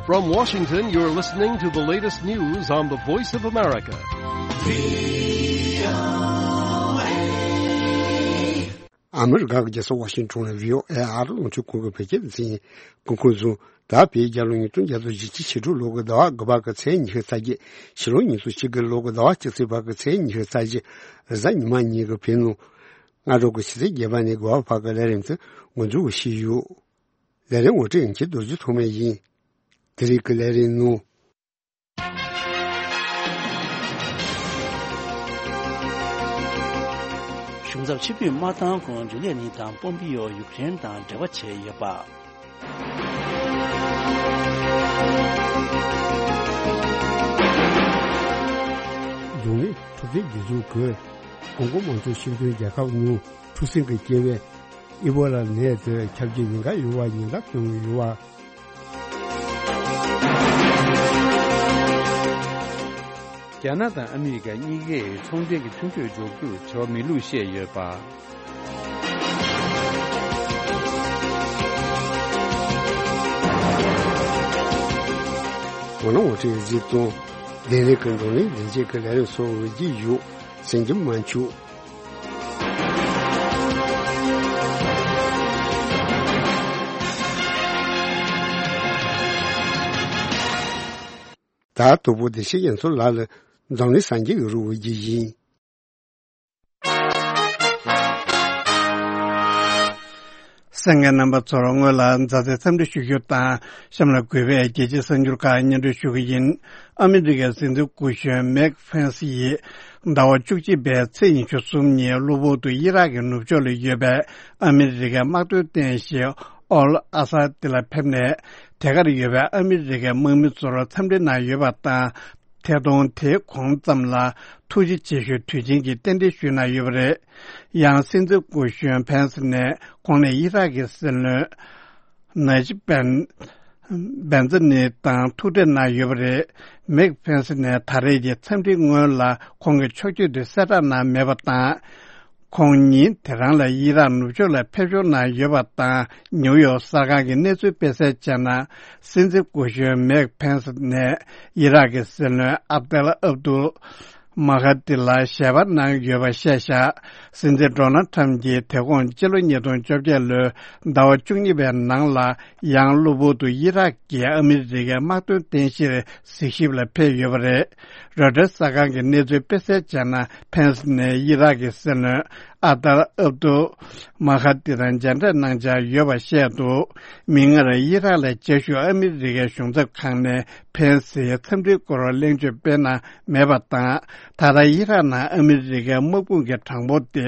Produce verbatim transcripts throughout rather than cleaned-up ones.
From Washington, you're listening to the latest news on the Voice of America. ཨ་མི་རི་ཀ་གི་རྒྱལ་ས་ཝ་ཤིང་ཊོན་ལ་བྷི་ཨོ་ཨེ་ཨ་རི་རླུང་འཕྲིན་ཁང་གི་བོད་སྐད་སྡེ་ཚན་ཡིན། སྐུ་ཁམས་བཟང་། ད་བོད་རྒྱལ་ལོ་ཉིས་སྟོང་བརྒྱ་དང་བཞི་བཅུ་ཞེ་དྲུག་ལོ་གི་ཟླ་བ་དགུ་པ་གི་ཚེས་ཉི་ཤུ་རྩ་བརྒྱད། ཕྱི་ལོ་ཉིས་སྟོང་གཅིག་གི་ལོ་གི་ཟླ་བ་གཅིག་ཚེས་པ་གི་ཚེས་ཉི་ཤུ་རྩ་བརྒྱད། རེས་གཟའ་ཉི་མ་ཉིན་གྱི་བོད་ནང་སྔ་དྲོ་གི་ཆུ་ཚོད་བརྒྱད་པ་ནས་དགུ་པ་བར་གྱི་ལས་རིམ་དེ་འགོ་འཛུགས་ཞུས་ཡོད། ལས་རིམ་ངོ་སྤྲོད་ཡིན་གྱི་རྡོ་རྗེ་ཐོགས་མེད་ཡིན། དེ་རིང་གི་ལས་རིམ་ནང་། གཞུང་ཚབ་ཕྱིར་འབུད་མ་བཏང་གོང་རྒྱུན་ལས་གཉིས་དང་པོམ་པི་ཡོ་ཡུཀ་རེན་དང་འབྲེལ་བ་བྱས་ཡོད་པ། རྫོང་ནི་འཁྲུག་འཛིང་སྒྲིག་འཛུགས་ཀྱིས་ཀོང་ཀོ་དམངས་གཙོའི་སྤྱི་མཐུན་རྒྱལ་ཁབ་ནང་འཁྲུག་ཟིང་གི་སྐྱེ་བའི་ཨི་བོ་ལ་ནད་དེ་ཁྱབ་རྒྱུའི་ཉེན་ཁ་ཡོད་པ་ཉེན་བརྡ་བཏོན་ཡོད་པ། རྒྱ་ནག་དང་ཨ་མི་རི་ཀ་གཉིས་ཀས་ཚོང་འབྲེལ་གྱི་མཐུན་གྲོས་འཇོག་རྒྱུར་བྱ་བ་མེད་ལུགས་བཤད་ཡོད་པ། འོ་ན་ངོ་སྤྲོད་གཟིགས་དང་། བདེ་ལེགས་ཀྱི་འགྲོ་གླེང་བདེ་འཇགས་ཀྱི་ལས་རིམ་སོགས་འོས་ཀྱི་ཡོད། ཟིན་གྱི་མ་བཅུག་ད་དོ་པོ་བདེ་ཆེན་རྒྱ་མཚོ་ལགས་ལ་འཛམ་གླིང་སངས་རྒྱས་ཀྱི་རིགས་འོས་ཀྱི་ཡིན། གསན་མཁན་རྣམ་པ་ཚོར་སྔོན་ལ་མཛའ་བརྩེའི་འཚམས་འདྲི་ཞུ་རྒྱུ་དང་། གཤམ་ལ་གུས་པས་རྒྱལ་སྤྱིའི་གསར་འགྱུར་ཁག་སྙན་སྒྲོན་ཞུ་གི་ཡིན། ཨ་མི་རི་ཀའི་སྲིད་འཛིན་སྐུ་གཞོན་མེག་ཕེན་སི་ཡིས་ཟླ་བ་བཅུ་གཅིག་པའི་ཚེས་ཉི་ཤུ་གསུམ་ཉིན་གློ་བུར་དུ་ཨི་རག་གི་ནུབ་ཕྱོགས་ལ་ཡོད་པའི་ཨ་མི་རི་ཀའི་དམག་དོན་རྟེན་གཞི་ཨོལ་ཨ་ས་དེ་ལ་ཕེབས་ནས། དེ་གར་ཡོད་པའི་ཨ་མི་རི་ཀའི་དམག་མི་ཚོར་འཚམས་འདྲི་གནང་ཡོད་པ་དང་། ཐད་གཏོང་དེའི་གོང་ཙམ་ལ་ཐུགས་རྗེ་ཆེ་ཞུའི་དུས་ཆེན་གྱི་རྟེན་འབྲེལ་ཞུས་གནང་ཡོད་པ་རེད། ཡང་སྲིད་འཛིན་སྐུ་གཞོན་ཕེན་སི་ནས་ཁོང་ནས་ཨི་རག་གི་སྲིད་བློན་ནཱ་ཇི་བན་བན་ཛི་ནི་དང་ཐུག་འཕྲད་གནང་ཡོད་པ་རེད། མེག་ཕེན་སི་ནས་ད་རེས་ཀྱི་འཚམས་འདྲིའི་སྔོན་ལ་ཁོང་གི་ཕྱོགས་བསྐྱོད་དེ་གསལ་བསྒྲགས་གནང་མེད་པ་དང་། ཁོང་ཉིན་དེ་རང་ལ་ཨི་རག་ནུབ་ཕྱོགས་ལ་ཕེབས་ཞོར་གནང་ཡོད་པ་དང་། ནིའུ་ཡོག་གསར་ཁང་གི་གནས་ཚུལ་སྤེལ་གསལ་བྱས་ན། སྲིད་འཛིན་སྐུ་གཞོན་མེག་ཕེན་སི་ནས་ཨི་རག་གི་སྲིད་བློན་ཨབ་དེལ་ཨབ་དུལ་མ་ཧ་ཏི་ལ་ཞལ་པར་གནང་ཡོད་པ་བཤད་བཞག་སྲིད་འཛིན་ཌོ་ནལ་ཁྲམ་གྱིས་དེ་གོང་སྤྱི་ལོ་ཉིས་སྟོང་བཅོ་བརྒྱད་ལོའི་ཟླ་བ་བཅུ་གཉིས་པའི་ནང་ལ་ཡང་གློ་བུར་དུ་ཨི་རག་གི་ཨ་མི་རི་ཀའི་དམག་དོན་རྟེན་གཞིར་གཟིགས་ཞིབ་ལ་ཕེབས་ཡོད་པ་རེད། རོའི་ཊར་གསར་ཁང་གི་གནས་ཚུལ་སྤེལ་གསལ་བྱས་ན། ཕེན་སི་ནས་ཨི་རག་གི་སྲིད་བློན་ཨ་ཏལ་ཨབ་ཏུ་མ་ཧ་ཏི་དང་མཇལ་འཕྲད་གནང་འཆར་ཡོད་པ་བཤད་འདུག་མིག་སྔར་ཨི་རག་ལ་བཅའ་བཞུགས་ཨ་མི་རི་ཀའི་གཞུང་ཚབ་ཁང་ནས་ཕེན་སིའི་འཚམས་འདྲིའི་སྐོར་གླེང་བརྗོད་སྤེལ་གནང་མེད་པ་དང་། ད་ལྟ་ཨི་རག་ནང་ཨ་མི་རི་ཀའི་དམག་དཔུང་གི་གྲངས་འབོར་དེ་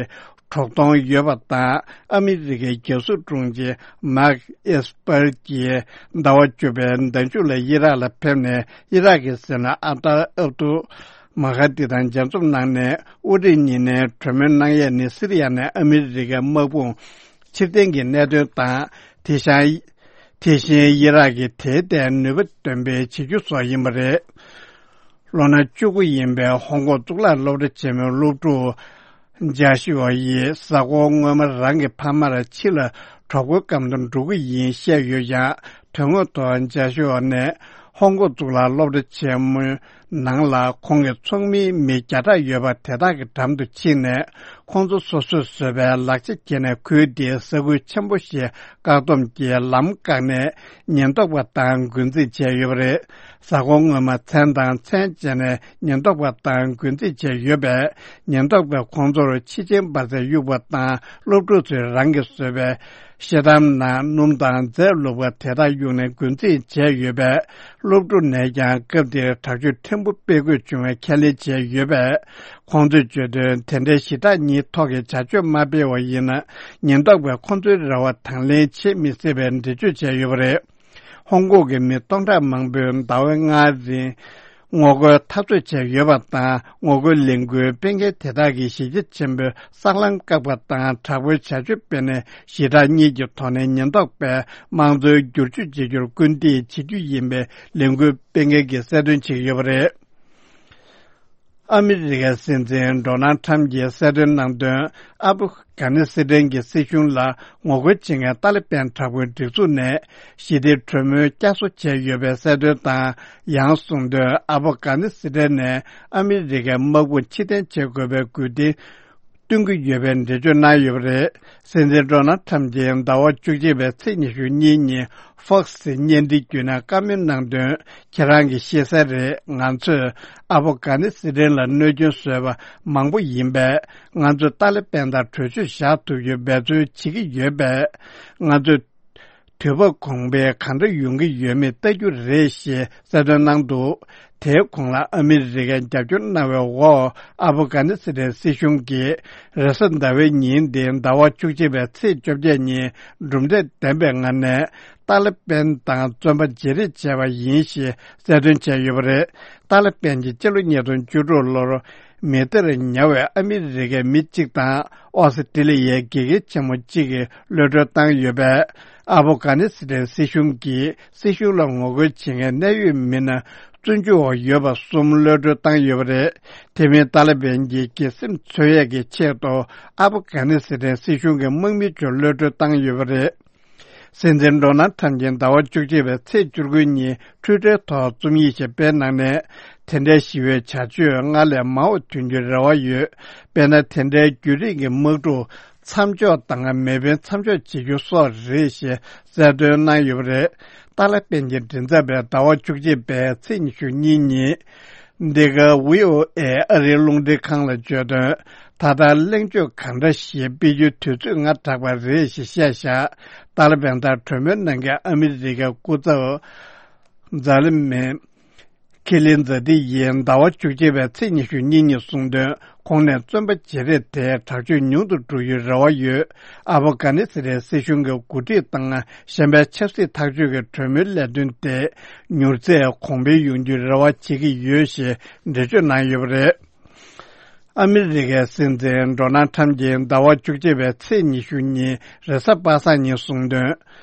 དྲུག་སྟོང་ཡོད་པ་དང་། ཨ་མི་རི་ཀའི་རྒྱལ་སྲུང་དྲུང་ཆེ་མཱག་ཨེས་པར་གྱིས་ཟླ་བ་བཅུ་པའི་ཟླ་མཇུག་ལ་ཨི་རག་ལ་ཕེབས་ནས་ཨི་རག་གི་སྲིད་བློན་ཨ་ཏལ་ཨབ་ཏུ་མ་ཧ་ཏི་དང་མཇལ་འཛོམས་གནང་ནས། དབུ་ཁྲིད་གཉིས་ནས་གྲོས་མོལ་གནང་ཡས་ནི་སི་རི་ཡ་ནས་ཨ་མི་རི་ཀའི་དམག་དཔུང་ཕྱིར་འཐེན་གྱི་གནད་དོན་དང་། དེ་བཞིན་དེ་བཞིན་ཨི་རག་གིས་དེའི་ཐད་ནུས་པ་འདོན་སྤེལ་བྱེད་རྒྱུ་སོགས་ཡིན་པ་རེད། ལོ་ན་བཅུ་དགུ་ཡིན་པའི་ཧོང་ཀོང་གཙུག་ལག་སློབ་གྲྭ་ཆེན་མོའི་སློབ་ཕྲུག་ཇཱ་ཤུ་ཨ་ཡིས་གཟའ་འཁོར་སྔོན་མ་རང་གི་ཕ་མར་ཕྱི་ལ་གྲོགས་པོའི་སྒམ་དུ་འགྲོ་གི་ཡིན་བཤད་ཡོད་ཀྱང་། དོན་དངོས་ཐོག་ཇཱ་ཤུ་ཨ་ནས་ཧོང་ཀོང་གཙུག་ལག་སློབ་གྲྭ་ཆེན་མོའི་ནང་ལ་ཁོང་གི་ཚོགས་མིའི་མི་བརྒྱ་ཕྲག་ཡོད་པ་དེ་དག་གི་འགྲམ་དུ་ཕྱིན་ནས། ཁོང་ཚོ་སོ་སོས་བཟོས་པའི་ལག་ཆ་ཁྱེར་ནས། ཁུལ་དེའི་ས་ཁུལ་ཆེན་པོ་ཞིག་བཀག་སྡོམ་གྱིས་ལམ་བཀག་ནས་ཉེན་རྟོག་པ་དང་རྒོལ་འཛིང་བྱས་ཡོད་པ་རེད། གཟའ་འཁོར་སྔོན་མ་མཚན་དང་མཚན་བཅད་ནས་ཉེན་རྟོག་པ་དང་རྒོལ་འཛིང་བྱས་ཡོད་པས། ཉེན་རྟོག་པས་ཁོང་ཚོར་ཕྱི་ཆེན་འབར་རྫས་གཡུགས་པ་དང་། སློབ་ཕྲུག་ཚོས་རང་གིས་བཟོས་པའི་ཤེལ་དམ་ནང་སྣུམ་དང་རྫས་བླུགས་པ་དེ་དག་གཡུགས་ནས་རྒོལ་འཛིང་བྱས་ཡོད་པས། སློབ་ཕྲུག་ནས་ཀྱང་སྐབས་དེར་དྲག་སྤྱོད་ཕྲན་བུ་སྤེལ་དགོས་བྱུང་བའི་ཁས་ལེན་བྱས་ཡོད་པས། ཁོང་ཚོས་བརྗོད་དོན། དེ་འདྲའི་ཞི་དྲག་གཉིས་ཐོག་གི་བྱ་སྤྱོད་མ་སྤེལ་བ་ཡིན་ན། ཉེན་རྟོག་པས་ཁོང་ཚོའི་རེ་བ་དང་ལེན་བྱེད་མི་སྲིད་པའི་འགྲེལ་བརྗོད་བྱས་ཡོད་པ་རེད། ཧོང་ཀོང་གི་མི་སྟོང་ཕྲག་མང་པོས་ཟླ་བ་ལྔའི་རིང་ངོ་རྒོལ་འཐབ་རྩོད་བྱས་ཡོད་པ་དང་། ངོ་རྒོལ་ལས་འགུལ་སྤེལ་མཁན་དེ་དག་གིས་གཞིས་ཆགས་ཆེན་པོའི་སྲང་ལམ་བཀག་པ་དང་། དྲག་པོའི་བྱ་སྤྱོད་སྤེལ་ནས་ཞི་དྲག་གཉིས་ཀྱི་ཐོག་ནས་ཉེན་རྟོག་པས་དམངས་གཙོའི་བསྒྱུར་བཅོས་བྱེད་རྒྱུར་སྐུལ་འདེད་བྱེད་རྒྱུ་ཡིན་པའི་ལས་འགུལ་སྤེལ་མཁན་གྱིས་གསལ་སྟོན་བྱེད་ཀྱི་ཡོད་པ་རེད། ཨ་མི་རི་ཀའི་སྲིད་འཛིན་ཌོ་ནལ་ཁྲམ་གྱིས་གསལ་སྟོན་གནང་དོན། ཨ་བྷ་གྷ་ནི་སི་ཐན་གྱི་སྲིད་གཞུང་ལ་ངོ་རྒོལ་བྱེད་མཁན་ཏཱ་ལི་པན་དྲག་པོའི་སྒྲིག་འཛུགས་ནས་ཞི་བདེ་གྲོས་མོལ་བསྐྱར་གསོ་བྱས་ཡོད་པའི་གསལ་སྟོན་དང་། ཡང་གསུངས་དོན། ཨ་བྷ་གྷ་ནི་སི་ཐན་ནས་ཨ་མི་རི་ཀའི་དམག་དཔུང་ཕྱིར་འཐེན་བྱེད་དགོས་པའི་དགོས་འདུན་བཏོན་གྱི་ཡོད་པའི་འགྲེལ་བརྗོད་གནང་ཡོད་པ་རེད། སྲིད་འཛིན་ཌོ་ནལ་ཁྲམ་གྱིས་ཟླ་བ་བཅུ་གཅིག་པའི་ཚེས་ཉི་ཤུ་གཉིས་ཉིན་ཧྥོག་སི་བརྙན་འཕྲིན་བརྒྱུད་ནས་བཀའ་མོལ་གནང་དོན། ཁྱེད་རང་གིས་ཤེས་གསལ་རེད། ང་ཚོས་ཨ་བྷ་གྷ་ནི་སི་ཐན་ལ་གནོད་སྐྱོན་བཟོས་པ་མང་པོ་ཡིན་པས། ང་ཚོས་ཏཱ་ལི་པན་དང་གྲོས་ཆོད་བཞག་ཐུབ་རྒྱུའི་འབད་བརྩོན་བྱེད་ཀྱི་ཡོད་པས། ང་ཚོས་དུས་བབ་གོང་འཕེལ་གང་འདྲ་ཡོང་གི་ཡོད་མེད་ལྟ་རྒྱུ་རེད་ཞེས་གསལ་སྟོན་གནང་འདུག་དེའི་གོང་ལ་ཨ་མི་རི་ཀའི་རྒྱབ་སྐྱོར་གནང་བའི་འོག་ཨ་བྷ་གྷ་ནི་སི་ཐན་སྲིད་གཞུང་གིས་རེས་གཟའ་ཟླ་བའི་ཉིན་དེ་ཟླ་བ་བཅུ་གཅིག་པའི་ཚེས་བཅོ་བརྒྱད་ཉིན་གྲུབ་འབྲས་ལྡན་པའི་ངང་ནས་ཏཱ་ལི་པན་དང་བཙོན་པ་བརྗེ་རེས་བྱས་པ་ཡིན་ཞེས་གསལ་སྟོན་བྱས་ཡོད་པ་རེད། ཏཱ་ལི་པན་གྱིས་སྤྱི་ལོ་ཉིས་སྟོང་བཅུ་དྲུག་ལོར་མི་སྟེར་ཉར་བའི་ཨ་མི་རི་ཀའི་མི་གཅིག་དང་ཨོ་སི་ཀྲི་ལི་ཡའི་དགེ་རྒན་ཆེན་མོ་གཅིག་གི་གློད་གྲོལ་བཏང་ཡོད་པས། ཨ་བྷ་གྷ་ནི་སི་ཐན་སྲིད་གཞུང་གིས་སྲིད་གཞུང་ལ་ངོ་རྒོལ་བྱེད་མཁན་གནད་ཡོད་མི་སྣ་བཙོན་འཇུག་འོག་ཡོད་པ་གསུམ་གློད་གྲོལ་བཏང་ཡོད་པ་རེད། དེ་མིན་ཏཱ་ལི་པན་གྱིས་དགེ་སེམས་འཚོལ་ཡས་ཀྱི་ཆེད་དུ་ཨ་བྷ་གྷ་ནི་སི་ཐན་སྲིད་གཞུང་གི་དམག་མི་ཚོ་གློད་གྲོལ་བཏང་ཡོད་པ་རེད། སྲིད་འཛིན་ཌོ་ནལ་ཁྲམ་གྱིས་ཟླ་བ་བཅུ་གཅིག་པའི་ཚེས་བཅུ་དགུ་ཉིན་ཊུའི་ཊར་ཐོག་རྩོམ་ཡིག་ཞིག་སྤེལ་གནང་ནས། དེ་འདྲའི་ཞི་བའི་བྱ་སྤྱོད་སྔར་ལས་མང་བ་ཐོན་རྒྱུའི་རེ་བ་ཡོད། དཔེར་ན། དེ་འདྲའི་རྒྱུན་རིང་གི་དམག་འཁྲུག་མཚམས་འཇོག་དང་མེ་འཕེན་མཚམས་འཇོག་བྱེད་རྒྱུ་སོགས་རེད་ཞེས་གསལ་སྟོན་གནང་ཡོད་པ་རེད། ཏཱ་ལི་པན་གྱི་མགྲིན་ཚབ་པས་ཟླ་བ་བཅུ་གཅིག་པའི་ཚེས་ཉི་ཤུ་གཉིས་ཉིན། འདི་ག་ཝི་ཨོ་ཨེ་ཨ་རིའི་རླུང་འཕྲིན་ཁང་ལ་བརྗོད་དོན། ད་ལྟ་གླེང་བརྗོད་གང་འདྲ་ཞིག་སྤེལ་རྒྱུའི་དུས་ཚོད་སྔ་དྲགས་པ་རེད་ཞེས་བཤད་བཞག་ཏཱ་ལི་པན་དང་གྲོས་མོལ་གནང་མཁན་ཨ་མི་རི་ཀའི་སྐུ་ཚབ་ཛ་ལི་མེ་ཁི་ལིན་ཛ་ཏི་ཡིས་ཟླ་བ་བཅུ་གཅིག་པའི་ཚེས་ཉི་ཤུ་གཉིས་ཉིན་གསུངས་དོན། ཁོང་ནས་བཙོན་པ་བརྗེ་རེས་དེ་དྲག་སྤྱོད་ཉུང་དུ་འགྲོ་རྒྱུའི་རེ་བ་ཡོད། ཨ་བྷ་གྷ་ནི་སི་ཐན་སྲིད་གཞུང་གི་འགོ་ཁྲིད་དང་གཞན་པའི་ཆབ་སྲིད་ཐག་གཅོད་ཀྱི་གྲོས་མོལ་ལས་དོན་དེ་མྱུར་ཚད་གོང་འཕེལ་ཡོང་རྒྱུའི་རེ་བ་བྱེད་ཀྱི་ཡོད་ཞེས་འགྲེལ་བརྗོད་གནང་ཡོད་པ་རེད། ཨ་མི་རི་ཀའི་སྲིད་འཛིན་ཌོ་ནལ་ཁྲམ་གྱིས་ཟླ་བ་བཅུ་གཅིག་པའི་ཚེས་ཉི་ཤུ་ཉིན་རེས་གཟའ་པ་སངས་ཉིན་གསུངས་དོན།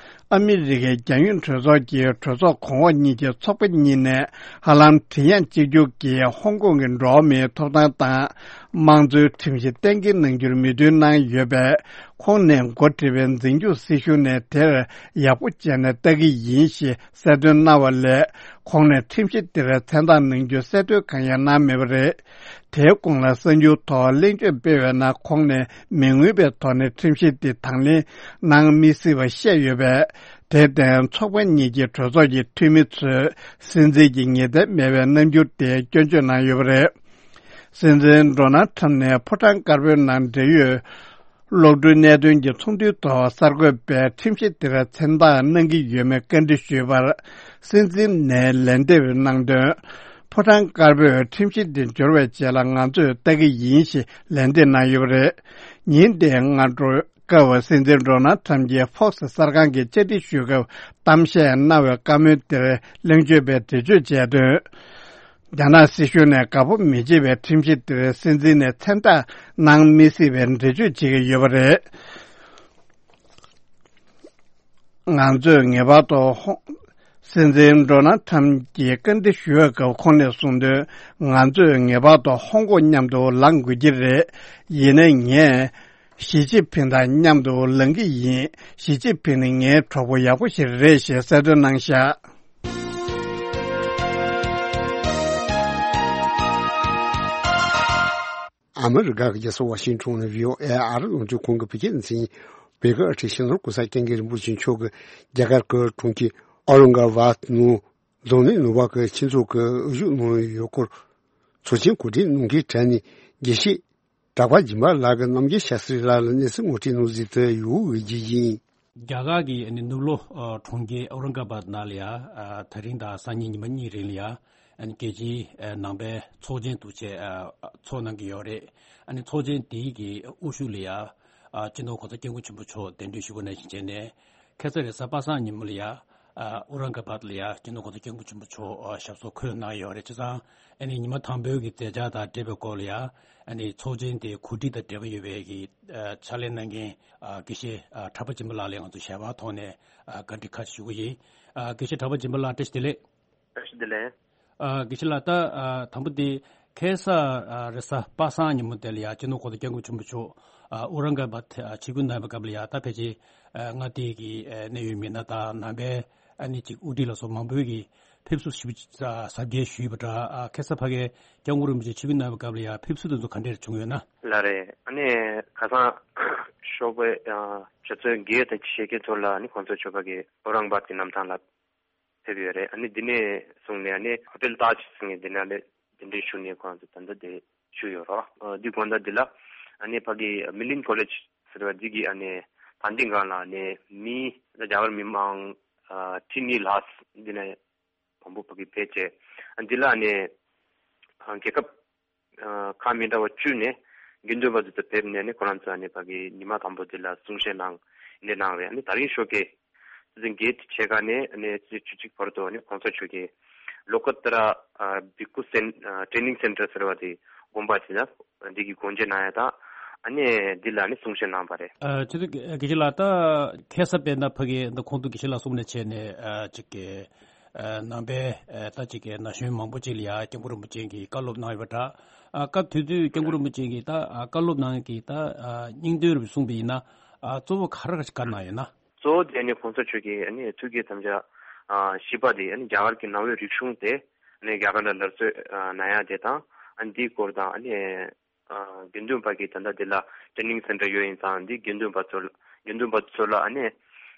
ཨ་མི་རི་ཀའི་རྒྱལ་ཡོངས་གྲོས་ཚོགས་ཀྱི་གྲོས་ཚོགས་གོང་འོག་གཉིས་ཀྱི་ཚོགས་པ་གཉིས་ནས་ཧ་ལམ་མགྲིན་དབྱངས་གཅིག་གྱུར་གྱིས་ཧོང་ཀོང་གི་འགྲོ་བ་མིའི་ཐོབ་ཐང་དང་དམངས་གཙོའི་ཁྲིམས་གཞི་གཏན་འཁེལ་གནང་རྒྱུར་མོས་མཐུན་གནང་ཡོད་པས། ཁོང་ནས་འགོ་ཁྲིད་པའི་འཛིན་སྐྱོང་སྲིད་གཞུང་ནས་དེར་ཡག་པོ་བྱས་ནས་ལྟ་གི་ཡིན་ཞེས་གསལ་སྟོན་གནང་བ་ལས། ཁོང་ནས་ཁྲིམས་གཞི་དེར་མཚན་རྟགས་གནང་རྒྱུའི་གསལ་སྟོན་གང་ཡང་གནང་མེད་པ་རེད། དེའི་གོང་ལ་གསར་འགྱུར་ཐོག་གླེང་བརྗོད་སྤེལ་བའི་ནང་ཁོང་ནས་མི་མངོན་པའི་ཐོག་ནས་ཁྲིམས་གཞི་འདི་དང་ལེན་གནང་མི་སྲིད་པ་བཤད་ཡོད་པས། དེར་བརྟེན་ཚོགས་པ་གཉིས་ཀྱི་གྲོས་ཚོགས་ཀྱི་འཐུས་མི་ཚོས་སྲིད་འཛིན་གྱི་ངེས་གཏན་མེད་པའི་རྣམ་འགྱུར་དེ་སྐྱོན་བརྗོད་གནང་ཡོད་པ་རེད། སྲིད་འཛིན་ཌོ་ནལ་ཁྲམ་ནས་ཕོ་བྲང་དཀར་པོའི་ནང་འབྲེལ་ཡོད་གློག་འཕྲུལ་གནད་དོན་གྱི་ཚོགས་འདུའི་ཐོག་གསར་འགོད་པས་ཁྲིམས་གཞི་དེར་མཚན་རྟགས་གནང་གི་ཡོད་མེད་བཀའ་འདྲི་ཞུས་པར། སྲིད་འཛིན་ནས་ལན་འདེབས་གནང་དོན། ཕོ་བྲང་དཀར་པོས་ཁྲིམས་གཞི་འདི་འབྱོར་བའི་རྗེས་ལ་ང་ཚོས་ལྟ་གི་ཡིན་ཞེས་ལན་འདེབས་གནང་ཡོད་པ་རེད། ཉིན་དེའི་སྔ་དྲོ་སྐབས་སྲིད་འཛིན་ཌོ་ནལ་ཁྲམ་གྱིས་ཕོག་སི་གསར་ཁང་གི་བཅར་འདྲི་ཞུས་སྐབས་གཏམ་བཤད་གནང་བའི་བཀའ་མོལ་དེར་གླེང་བརྗོད་པས་འགྲེལ་བརྗོད་བྱས་དོན། རྒྱ་ནག་སྲིད་གཞུང་ནས་དགའ་པོ་མི་བྱེད་པའི་ཁྲིམས་གཞི་དེར་སྲིད་འཛིན་ནས་མཚན་རྟགས་གནང་མི་སྲིད་པའི་འགྲེལ་བརྗོད་བྱེད་ཀྱི་ཡོད་པ་རེད། ང་ཚོས་ངེས་པར་དུ་ཧོང་། སྲིད་འཛིན་ཌོ་ནལ་ཁྲམ་གྱིས་བཀའ་འདྲི་ཞུ་བའི་སྐབས་ཁོང་ནས་གསུངས་དོན། ང་ཚོས་ངེས་པར་དུ་ཧོང་ཀོང་མཉམ་དུ་ལངས་དགོས་ཀྱི་རེད། ཡིན་ནའི་ངས་ཞི་ཅིན་ཕིང་དང་མཉམ་དུ་ལངས་ཀྱི་ཡིན། ཞི་ཅིན་ཕིང་ནི་ངའི་གྲོགས་པོ་ཡག་པོ་ཞིག་རེད་ཞེས་གསལ་སྟོན་གནང་བཞག་ཨ་མི་རི་ཀ་གི་རྒྱལ་ས་ཝ་ཤིང་ཊོན་ནས་བྷི་ཨོ་ཨེ་ཨ་རི་རླུང་འཕྲིན་ཁང་གི་བོད་སྐད་སྡེ་ཚན་ཡིན། བོད་ཀྱི་ཨ་ཁྲིད་ཤིང་ནོར་གོང་ས་སྐྱབས་མགོན་རིན་པོ་ཆེ་མཆོག་གིས་རྒྱ་གར་གྱི་གྲོང་ཁྱེར་ཨོ་རང་ག་བཱད་ནང་རྫོང་ནས་ནུབ་བར་གྱི་ཁྱིམ་ཚང་གི་དབུ་བཞུགས་གནང་ཡོད་སྐོར་ཚོགས་ཆེན་གོ་སྒྲིག་གནང་མཁན་གྲས་ནས་དགེ་བཤེས་གྲགས་པ་སྦྱིན་པ་ལགས་ཀྱིས་རྣམ་རྒྱལ་ཤཱ་སྟྲི་ལགས་ལ་གནས་ཚུལ་ངོ་སྤྲོད་གནང་གཟིགས་དུ་ཡོད་འོས་བརྒྱུད་ཡིན། རྒྱ་གར་གྱི་ནུབ་ལོགས་གྲོང་ཁྱེར་ཨོ་རང་ག་བཱད་ནང་ལ་ཡ། དེ་རིང་དང་སང་ཉིན་ཉི་མ་གཉིས་རིང་ལ་ཡ། རྒྱལ་སྤྱིའི་ནང་པའི་ཚོགས་ཆེན་འདུ་བྱས་ཚོགས་གནང་གི་ཡོད་རེད། ཚོགས་ཆེན་དེའི་གི་དབུ་བཞུགས་ལ་ཡ། སྤྱི་ནོར་གོང་ས་སྐྱབས་མགོན་ཆེན་པོ་མཆོག་གདན་འདྲེན་ཞུ་སྒོ་ནང་བཞིན་བྱས་ནས། ཁ་སང་རེས་གཟའ་པ་སངས་ཉིན་མོ་ལ་ཡ། ཨ་ཨུ་རང་ག་བཱད་ལ་ཡ་སྤྱི་ནོར་གོང་ས་སྐྱབས་མགོན་ཆེན་པོ་མཆོག་ཨ་ཞབས་སོར་འཁོད་གནང་ཡོད་རེད། བྱས་ཙང་ཨ་ནི་ཉི་མ་དང་པོའི་གི་མཛད་འཆར་དང་འབྲེལ་བའི་སྐོར་ལ་ཡ། ཨ་ནི་ཚོགས་ཆེན་དེ་གོ་སྒྲིག་དང་འབྲེལ་བ་ཡོད་པའི་གི་ཨ་ཕྱག་ལས་གནང་མཁན་ཨ་དགེ་བཤེས་ཨ་གྲགས་པ་སྦྱིན་པ་ལགས་ལ་ང་ཚོ་ཞལ་པར་ཐོག་ནས་ཨ་བཀའ་འདྲི་ཁ་ཤས་ཞུ་གི་ཡིན། ཨ་དགེ་བཤེས་གྲགས་པ་སྦྱིན་པ་ལགས་བཀྲ་ཤིས་བདེ་ལེགས། བཀྲ་ཤིས་བདེ་ལེགས། ཨ་དགེ་བཤེས་ལགས། ད་ཨ་དང་པོ་དེ་ ཁ་སང་རེས་གཟའ་པ་སངས་ཉིན་མོ་དེ་ལ་ཡ་སྤྱི་ནོར་གོང་ས་སྐྱབས་མགོན་ཆེན་པོ་མཆོག་ཨ་ཨུ་རང་ག་བ་ད་ཆིབས་བསྒྱུར་གནང་བའི་སྐབས་ལ་ཡ་ད་ཕལ་ཆེར་ཨ་མངའ་སྡེ་གི་ཨ་གནད་ཡོད་མི་སྣ་དང་ནང་པའི་ཨ་ནི་ཅིག་དབུ་ཁྲིད་ལ་སོགས་མང་པོས་ཀྱིས་ཕེབས་བསུ་ཞེ་པོ་ཅིག་གཟབ་རྒྱས་ཞུས་པ་འདྲ། ཨ་ཁ་སང་ཕ་གིའི་སྐྱབས་མགོན་རིན་པོ་ཆེ་ཆིབས་བསྒྱུར་གནང་བའི་སྐབས་ལ་ཡ་ཕེབས་བསུ་དེ་ཚོ་ག་འདྲས་བྱུང་ཡོད་ན། ལགས་རེད། ཨ་ནི་ཁ་སང་ཞོགས་པའི་ཨ་ཆུ་ཚོད་བརྒྱད་དང་ཕྱེད་ཀའི་ཐོག་ལ་ཨ་ནི་གོང་ས་མཆོག་ཕ་གི་ཨོ་རང་བཱད་ཀྱི་གནམ་ཐང་ལ་ཕེབས་ཡོད་རེད། ཨ་ནི་འདི་ནས་བཟུང་ནས་ཨ་ནི་ཧོ་ཊེལ་ཏཱཇ་ཟེར་མཁན་འདི་ནང་ལ་གདན་འདྲེན་ཞུས་ནས་ཁོང་ཚོ་ད་ལྟ་དེ་བཞུགས་ཡོད་རེད། ཨ་འདི་དགོང་དག་འདི་ལ་ཨ་ནི་ཕ་གི་མི་ལིན་ཀོ་ལེཇ་ཟེར་བ་འདི་གི་ཨ་ནི་ད་འདི་སྒང་ལ་ཨ་ནི་མི་རྒྱ་གར་མི་མང་ཨ་ཁྲི་གཉིས་ལྷག་འདི་ནས་མང་པོ་ཕ་གི་ཕེབས་བྱས། ཨ་འདི་ལ་ཨ་ནི་ཨ་རྒྱལ་ཁབ་ཨ་ཁག་མི་འདྲ་བ་བཅུ་ནས་དགེ་འདུན་པ་ཚོ་དེ་ཕེབས་ནས་ནི་ཁོ་རང་ཚོ་ཨ་ནི་ཕ་གི་ཉི་མ་དང་པོ་དེ་ལ་གསུང་བཤད་གནང་ནས་གནང་རེད། ཨ་ནི་དེ་རིང་ཞོགས་ཀས་སྲིད་འཛིན་གྱིས་ཕྱེད་ཀ་ནས་ཨ་ནི་ཆུ་ཚོད་བཅུ་གཅིག་བར་དུ་ཨ་ནི་གོང་ས་མཆོག་གིས་ལོ་ཀ་ཏ་ར་ཨ་བྷིཀ་ཁུ་སེན་ཨ་ཊེ་ནིང་སེན་ཊར་ཟེར་བ་དེ་དགོན་པ་དེ་ལ་འདི་གི་སྒོ་འབྱེད་གནང་ཡ་དང་ཨ་ནི་འདི་ལ་ཨ་ནི་གསུང་བཤད་གནང་བ་རེད། ཨ་ཆུ་ཚོད་དགེ་བཤེས་ལགས། ད་ཁ་སང་དཔེར་ན་ཕ་གི་ད་གོང་དུ་དགེ་བཤེས་ལགས་གསུངས་ནས་བྱས་ནས་ཨ་ཅིག་གི་ཨ་ནང་པའི་ཨ་ད་ཅིག་གི་ན་གཞོན་མང་པོ་ཅིག་ལ་ཡ་སྐྱབས་མགོན་རིན་པོ་ཆེ་གིས་བཀའ་སློབ་གནང་ཡོད་པ་འདྲ། ཨ་སྐབས་དེ་དུས་སྐྱབས་མགོན་རིན་པོ་ཆེ་གིས་ད་ཨ་བཀའ་སློབ་གནང་གི་ད་ཨ་སྙིང་དོན་རུ་གསུངས་པ་ཡིན་ན་ཨ་གཙོ་བོ་ག་རེ་བཀའ་གནང་ཡོད་ན། གཙོ་བོ་དེ་ནི་གོང་ས་མཆོག་གིས་ཨ་ནི་ཐུགས་བསྐྱེད་དམ་བཅའ་ཨ་བཞི་པ་དེ་ཨ་ནི་རྒྱ་གར་གྱི་ནང་པའི་རིག་གཞུང་དེ་ཨ་ནི་རྒྱ་གར་ལ་སླར་གསོ་ཨ་གནང་ཡ་དེ་དང་ཨ་ནི་འདིའི་སྐོར་དང་ཨ་ནི། ཨ་དགེ་འདུན་པ་གི་ད་ལྟ་འདི་ལ་ཊེ་ནིང་སེན་ཊར་ཡོད་ཡིན་ཙང་འདི་དགེ་འདུན་པ་ཚོ་ལ་དགེ་འདུན་པ་ཚོ་ལ་ཨ་ནི་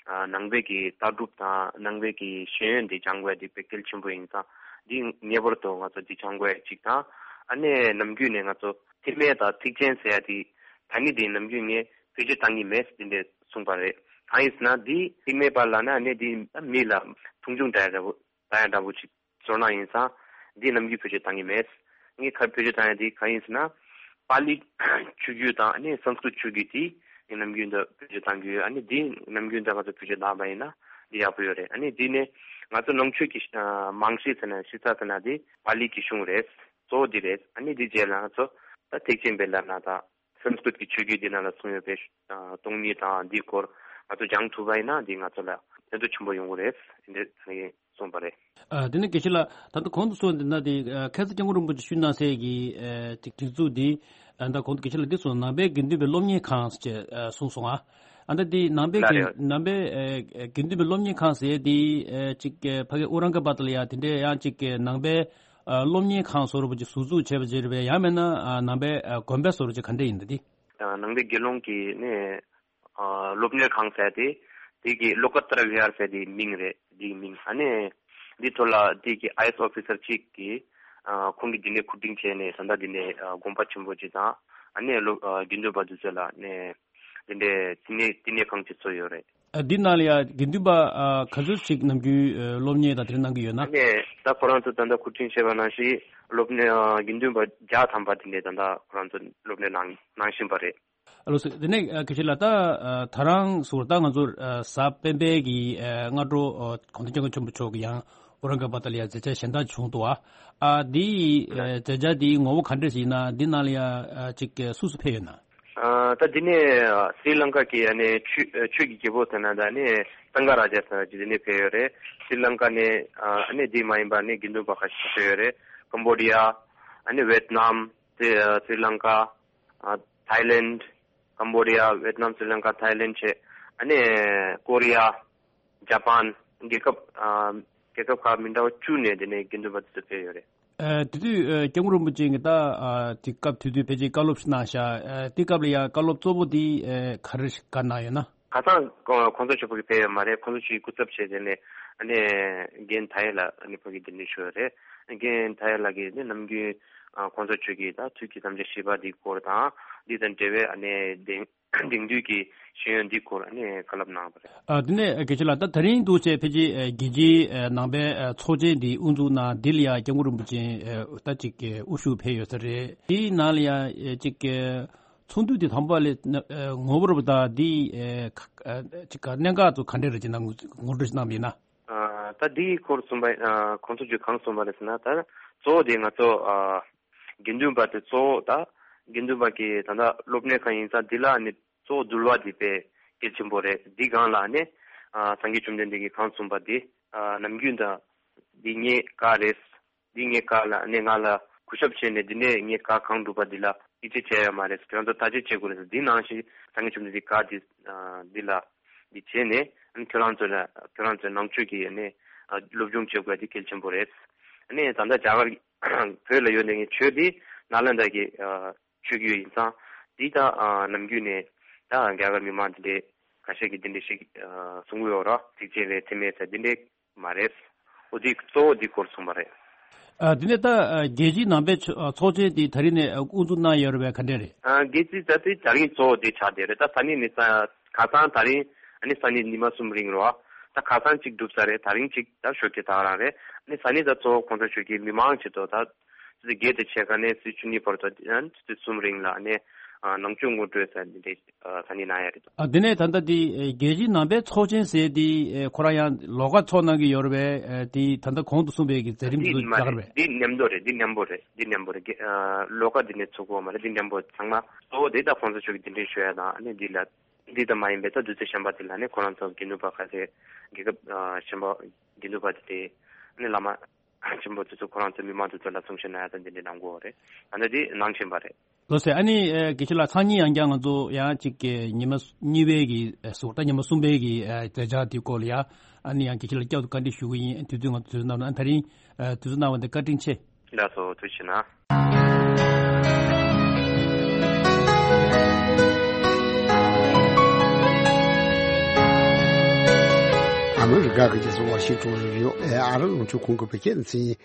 ཨ་ནང་པའི་གི་ལྟ་གྲུབ་དང་ནང་པའི་གི་ཤེས་ཡོན་འདི་སྦྱང་དགོས་འདི་དཔེ་གལ་ཆེན་པོ་ཡིན་ཙང་འདི་ངེས་པར་དུ་ང་ཚོ་འདི་སྦྱང་དགོས་ཅིག་དང་ཨ་ནི་ནམ་རྒྱུན་ནས་ང་ཚོ་ཐེག་དམན་དང་ཐེག་ཆེན་ཟེར་ཡ་འདི་ད་ནི་འདི་ནམ་རྒྱུན་ངས་བེད་སྤྱོད་བཏང་གི་མེད་འདི་འདྲས་གསུངས་པ་རེད། གང་ཡིན་ཟེར་ན་འདི་ཐེག་དམན་པ་ལབ་ན་ཨ་ནི་འདི་མི་ལ་མཐོང་ཆུང་འདྲ་འདྲ་བོ་ད་ཡང་འདྲ་པོ་ཅིག་ཚོར་སྣང་ཡིན་ཙང་འདི་ནམ་རྒྱུན་བེད་སྤྱོད་བཏང་གི་མེད། ངས་ཁ་བེད་སྤྱོད་བཏང་ཡ་འདི་གང་ཡིན་ཟེར་ན། པཱ་ལི་ཆོས་བརྒྱུད་དང་ཨ་ནི་སཾ་སྐྲྀཏ་ཆོས་བརྒྱུད་འདི་ངས་ནམ་རྒྱུན་དུ་བེད་སྤྱོད་བཏང་གི་ཡོད། ཨ་ནི་འདི་ནམ་རྒྱུན་དུ་ང་ཚོ་བེད་སྤྱོད་བཏང་པ་ཡིན་ན་འདི་ཡག་པོ་ཡོད་རེད། ཨ་ནི་འདི་ནི་ང་ཚོ་ནང་ཆོས་ཀྱི་ཨ་རྨང་གཞི་ཟེར་ན་གཞི་རྩ་ཟེར་ན་འདི་པཱ་ལི་གི་གཞུང་རེད། གཙོ་བོ་འདི་རེད། ཨ་ནི་འདི་རྗེས་ལ་ང་ཚོ་ད་ཐེག་ཆེན་པའི་ལབ་ན་ད། སཾ་སྐྲྀཏ་གི་ཆོས་བརྒྱུད་འདི་ནང་ལ་གསུངས་ཡོད་པའི་ཨ་སྟོང་ཉིད་དང་འདིའི་སྐོར་ང་ཚོ་སྦྱང་ཐུབ་པ་ཡིན་ན་འདི་ང་ཚོ་ལ་ཕན་ཐོགས་ཆེན་པོ་ཡོང་གི་རེད་འདི་ད་ངས་གསུངས་པ་རེད། ཨ་དེ་ནས་དགེ་བཤེས་ལགས་ད་ལྟ་གོང་དུ་གསུངས་འདི་ན་དེ་ཨ་ཁ་སང་སྐྱབས་མགོན་རིན་པོ་ཆེ་ཞུས་གནང་སའི་གི་ཨ་ཅིག་སྒྲིག་འཛུགས་འདི་ཨ་ད་གོང་དུ་དགེ་བཤེས་ལགས་འདི་གསུངས་ནང་པའི་དགེ་འདུན་པའི་སློབ་གཉེར་ཁང་ཟེར་ཨ་གསུངས་སོང་ཨ། ཨ་ད་འདི་ནང་པའི་ལགས་དགེ་རེད། ནང་པའི་ཨ་དགེ་འདུན་པའི་སློབ་གཉེར་ཁང་ཟེར་འདི་ཨ་ཅིག་ཨ་ཕ་གི་ཨོ་རང་ག་བ་ཏི་ལ་ཡ་དེ་འདྲའི་ཡང་ཅིག་ཨ་ནང་པའི་ཨ་སློབ་གཉེར་ཁང་བཟོ་འདྲ་པོ་ཅིག་ཟུར་འཛུགས་བྱས་པ་ཅིག་རེད་པས། ཡང་མིན་ན་ཨ་ནང་པའི་ཨ་དགོན་པ་བཟོ་འདྲ་ཅིག་ག་འདྲ་ཡིན་ད་འདི། ཨ་ནང་པའི་དགེ་སློང་གི་ནི་ཨ་སློབ་གཉེར་ཁང་ཟེར་ཏེ་དེ་གི་ལོ་ཀ་ཏ་ར་བི་ཧར་ཟེར་དེའི་མིང་རེད། དེའི་མིང་ཨ་ནི་འདི་ཐོག་ལ་དེ་གི་ཨའི་ཨེ་ཨེས་ཨོ་ཕི་སར་གཅིག་གིས་ཨ་ཁོང་གིས་འདི་ནས་མཁོ་སྒྲིག་བྱས་ནས་ད་ལྟ་འདི་ནས་ཨ་དགོན་པ་ཆེན་པོ་ཅིག་དང་ཨ་ནི་སློབ་ཨ་དགེ་འདུན་པ་དེ་ཚོ་ལ་ནི་དེ་འདྲའི་བསྟི་གནས་བསྟི་གནས་ཁང་ཅིག་བཟོས་ཡོད་རེད། ཨ་འདི་ནང་ལ་ཡ་དགེ་འདུན་པ་ཨ་ག་ཚོད་ཅིག་ནམ་རྒྱུན་ཨ་སློབ་གཉེར་དང་དེ་འདྲ་གནང་གི་ཡོད་ན། ཨ་ནི་ད་ཁོ་རང་ཚོ་ད་ལྟ་མཁོ་སྒྲིག་བྱས་པ་ནང་བཞིན་སློབ་གཉེར་ཨ་དགེ་འདུན་པ་བརྒྱ་ཐམ་པ་དེ་འདྲས་ད་ལྟ་ཁོ་རང་ཚོ་སློབ་གཉེར་གནང་གནང་བཞིན་པ་རེད། ཨ་ལགས་སོ། དེ་ནས་ཨ་དགེ་བཤེས་ལགས་ད་ཨ་ད་རང་ཟུར་ད་ང་ཚོ་ཨ་གཟའ་སྤེན་པའི་གི་ཨ་སྔ་དྲོ་ཨ་གོང་ས་སྐྱབས་མགོན་ཆེན་པོ་མཆོག་གི་ཡང་ཨོ་རང་ག་བ་ཏི་ལ་ཡ་མཛད་འཆར་གཞན་དག་བྱུང་འདུག་ཨ། ཨ་འདི་ཨ་མཛད་འཆར་འདི་ངོ་བོ་ག་འདྲས་ཞིག་ཡིན་ན། འདི་ནང་ལ་ཡ་ཨ་ཅིག་ཨ་སུ་སུ་ཕེབས་ཡོད་ན། ཨ་ད་འདི་ནས་ཨ་སྲི་ལང་ཀ་གི་ཨ་ནི་ཆོས་ཨ་ཆོས་ཀྱི་རྒྱལ་པོ་ཟེར་ན་ད་ནི་སངྒ་རཱ་ཛ་ཟེར་ཅིག་འདི་ནས་ཕེབས་ཡོད་རེད། སྲི་ལང་ཀ་ནས་ཨ་ནི་འདི་མ་ཡིན་པ་ནི་དགེ་འདུན་པ་ཁ་ཤས་ཕེབས་ཡོད་རེད། ཀམ་བོ་ཌི་ཡ། ཨ་ནི་ཝེད་ནམ། སྲི་ཨ་སྲི་ལང་ཀ། ཨ་ཐའི་ལེནཌ། ཀམ་བོ་ཌི་ཡ། ཝེད་ནམ། སྲི་ལང་ཀ། ཐའི་ལེནཌ་བྱས། ཨ་ནི་ཀོ་རི་ཡ། ཇ་པན། རྒྱལ་ཁབ་ཨ་རྒྱལ་ཁབ་ཁག་མི་འདྲ་བ་བཅུ་ནས་དེ་ནས་དགེ་འདུན་པ་དེ་ཚོ་ཕེབས་ཡོད་རེད། ཨ་དེ་དུས་ཨ་སྐྱབས་མགོན་རིན་པོ་ཆེ་གིས་ད་ཨ་དེ་སྐབས་དེ་དུས་ཕལ་ཆེར་བཀའ་སློབ་ཞིག་གནང་ཤག་ཨ་དེ་སྐབས་ལ་ཡ་བཀའ་སློབ་གཙོ་བོ་དེ་ཨ་ག་རེ་ཞིག་བཀའ་གནང་ཡོད་ན། ཁ་སང་ཁོང་ཁོང་ཚོ་ཆོས་པོ་གིས་ཕེབས་ཡོད་མ་རེད། ཁོང་ཚོ་ཆོས་སྐུ་ཚབ་བྱས་བྱས་ནས་ཨ་ནི་རྒན་མཐའ་ཡས་ལགས་ཨ་ནི་ཕ་གི་འདི་འདྲ་ཞུ་ཡོད་རེད། རྒན་མཐའ་ཡས་ལགས་ཀྱིས་ནི་ནམ་རྒྱུན་ཨ་ཁོང་ཚོ་ཆོས་ཀྱི་ད་ཐུགས་ཀྱི་དམ་བཅའ་བཞི་པ་འདིའི་སྐོར་དང་འདི་དང་འབྲེལ་བའི་ཨ་ནི་དེང་དེང་དུས་ཀྱི་ཤེས་ཡོན་འདིའི་སྐོར་ཨ་ནི་བཀའ་སློབ་གནང་བ་རེད། ཨ་དེ་ནས་དགེ་བཤེས་ལགས་ད་ད་རིང་འདུག་བྱས་ཕལ་ཆེར་ཨ་རྒྱལ་སྤྱིའི་ཨ་ནང་པའི་ཨ་ཚོགས་ཆེན་འདི་དབུ་འཛུགས་གནང་འདི་ལ་ཡ་སྐྱབས་མགོན་རིན་པོ་ཆེ་ཨ་ད་ཅིག་ཨ་དབུ་བཞུགས་ཕེབས་ཡོད་ས་རེད། དེའི་ནང་ལ་ཡ་ཨ་ཅིག་ཨ་ཚོགས་འདུ་དེ་དང་པོ་ལས་ཨ་ངོ་བོ་རབ་དང་འདི་ཨ་ཁ་ཨ་ཅིག་ག་གནད་འགག་ཚོ་ག་འདྲས་རེད་ཅེ་ན་ངོ་ངོ་སྤྲོད་ཅིག་གནང་བ་ཡིན་ན། ཨ་ད་འདིའི་སྐོར་གསུངས་པ་ཨ་ཁོང་ཚོ་ཚོས་གང་གསུངས་པ་རེད་ཟེར་ན། ད་གཙོ་བོ་དེ་ང་ཚོ་ཨ་དགེ་འདུན་པ་དེ་གཙོ་བོ་ད་དགེ་འདུན་པ་གི་ད་ལྟ་སློབ་གཉེར་ཁང་ཡིན་ཙང་འདི་ལ་ནི་གཙོ་བོ་འདུལ་བ་འདི་དཔེ་གལ་ཆེན་པོ་རེད། འདི་སྒང་ལ་ནི་ཨ་སངས་རྒྱས་བཅོམ་ལྡན་འདས་ཀྱིས་གང་གསུངས་པ་དེ་ཨ་ནམ་རྒྱུན་ད་འདི་ངའི་བཀའ་རེད། འདི་ངའི་བཀའ་ལ་ནི་ང་ལ་ གུས་ཞབས་བྱས་ནས་འདི་འདྲས་ངས་བཀའ་གང་སྒྲུབ་པ་འདི་ལ་ཡིད་ཆེས་བྱས་ཡོད་མ་རེད། ཁྱོད་རང་ཚོ་ཐག་གཅོད་བྱེད་དགོས་རེད། འདི་ནང་བཞིན་སངས་རྒྱས་བཅོམ་ལྡན་འདས་བཀའ་འདི་འདི་ལ་འདི་བྱས་ནས་ཁྱོད་རང་ཚོ་ལ་ཁྱོད་རང་ཚོའི་ནང་ཆོས་ཀྱི་ནས་སློབ་སྦྱོང་བྱེད་དགོས་འདི་གལ་ཆེན་པོ་རེད། ནས་ད་ལྟ་རྒྱ་གར་བོད་ལ་ཡོད་ནས་ངས་ཆོས་འདི་ནཱ་ལེནྡྲ་གི་ཆོས་བརྒྱུད་ཡིན་ཙང་། འདི་ད་ནམ་རྒྱུན་ནས་ད་རྒྱ་གར་མི་མང་འདི་འདྲས་ཁ་ཤས་ཀྱིས་འདི་འདྲས་ཞིག་གསུང་གི་ཡོད་ར། གཅིག་རྗེས་ལ་འཐེན་མེད་ཟེར་འདི་འདྲས་མ་རེད། འོ་འདི་གཙོ་བོ་འདི་སྐོར་གསུངས་པ་རེད། ཨ། དེ་ནས་ད་ཨ་རྒྱལ་སྤྱིའི་ནང་པའི་ཚོ་ཨ་ཚོགས་ཆེན་དེ་ད་རིང་ནས་དབུ་འཛུགས་གནང་ཡོད་རེད་པས། ག་འདྲས་རེད། ཨ། རྒྱལ་སྤྱིའི་ད་ལྟའི་ད་རིང་གཙོ་བོ་དེ་ཆགས་བསྡད་རེད། ད་ད་ནི་ནི་ས་ཁ་སང་ད་རིང་ཨ་ནི་ས་ནི་ཉི་མ་གསུམ་རིང་རོ། ད་ཁ་སང་གཅིག་གྲུབ་ཚར་རེད། ད་རིང་གཅིག་ད་ཞོགས་ཀྱི་ད་རང་རེད། ཨ་ནི་ས་ནི་ད་གཙོ་བོ་གོང་ས་མཆོག་གིས་མི་མང་ཆེད་དུ་ད་ཆུ་ཚོད་བརྒྱད་དང་ཕྱེད་ཀ་ནས་ཆུ་ཚོད་བཅུ་གཉིས་བར་དུ་ཨ་ནི་ཆུ་ཚོད་གསུམ་རིང་ལ་ཨ་ནི་ནང་ཆོས་ངོ་སྤྲོད་ཟེར་འདི་འདྲས་ཨ་ད་ནི་གནང་ཡ་རེད། ཨ། དེ་ནས་ད་ལྟ་དེ་ཨེ་རྒྱལ་སྤྱིའི་ནང་པའི་ཚོགས་ཆེན་ཟེར་དེ་ཨེ་ཁོ་རང་ཡང་ལོགས་ཀ་ཚོགས་གནང་གི་ཡོད་རེད་པས། ཨེ་དེ་ད་ལྟ་གོང་དུ་གསུངས་པའི་གི་མཛད་རིམ་འདི་དེ་ཚོ་མ་རྒྱག་རེད་རེད་པས། འདི་མཉམ་དུ་རེད། འདི་མཉམ་པོ་རེད། འདི་མཉམ་པོ་རེད། ཨ་ལོགས་ཀ་འདི་ནས་ཚུགས་ཀྱི་ཡོད་མ་རེད། འདི་མཉམ་པོ་ཚང་མ་གཙོ་བོ་དེ་ད་གོང་ས་མཆོག་གིས་གདན་འདྲེན་ཞུ་ཡ་དང་ཨ་ནི་འདི་ལ་འདི་ད་མ་ཡིན་པའི་ད་དུས་ཚོད་གཞན་པ་དེ་ལ་ནི་ཁོ་རང་ཚོ་དགེ་འདུན་པ་ཁ་ཤས་རྒྱལ་ཁབ་ཨ་ཆེན་པོ་དགེ་འདུན་པ་དེ་དེ་ཨ་ནི་བླ་མ་ཆེན་པོ་དེ་ཚོ་ཁོ་རང་ཚོ་མི་མང་དེ་ཚོ་ལ་གསུང་བཤད་གནང་ཡ་དང་འདི་འདྲ་གནང་གི་ཡོད་རེད། ད་ནི་འདི་གནང་བཞིན་པ་རེད། ལགས་སོ། ཨ་ནི་ཨེ་དགེ་བཤེས་ལགས་སང་ཉིན་ཡང་བསྐྱར་ང་ཚོ་ཡང་གཅིག་གི་ཉི་མ་གཉིས་པའི་གི་ཨེ་ཟུར་ད་ཉི་མ་གསུམ་པའི་གི་ཨེ་མཛད་འཆར་དེ་སྐོར་ལ་ཡང་ཨ་ནི་ཡང་དགེ་བཤེས་ལགས་བསྐྱར་དུ་བཀའ་འདྲི་ཞུ་གི་ཡིན། དུས་ཚོད་ང་ཚོ་དུས་ཚོད་གནང་བ་ཨ་ད་རིང་ཨེ་དུས་ཚོད་གནང་བ་འདི་བཀའ་དྲིན་ཆེ། ལགས་སོ་ཐུགས་རྗེ་གནང་། ཨ་མི་རི་ཀ་གི་རྒྱལ་ས་ཝ་ཤིང་ཊོན་རུ་ཡོད་ཨེ་ཨ་རི་རླུང་འཕྲིན་ཁང་གི་བོད་སྐད་སྡེ་ཚན་ཡིན།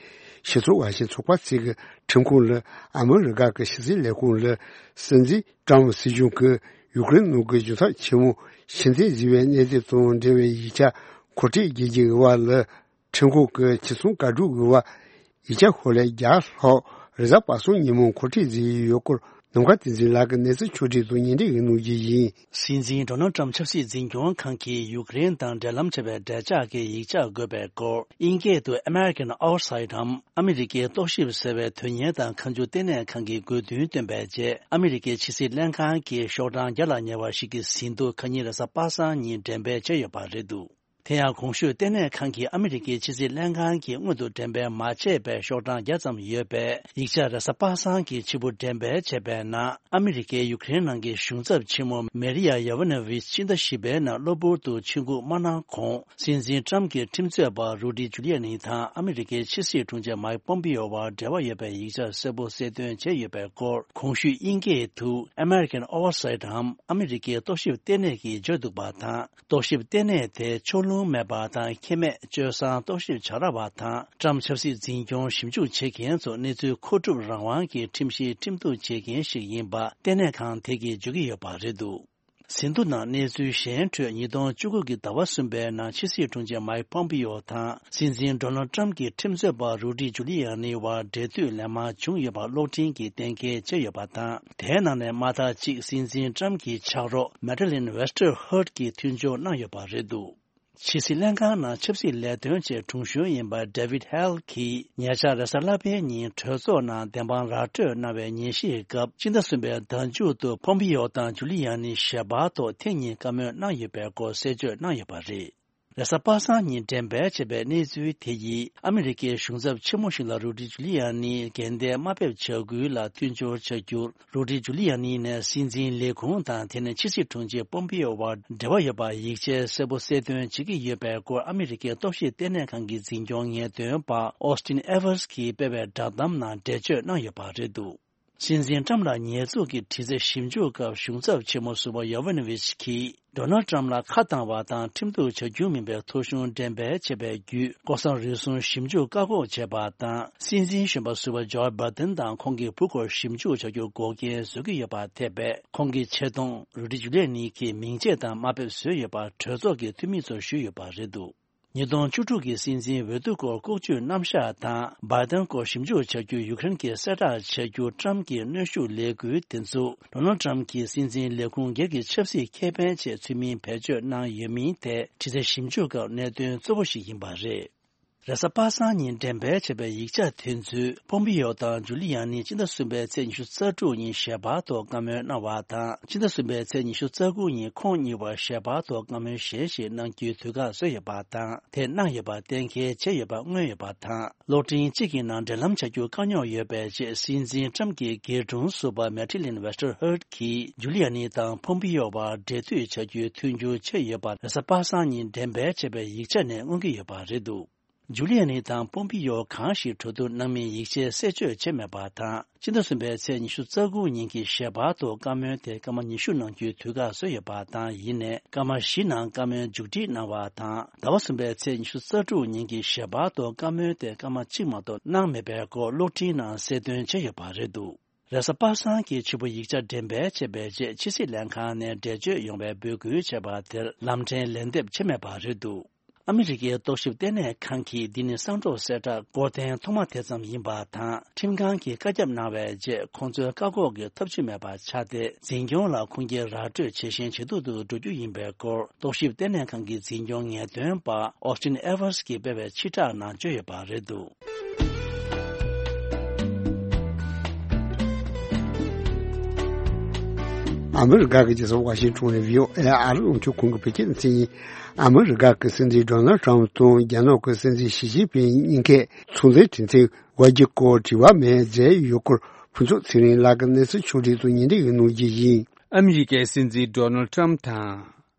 ཕྱི་ཚོགས་འགའ་ཤས་ཚོགས་པ་ཚོས་ཀྱི་ཁྲིམས་ཁང་ལ་ཨ་མི་རི་ཀ་གི་ཕྱི་སྲིད་ལས་ཁུངས་ལ་སྲིད་འཛིན་ཀྲམ་སྲིད་གཞུང་གིས་ཡུཀ་རེན་ནང་གི་གཞུང་ཚབ་ཆེན་མོ་ཕྱིར་འཐེན་བཟོས་པའི་གནས་ཚུལ་དང་འབྲེལ་བའི་ཡིག་ཆ་མཁོ་སྤྲོད་བྱེད་ཀྱི་ཡོད་པ་ལ། ཁྲིམས་ཁང་གིས་ཕྱིར་ཚོང་བཀའ་སྒྲུབ་དགོས་པ། ཡིག་ཆ་ཧོ་ལས་བརྒྱ་ལྷག་རེས་གཟའ་པ་སངས་ཉིན་མོ་མཁོ་སྤྲོད་བཟོས་ཡོད་སྐོར་ནམ་མཁའ་བསྟན་འཛིན་ལགས་ཀྱིས་གནས་ཚུལ་ཕྱོགས་སྒྲིག་དང་སྙན་སྒྲོན་གནང་རྒྱུ་ཡིན། སྲིད་འཛིན་ཌོ་ནལ་ཊམ་ཆབ་སྲིད་འཛིན་སྐྱོང་ཁང་གིས་ཡུཀ་རེན་དང་འབྲེལ་ལམ་བྱས་པའི་འབྲེལ་ཆགས་ཀྱི་ཡིག་ཆ་དགོས་པའི་སྐོར། དབྱིན་སྐད་དུ་American Oversight འམ་ཨ་མི་རི་ཀའི་རྟོག་ཞིབ་ཟེར་བའི་དོན་གཉེར་དང་མཁའ་འགྲུལ་ལྟེ་གནས་ཁང་གི་དགོས་འདུན་བཏོན་པའི་རྗེས། ཨ་མི་རི་ཀའི་ཕྱི་སྲིད་ལྷན་ཁང་གིས་ཤོག་གྲངས་བརྒྱ་ལ་ཉེ་བ་ཞིག་གི་ཟིན་ཐོ་ཁ་ཉིན་རེས་གཟའ་པ་སངས་ཉིན་འགྲེམས་སྤེལ་བྱས་ཡོད་པ་རེད་འདུག་དེ་ཡང་གོང་ཞུས་ལྟེ་གནས་ཁང་གིས་ཨ་མི་རི་ཀའི་ཕྱི་སྲིད་ལྷན་ཁང་གིས་སྔོན་དུ་འགྲེམས་སྤེལ་མ་བྱས་པའི་ཤོག་གྲངས་བརྒྱ་ཙམ་ཡོད་པའི་ཡིག་ཆ་རེས་གཟའ་པ་སངས་ཀྱི་ཕྱི་པོ་འགྲེམས་སྤེལ་བྱས་པའི་ནང་། ཨ་མི་རི་ཀའི་ཡུཀ་རེན་ནང་གི་གཞུང་ཚབ་ཆེན་མོ་མེ་རི་ཡ་ཡ་ཝེ་ནོ་ཝིཆ་ཕྱི་ཟླ་བཞི་པའི་ནང་གློ་བུར་དུ་ཆིབས་འགོ་མ་གནང་གོང་། སྲིད་འཛིན་ཊམ་གྱི་ཁྲིམས་རྩོད་པ་རུ་ཌི་ཇུ་ལི་ཡ་ནི་དང་ཨ་མི་རི་ཀའི་ཕྱི་སྲིད་དྲུང་ཆེ་མའིག་པོམ་པི་ཡོ་བར་འབྲེལ་བ་ཡོད་པའི་ཡིག་ཆ་གསལ་པོ་གསལ་སྟོན་བྱས་ཡོད་པའི་སྐོར། གོང་ཞུས་དབྱིན་སྐད་དུ་American Oversight འམ་ཨ་མི་རི་ཀའི་རྟོག་ཞིབ་ལྟེ་གནས་ཀྱིས་བརྗོད་འདུག་པ་དང་། རྟོག་ཞིབ་ལྟེ་གནས་དེ་ཕྱོགས་ལྷུང་མེད་པ་དང་ཁེ་མེད་སྤྱོད་བཟང་རྟོག་ཞིབ་བྱ་ར་བ་དང་། ཊམ་ཆབ་སྲིད་འཛིན་སྐྱོང་ཞིབ་འཇུག་བྱེད་མཁན་ཚོ་གནས་ཚུལ་མཁོ་སྒྲུབ་རང་དབང་གི་ཁྲིམས་གཞིའི་ཁྲིམས་གཏུག་བྱེད་མཁན་ཞིག་ཡིན་པ་ལྟེ་གནས་ཁང་དེ་གིས་བརྗོད་ཀྱི་ཡོད་པ་རེད་འདུག་ཟིན་ཐོ་ནང་གནས་ཚུལ་གཞན་ཁྲོད་ཉིས་སྟོང་བཅུ་དགུ་གི་ཟླ་བ་གསུམ་པའི་ནང་ཕྱི་སྲིད་དྲུང་ཆེ་མའིག་པོམ་པི་ཡོ་དང་སྲིད་འཛིན་ཌོ་ནལ་ཊམ་གྱི་ཁྲིམས་རྩོད་པ་རུ་ཌི་ཇུ་ལི་ཡ་ནི་བར་འབྲེལ་མཐུད་ལན་མང་བྱུང་ཡོད་པ་གློག་འཕྲིན་གྱིས་གཏན་འཁེལ་བྱས་ཡོད་པ་དང་། དེའི་ནང་ནས་མ་མཐའ་གཅིག་སྲིད་འཛིན་ཊམ་གྱི་ཕྱག་རོགས་མེ་ཌི་ལིན་ཝེ་སི་ཊར་ཧར་ཊ་གྱིས་མཐུན་སྦྱོར་གནང་ཡོད་པ་རེད་འདུག་ཕྱི་སྲིད་ལྷན་ཁང་ནང་ཆབ་སྲིད་ལས་དོན་བཅས་དྲུང་གཞོན་ཡིན་པ་ཌེ་ཝིད་ཧེལ་གྱིས་ཉེ་ཆར་རེས་གཟའ་ལྷག་པའི་ཉིན་གྲོས་ཚོགས་ནང་བདེན་དཔང་ར་སྤྲོད་གནང་བའི་ཉན་ཞིབ་སྐབས། ཕྱི་ཟླ་གསུམ་པའི་ཟླ་མཇུག་ཏུ་པོམ་པི་ཡོ་དང་ཇུ་ལི་ཡ་ནི་ཞལ་པར་ཐོག་ཐེངས་གཉིས་བཀའ་མོལ་གནང་ཡོད་པའི་སྐོར་གསལ་བརྗོད་གནང་ཡོད་པ་རེད། རེས་གཟའ་པ་སངས་ཉིན་འགྲེམས་སྤེལ་བྱས་པའི་གནས་ཚུལ་དེ་ཡིས་ཨ་མི་རི་ཀའི་གཞུང་ཚབ་ཆེན་མོ་ཞིག་ལ་རུ་ཌི་ཇུ་ལི་ཡ་ནི་འགན་དེ་དམའ་འབེབས་བྱ་འགུལ་ལ་མཐུན་སྦྱོར་བྱ་རྒྱུར། རུ་ཌི་ཇུ་ལི་ཡ་ནི་ནས་སྲིད་འཛིན་ལས་ཁུངས་དང་དེ་ནས་ཕྱི་སྲིད་དྲུང་ཆེ་པོམ་པི་ཡོ་བར་འབྲེལ་བ་ཡོད་པ་ཡིག་ཆའི་གསལ་པོ་གསལ་སྟོན་བྱེད་ཀྱི་ཡོད་པའི་སྐོར་ཨ་མི་རི་ཀའི་རྟོག་ཞིབ་ལྟེ་གནས་ཁང་གི་འཛིན་སྐྱོང་ངེས་སྟོན་པ་ཨོ་སི་ཊིན་ཨེ་ཝར་སི་གིས་སྤེལ་བའི་བསྒྲགས་གཏམ་ནང་འགྲེལ་བརྗོད་གནང་ཡོད་པ་རེད་འདུག་སྲིད་འཛིན་ཊམ་ལ་ཉེས་འཛུགས་ཀྱི་དྲི་རྩད་ཞིབ་འཇུག་སྐབས་གཞུང་ཚབ་ཆེན་མོ་ཟུར་པ་ཡོ་ཝེ་ནོ་ཝིཆ་གིས། ཌོ་ནལ་ཊམ་ལ་ཁ་བཏང་བ་དང་ཁྲིམས་གཏུག་བྱ་རྒྱུ་མིན་པའི་ཐོ་གཞུང་འགྲེམས་སྤེལ་བྱས་པའི་བརྒྱུད། ལྐོག་ཟ་རུལ་སུངས་ཞིབ་འཇུག་བཀག་འགོག་བྱས་པ་དང་། སྲིད་འཛིན་གཞོན་པ་ཟུར་པ་ཇོ་བྷའི་ཌེན་དང་ཁོང་གི་བུ་སྐོར་ཞིབ་འཇུག་བྱ་རྒྱུ་འགོག་རྐྱེན་བཟོ་གི་ཡོད་པ་ཐེ་བའི་ཁོང་གི་ཆེ་མཐོང་རུ་ཌི་ཇུ་ལི་ཡ་ནི་གི་མིང་ཆད་དང་དམའ་འབེབས་བཟོས་ཡོད་པ་གྲོས་ཚོགས་ཀྱི་འཐུས་མི་ཚོར་ཞུས་ཡོད་པ་རེད་འདུག་ཉིས་སྟོང་བཅུ་དྲུག་གི་སྲིད་འཛིན་འོས་བསྡུ་སྐོར་ལྐོག་ཇུས་རྣམ་གཞག་དང་། བྷའི་ཌེན་སྐོར་ཞིབ་འཇུག་བྱ་རྒྱུ་ཡུཀ་རེན་གྱིས་གསལ་བསྒྲགས་བྱ་རྒྱུ་ཊམ་གྱི་གནོན་ཤུགས་ལས་འགུལ་དེ་ཚོ། ཌོ་ནལ་ཊམ་གྱིས་སྲིད་འཛིན་ལས་ཁུངས་སྒེར་གྱི་ཆབ་སྲིད་ཁེ་ཕན་ཆེད་ཚུལ་མིན་བེད་སྤྱོད་གནང་ཡོད་མིན་ཐད་དྲི་རྩད་ཞིབ་འཇུག་སྐབས་གནད་དོན་གཙོ་བོ་ཞིག་ཡིན་པ་རེད། རེས་གཟའ་པ་སངས་ཉིན་འགྲེམས་སྤེལ་བྱས་པའི་ཡིག་ཆ་དེ་ཚོས། པོམ་པི་ཡོ་དང་ཇུ་ལི་ཡ་ནི་སྤྱི་ཟླ་གསུམ་པའི་ཚེས་ཉི་ཤུ་རྩ་དྲུག་ཉིན་ཞལ་པར་ཐོག་བཀའ་མོལ་གནང་བ་དང་། སྤྱི་ཟླ་གསུམ་པའི་ཚེས་ཉི་ཤུ་རྩ་དགུ་ཉིན་ཁོང་གཉིས་བར་ཞལ་པར་ཐོག་བཀའ་མོལ་གཞན་ཞིག་གནང་རྒྱུའི་དུས་བཀག་བཟོས་ཡོད་པ་དང་། དེ་གནང་ཡོད་པ་གཏན་འཁེལ་བྱས་ཡོད་པ་མངོན་ཡོད་པ་དང་། གློག་འཕྲིན་གཅིག་གི་ནང་འབྲེལ་ལམ་བྱ་རྒྱུ་དཀའ་རྙོག་ཡོད་པའི་རྗེས། སྲིད་འཛིན་ཊམ་གྱི་སྒེར་དྲུང་ཟུར་པ་མེ་ཊི་ལིན་ཝེ་སྟར་ཧར་གྱིས་ཇུ་ལི་ཡ་ནི་དང་པོམ་པི་ཡོ་བར་འབྲེལ་མཐུད་བྱ་རྒྱུའི་མཐུན་འགྱུར་བྱས་ཡོད་པ། རེས་གཟའ་པ་སངས་ཉིན་འགྲེམས་སྤེལ་བྱས་པའི་ཡིག་ཆ་ནས་མངོན་གྱི་ཡོད་པ་རེད་འདུག་ཇུ་ལི་ཡ་ནི་དང་པོམ་པི་ཡོ་གང་ཞིག་གྲོས་བསྡུར་གནང་མིན་ཡིག་ཆའི་གསལ་བརྗོད་བྱས་མེད་པ་དང་། སྤྱི་ཟླ་གསུམ་པའི་ཚེས་ཉི་ཤུ་རྩ་དགུ་ཉིན་གྱི་ཞལ་པར་ཐོག་བཀའ་མོལ་དེ་སྐར་མ་ཉི་ཤུ་གནང་རྒྱུའི་དུས་བཀག་བཟོས་ཡོད་པ་དང་། ཡིན་ནའི་སྐར་མ་བཞི་ནང་བཀའ་མོལ་མཇུག་སྒྲིལ་གནང་བ་དང་། ཟླ་བ་གསུམ་པའི་ཚེས་ཉི་ཤུ་རྩ་དྲུག་ཉིན་གྱི་ཞལ་པར་ཐོག་བཀའ་མོལ་དེ་སྐར་མ་གཅིག་མ་གཏོགས་གནང་མེད་པའི་སྐོར་གློག་འཕྲིན་ནང་གསལ་སྟོན་བྱས་ཡོད་པ་རེད་འདུག་རེས་གཟའ་པ་སངས་ཀྱིས་ཕྱི་པོ་ཡིག་ཆ་འགྲེམས་སྤེལ་བྱས་པའི་རྗེས། ཕྱི་སྲིད་ལྷན་ཁང་ནས་འགྲེལ་བརྗོད་ཡོང་བའི་འབོད་སྐུལ་བྱས་པ་དེར་ལམ་འཕྲལ་ལན་འདེབས་བྱས་མེད་པ་རེད་འདུག་ཨ་མི་རི་ཀའི་རྟོག་ཞིབ་ལྟེ་གནས་ཁང་གིས། འདི་ནི་གསང་སྒྲོག་གསལ་བསྒྲགས་སྐོར་ཐེངས་ཐོག་མ་དེ་ཙམ་ཡིན་པ་དང་། ཁྲིམས་ཁང་གིས་བཀའ་ཁྱབ་གནང་བའི་རྗེས། ཁོང་ཚོའི་བཀག་འགོག་གི་ཐབས་ཇུས་མེད་པར་ཆགས་ཏེ། འཛིན་སྐྱོང་ལ་ཁུངས་སྐྱེལ་ར་སྤྲོད་ཇེ་ཞན་ཇེ་སྡུག་ཏུ་འགྲོ་རྒྱུ་ཡིན་པའི་སྐོར། རྟོག་ཞིབ་ལྟེ་གནས་ཁང་གི་འཛིན་སྐྱོང་ངེས་སྟོན་པ་ཨོ་སི་ཊིན་ཨེ་ཝར་སི་ཀྱིས་སྤེལ་བའི་ཕྱིར་བསྒྲགས་ནང་བརྗོད་ཡོད་པ་རེད་འདུག་ཨ་མི་རི་ཀ་གི་རྒྱལ་ས་ཝ་ཤིང་ཊོན་ནས་བྷི་ཨོ་ཨེ་ཨ་རི་རླུང་འཕྲིན་ཁང་གི་བོད་སྐད་སྡེ་ཚན་ཡིན། ཨ་མི་རི་ཀ་གི་སྲིད་འཛིན་ཌོ་ནལ་ཊམ་དང་རྒྱ་ནག་གི་སྲིད་འཛིན་ཞི་ཅིན་ཕིང་གཉིས་ཀས་ཚོང་འབྲེལ་གྲོས་མཐུན་འོག་གི་སྐོར་དྲི་བ་མེད་མཛད་ཡོད་སྐོར་ཕུན་ཚོགས་ཚེ་རིང་ལགས་ཀྱིས་གནས་ཚུལ་ཕྱོགས་སྒྲིག་དང་སྙན་སྒྲོན་གནང་རྒྱུ་ཡིན། ཨ་མི་རི་ཀའི་སྲིད་འཛིན་ཌོ་ནལ་ཊམ་དང་།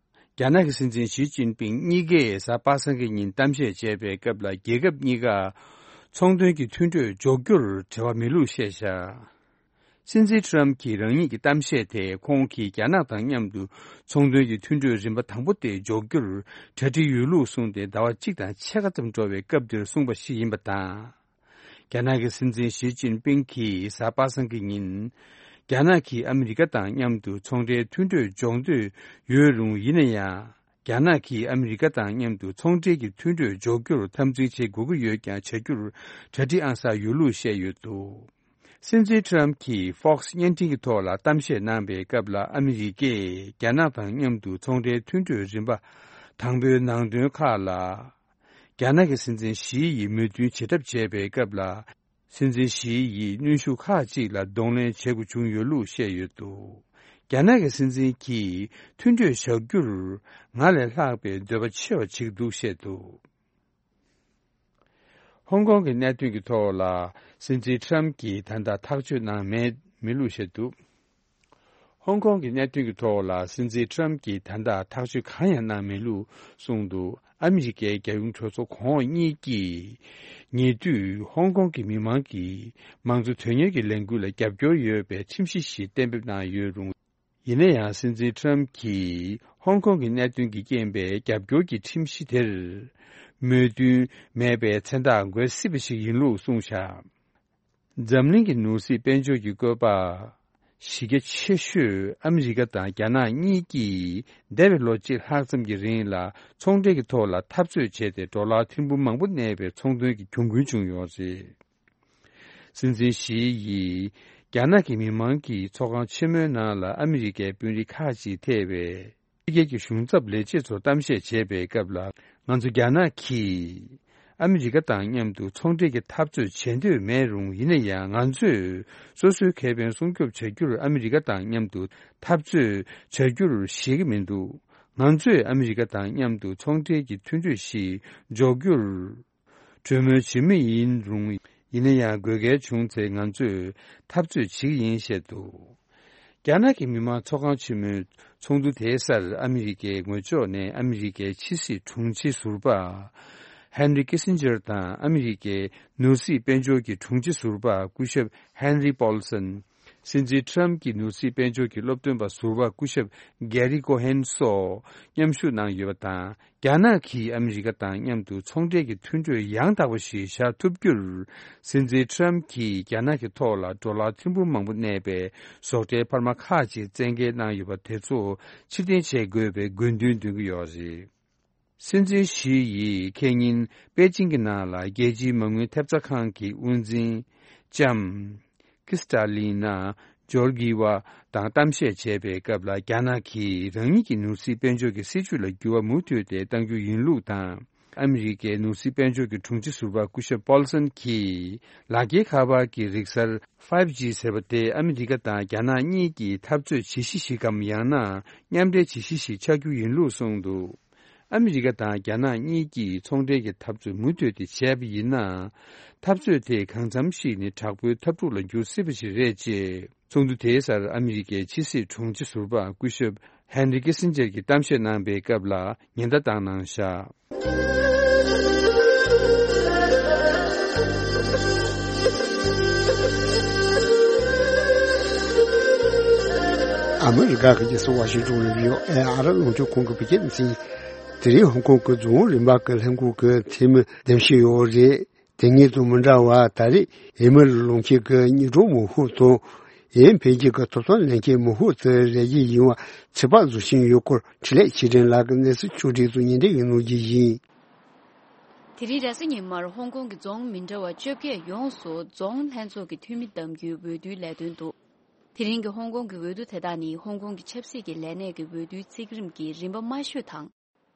རྒྱ་ནག་གི་སྲིད་འཛིན་ཞི་ཅིན་ཕིང་གཉིས་ཀས་གཟའ་པ་སངས་ཀྱི་ཉིན་གཏམ་བཤད་བྱས་པའི་སྐབས་ལ། རྒྱལ་ཁབ་གཉིས་ཀ་ཚོང་དོན་གྱི་མཐུན་གྲོས་འཇོག་རྒྱུར་བྲེལ་བ་མེད་ལུགས་བཤད་བཞག་སྲིད་འཛིན་ཊམ་གྱིས་རང་ཉིད་ཀྱི་གཏམ་བཤད་དེ། ཁོང་གིས་རྒྱ་ནག་དང་མཉམ་དུ་ཚོང་དོན་གྱི་མཐུན་གྲོས་རིམ་པ་དང་པོ་དེ་འཇོག་རྒྱུར་གྲ་སྒྲིག་ཡོད་ལུགས་གསུངས་ཏེ། ཟླ་བ་གཅིག་དང་ཕྱེད་ཀ་ཙམ་འགྲོ་བའི་སྐབས་དེར་གསུངས་པ་ཞིག་ཡིན་པ་དང་། རྒྱ་ནག་གི་སྲིད་འཛིན་ཞི་ཅིན་ཕིང་གིས་གཟའ་པ་སངས་ཀྱི་ཉིན། རྒྱ་ནག་གིས་ཨ་མི་རི་ཀ་དང་མཉམ་དུ་ཚོང་འབྲེལ་མཐུན་གྲོས་འཇོག་འདོད་ཡོད་རུང་། ཡིན་ན་ཡང་། རྒྱ་ནག་གིས་ཨ་མི་རི་ཀ་དང་མཉམ་དུ་ཚོང་འབྲེལ་གྱི་མཐུན་གྲོས་འཇོག་རྒྱུར་འཐབ་འཛིང་བྱེད་དགོས་ཀྱི་ཡོད་ཀྱང་། བྱ་རྒྱུར་གྲ་སྒྲིག་ཨང་གསར་ཡོད་ལུགས་བཤད་ཡོད་འདུག་སྲིད་འཛིན་ཊམ་གྱིས་ཧྥོག་སི་བརྙན་འཕྲིན་གྱི་ཐོག་ལ་གཏམ་བཤད་གནང་པའི་སྐབས་ལ། ཨ་མི་རི་ཀས་རྒྱ་ནག་དང་མཉམ་དུ་ཚོང་འབྲེལ་མཐུན་གྲོས་རིམ་པ་དང་པོའི་ནང་དོན་ཁག་ལ། རྒྱ་ནག་གི་སྲིད་འཛིན་ཞི་ཡིས་མོས་མཐུན་བྱེད་གྲབས་བྱས་པའི་སྐབས་ལ། སྲིད་འཛིན་ཞི་ཡིས་གནོན་ཤུགས་ཁག་ཅིག་ལ་གདོང་ལེན་བྱེད་དགོས་བྱུང་ཡོད་ལུགས་བཤད་ཡོད་འདུག་རྒྱ་ནག་གི་སྲིད་འཛིན་གྱིས་མཐུན་གྲོས་བཞག་རྒྱུར་ང་ལས་ལྷག་པའི་འདོད་པ་ཆེ་བ་བྱེད་ཀྱི་འདུག་བཤད་འདུག་ཧོང་ཀོང་གི་གནད་དོན་གྱི་ཐོག་ལ་སྲིད་འཛིན་ཊམ་གྱིས་ད་ལྟ་ཐག་གཅོད་གནང་མེད་མེད་ལུགས་བཤད་འདུག་ཧོང་ཀོང་གི་གནད་དོན་གྱི་ཐོག་ལ་སྲིད་འཛིན་ཊམ་གྱིས་ད་ལྟ་ཐག་གཅོད་གང་ཡང་གནང་མེད་ལུགས་གསུངས་འདུག་ཨ་མི་རི་ཀའི་རྒྱལ་ཡོངས་གྲོས་ཚོགས་གོང་འོག་གཉིས་ཀྱིས་ཉེ་དུས་ཧོང་ཀོང་གི་མི་མང་གིས་མང་གཙོ་དོན་གཉེར་གྱི་ལས་འགུལ་ལ་རྒྱབ་སྐྱོར་ཡོད་པའི་ཁྲིམས་གཞི་ཞིག་གཏན་འབེབས་གནང་ཡོད་རུང་། ཡིན་ན་ཡང་། སྲིད་འཛིན་ཊམ་གྱིས་ཧོང་ཀོང་གི་གནད་དོན་གྱི་རྐྱེན་པས་རྒྱབ་སྐྱོར་གྱི་ཁྲིམས་གཞི་དེར་མོས་མཐུན་མེད་པའི་མཚན་རྟགས་འགོད་སྲིད་པ་ཞིག་ཡིན་ལུགས་གསུངས་བཞག་འཛམ་གླིང་གི་ནོར་སྲིད་དཔལ་འབྱོར་གྱི་བཀོད་པ་གཞི་རྒྱ་ཆེ་ཤོས་ཨ་མི་རི་ཀ་དང་རྒྱ་ནག་གཉིས་ཀྱིས་འདས་པའི་ལོ་གཅིག་ལྷག་ཙམ་གྱི་རིང་ལ་ཚོང་འབྲེལ་གྱི་ཐོག་ལ་འཐབ་རྩོད་བྱས་ཏེ། ཌོ་ལར་ཐེར་འབུམ་མང་པོ་གནས་པའི་ཚོང་དོན་གྱི་གྱོང་གུན་བྱུང་ཡོད་རེད། སྲིད་འཛིན་ཞི་ཡིས་རྒྱ་ནག་གི་མི་མང་གིས་ཚོགས་ཁང་ཆེན་མོའི་ནང་ལ་ཨ་མི་རི་ཀའི་དཔོན་རིགས་ཁག་ཅིག་ཐེ་བའི་ཕྱི་རྒྱལ་གྱི་གཞུང་ཚབ་ལས་བྱེད་ཚོར་གཏམ་བཤད་བྱས་པའི་སྐབས་ལ། ང་ཚོ་རྒྱ་ནག་གིས་ཨ་མི་རི་ཀ་དང་མཉམ་དུ་ཚོང་འབྲེལ་གྱི་འཐབ་རྩོད་བྱེད་འདོད་མེད་རུང་། ཡིན་ན་ཡང་ང་ཚོས་སོ་སོའི་ཁེ་ཕན་སྲུང་སྐྱོབ་བྱ་རྒྱུར་ཨ་མི་རི་ཀ་དང་མཉམ་དུ་འཐབ་རྩོད་བྱ་རྒྱུར་ཞེད་ཀྱི་མི་འདུག་ང་ཚོས་ཨ་མི་རི་ཀ་དང་མཉམ་དུ་ཚོང་འབྲེལ་གྱི་མཐུན་གྲོས་ཤིག་འཇོག་རྒྱུར། གྲོས་མོལ་བྱེད་མུས་ཡིན་རུང་། ཡིན་ན་ཡང་དགོས་གལ་བྱུང་ཚེ་ང་ཚོས་འཐབ་རྩོད་བྱེད་ཀྱི་ཡིན་བཤད་འདུག་རྒྱ་ནག་གི་མི་དམངས་ཚོགས་ཁང་ཆེན་མོའི་ཚོགས་འདུ་དེའི་སར་ཨ་མི་རི་ཀའི་ངོས་ཕྱོགས་ནས་ཨ་མི་རི་ཀའི་ཕྱི་སྲིད་དྲུང་ཆེ་ཟུར་པ་ཧན་རི་ཀི་སིན་ཇར་དང་ཨ་མི་རི་ཀའི་ནོར་སྲིད་དཔལ་འབྱོར་གྱི་དྲུང་ཆེ་ཟུར་པ་སྐུ་ཞབས་ཧན་རི་པོལ་སན། སྲིད་འཛིན་ཊམ་གྱི་ནོར་སྲིད་དཔལ་འབྱོར་གྱི་སློབ་སྟོན་པ་ཟུར་པ་སྐུ་ཞབས་གེ་རི་ཀོ་ཧན་སོགས་མཉམ་ཞུགས་གནང་ཡོད་པ་དང་། རྒྱ་ནག་གིས་ཨ་མི་རི་ཀ་དང་མཉམ་དུ་ཚོང་འབྲེལ་གྱི་མཐུན་གྲོས་ཡང་དག་པ་ཞིག་བཞག་ཐུབ་རྒྱུར། སྲིད་འཛིན་ཊམ་གྱིས་རྒྱ་ནག་གི་ཐོག་ལ་ཌོ་ལར་ཐེར་འབུམ་མང་པོ་གནས་པའི་བཟོ་གྲྭའི་འཕར་མ་ཁག་ཅིག་བཙན་འགེལ་གནང་ཡོད་པ་དེ་ཚོ་ཕྱིར་འཐེན་བྱེད་དགོས་པའི་དགོས་འདུན་འདོན་གྱི་ཡོད་རེད། སྲིད་འཛིན་ཞི་ཡིས་ཁེ་ཉིན་པེ་ཅིང་གི་ནང་ལ་རྒྱལ་སྤྱིའི་མ་དངུལ་ཐེབས་རྩ་ཁང་གི་དབུ་འཛིན་ལྕམ་ཀི་སི་ཏཱ་ལི་ན་ཇོར་གི་ཝ་དང་གཏམ་བཤད་བྱས་པའི་སྐབས་ལ། རྒྱ་ནག་གིས་རང་ཉིད་ཀྱི་ནོར་སྲིད་དཔལ་འབྱོར་གྱི་སྲིད་ཇུས་ལ་འགྱུར་བ་མུ་མཐུད་དེ་གཏང་རྒྱུ་ཡིན་ལུགས་དང་ ཨ་མི་རི་ཀའི་ནོར་སྲིད་དཔལ་འབྱོར་གྱི་དྲུང་ཆེ་ཟུར་པ་སྐུ་ཞབས་པོལ་སན་གྱིས། ལག་འཁྱེར་ཁ་པར་གྱི་རིག་གསར་ཕའིབ་ཇི་ཟེར་བ་དེ་ཨ་མི་རི་ཀ་དང་རྒྱ་ནག་གཉིས་ཀྱིས་འཐབ་རྩོད་བྱེད་གཞི་ཞིག་གམ། ཡང་ན་མཉམ་འབྲེལ་བྱེད་གཞི་ཞིག་ཆགས་རྒྱུ་ཡིན་ལུགས་གསུངས་འདུག་ཨ་མི་རི་ཀ་དང་རྒྱ་ནག་གཉིས་ཀྱིས་ཚོང་འབྲེལ་གྱི་འཐབ་རྩོད་མུ་མཐུད་དེ་བྱས་པ་ཡིན་ན། འཐབ་རྩོད་དེ་གང་འཚམ་ཞིག་ནི་དྲག་པོའི་འཐབ་འཁྲུག་ལ་འགྱུར་སྲིད་པ་ཞིག་རེད་ཅེས། ཚོགས་འདུ་དེའི་སར་ཨ་མི་རི་ཀའི་ཕྱི་སྲིད་དྲུང་ཆེ་ཟུར་པ་སྐུ་ཞབས་ཧན་རི་ཀི་སིན་ཇེར་གྱིས་གཏམ་བཤད་གནང་པའི་སྐབས་ལ་ཉེན་བརྡ་བཏང་གནང་བཞག་ཨ་མི་རི་ཀ་གི་རྒྱལ་ས་ཝ་ཤིང་ཏོན་ལ་ཡོད་ཨེ་ཨ་ར་རླུང་འཕྲིན་ཁང་གི་བོད་སྐད་སྡེ་ཚན། དེ་རིང་ཧོང་ཀོང་གི་རྫོང་རིམ་པ་གི་ལྷན་ཁང་གི་འཐུས་མི་འདེམས་བྱས་ཡོད་རེད། དེ་སྔོན་དང་མི་འདྲ་བར་ད་རེས་ཨེ་མི་ལི་ལུང་ཆེན་གྱི་ཉིན་གྲངས་མང་ཤོས་དང་། ཨེ་འཕེལ་རྒྱས་ཀྱི་ཐོབ་ཐང་ལེན་མཁན་མང་ཤོས་དེ་རེ་རྒྱུ་ཡིན་པ་ཚོད་དཔག་བཟོ་བཞིན་ཡོད་སྐོར་འཕྲིན་ལས་ཆོས་སྒྲོན་ལགས་ཀྱིས་གནས་ཚུལ་ཕྱོགས་སྒྲིག་དང་སྙན་སྒྲོན་གནང་རྒྱུ་ཡིན། དེ་རིང་རེས་གཟའ་ཉི་མར་ཧོང་ཀོང་གི་རྫོང་མི་འདྲ་བ་བཅོ་བརྒྱད་ཡོངས་སུ་རྫོང་ལྷན་ཚོགས་ཀྱི་འཐུས་མི་གདམ་རྒྱུའི་འོས་བསྡུའི་ལས་དོན་འདུག་དེ་རིང་གི་ཧོང་ཀོང་གི་འོས་བསྡུ་དེ་དག་ནི་ཧོང་ཀོང་གི་ཆབ་སྲིད་ཀྱི་ལས་གནས་ཀྱི་འོས་བསྡུའི་བརྩིགས་རིམ་གྱི་རིམ་པ་དམའ་ཤོས་དང་།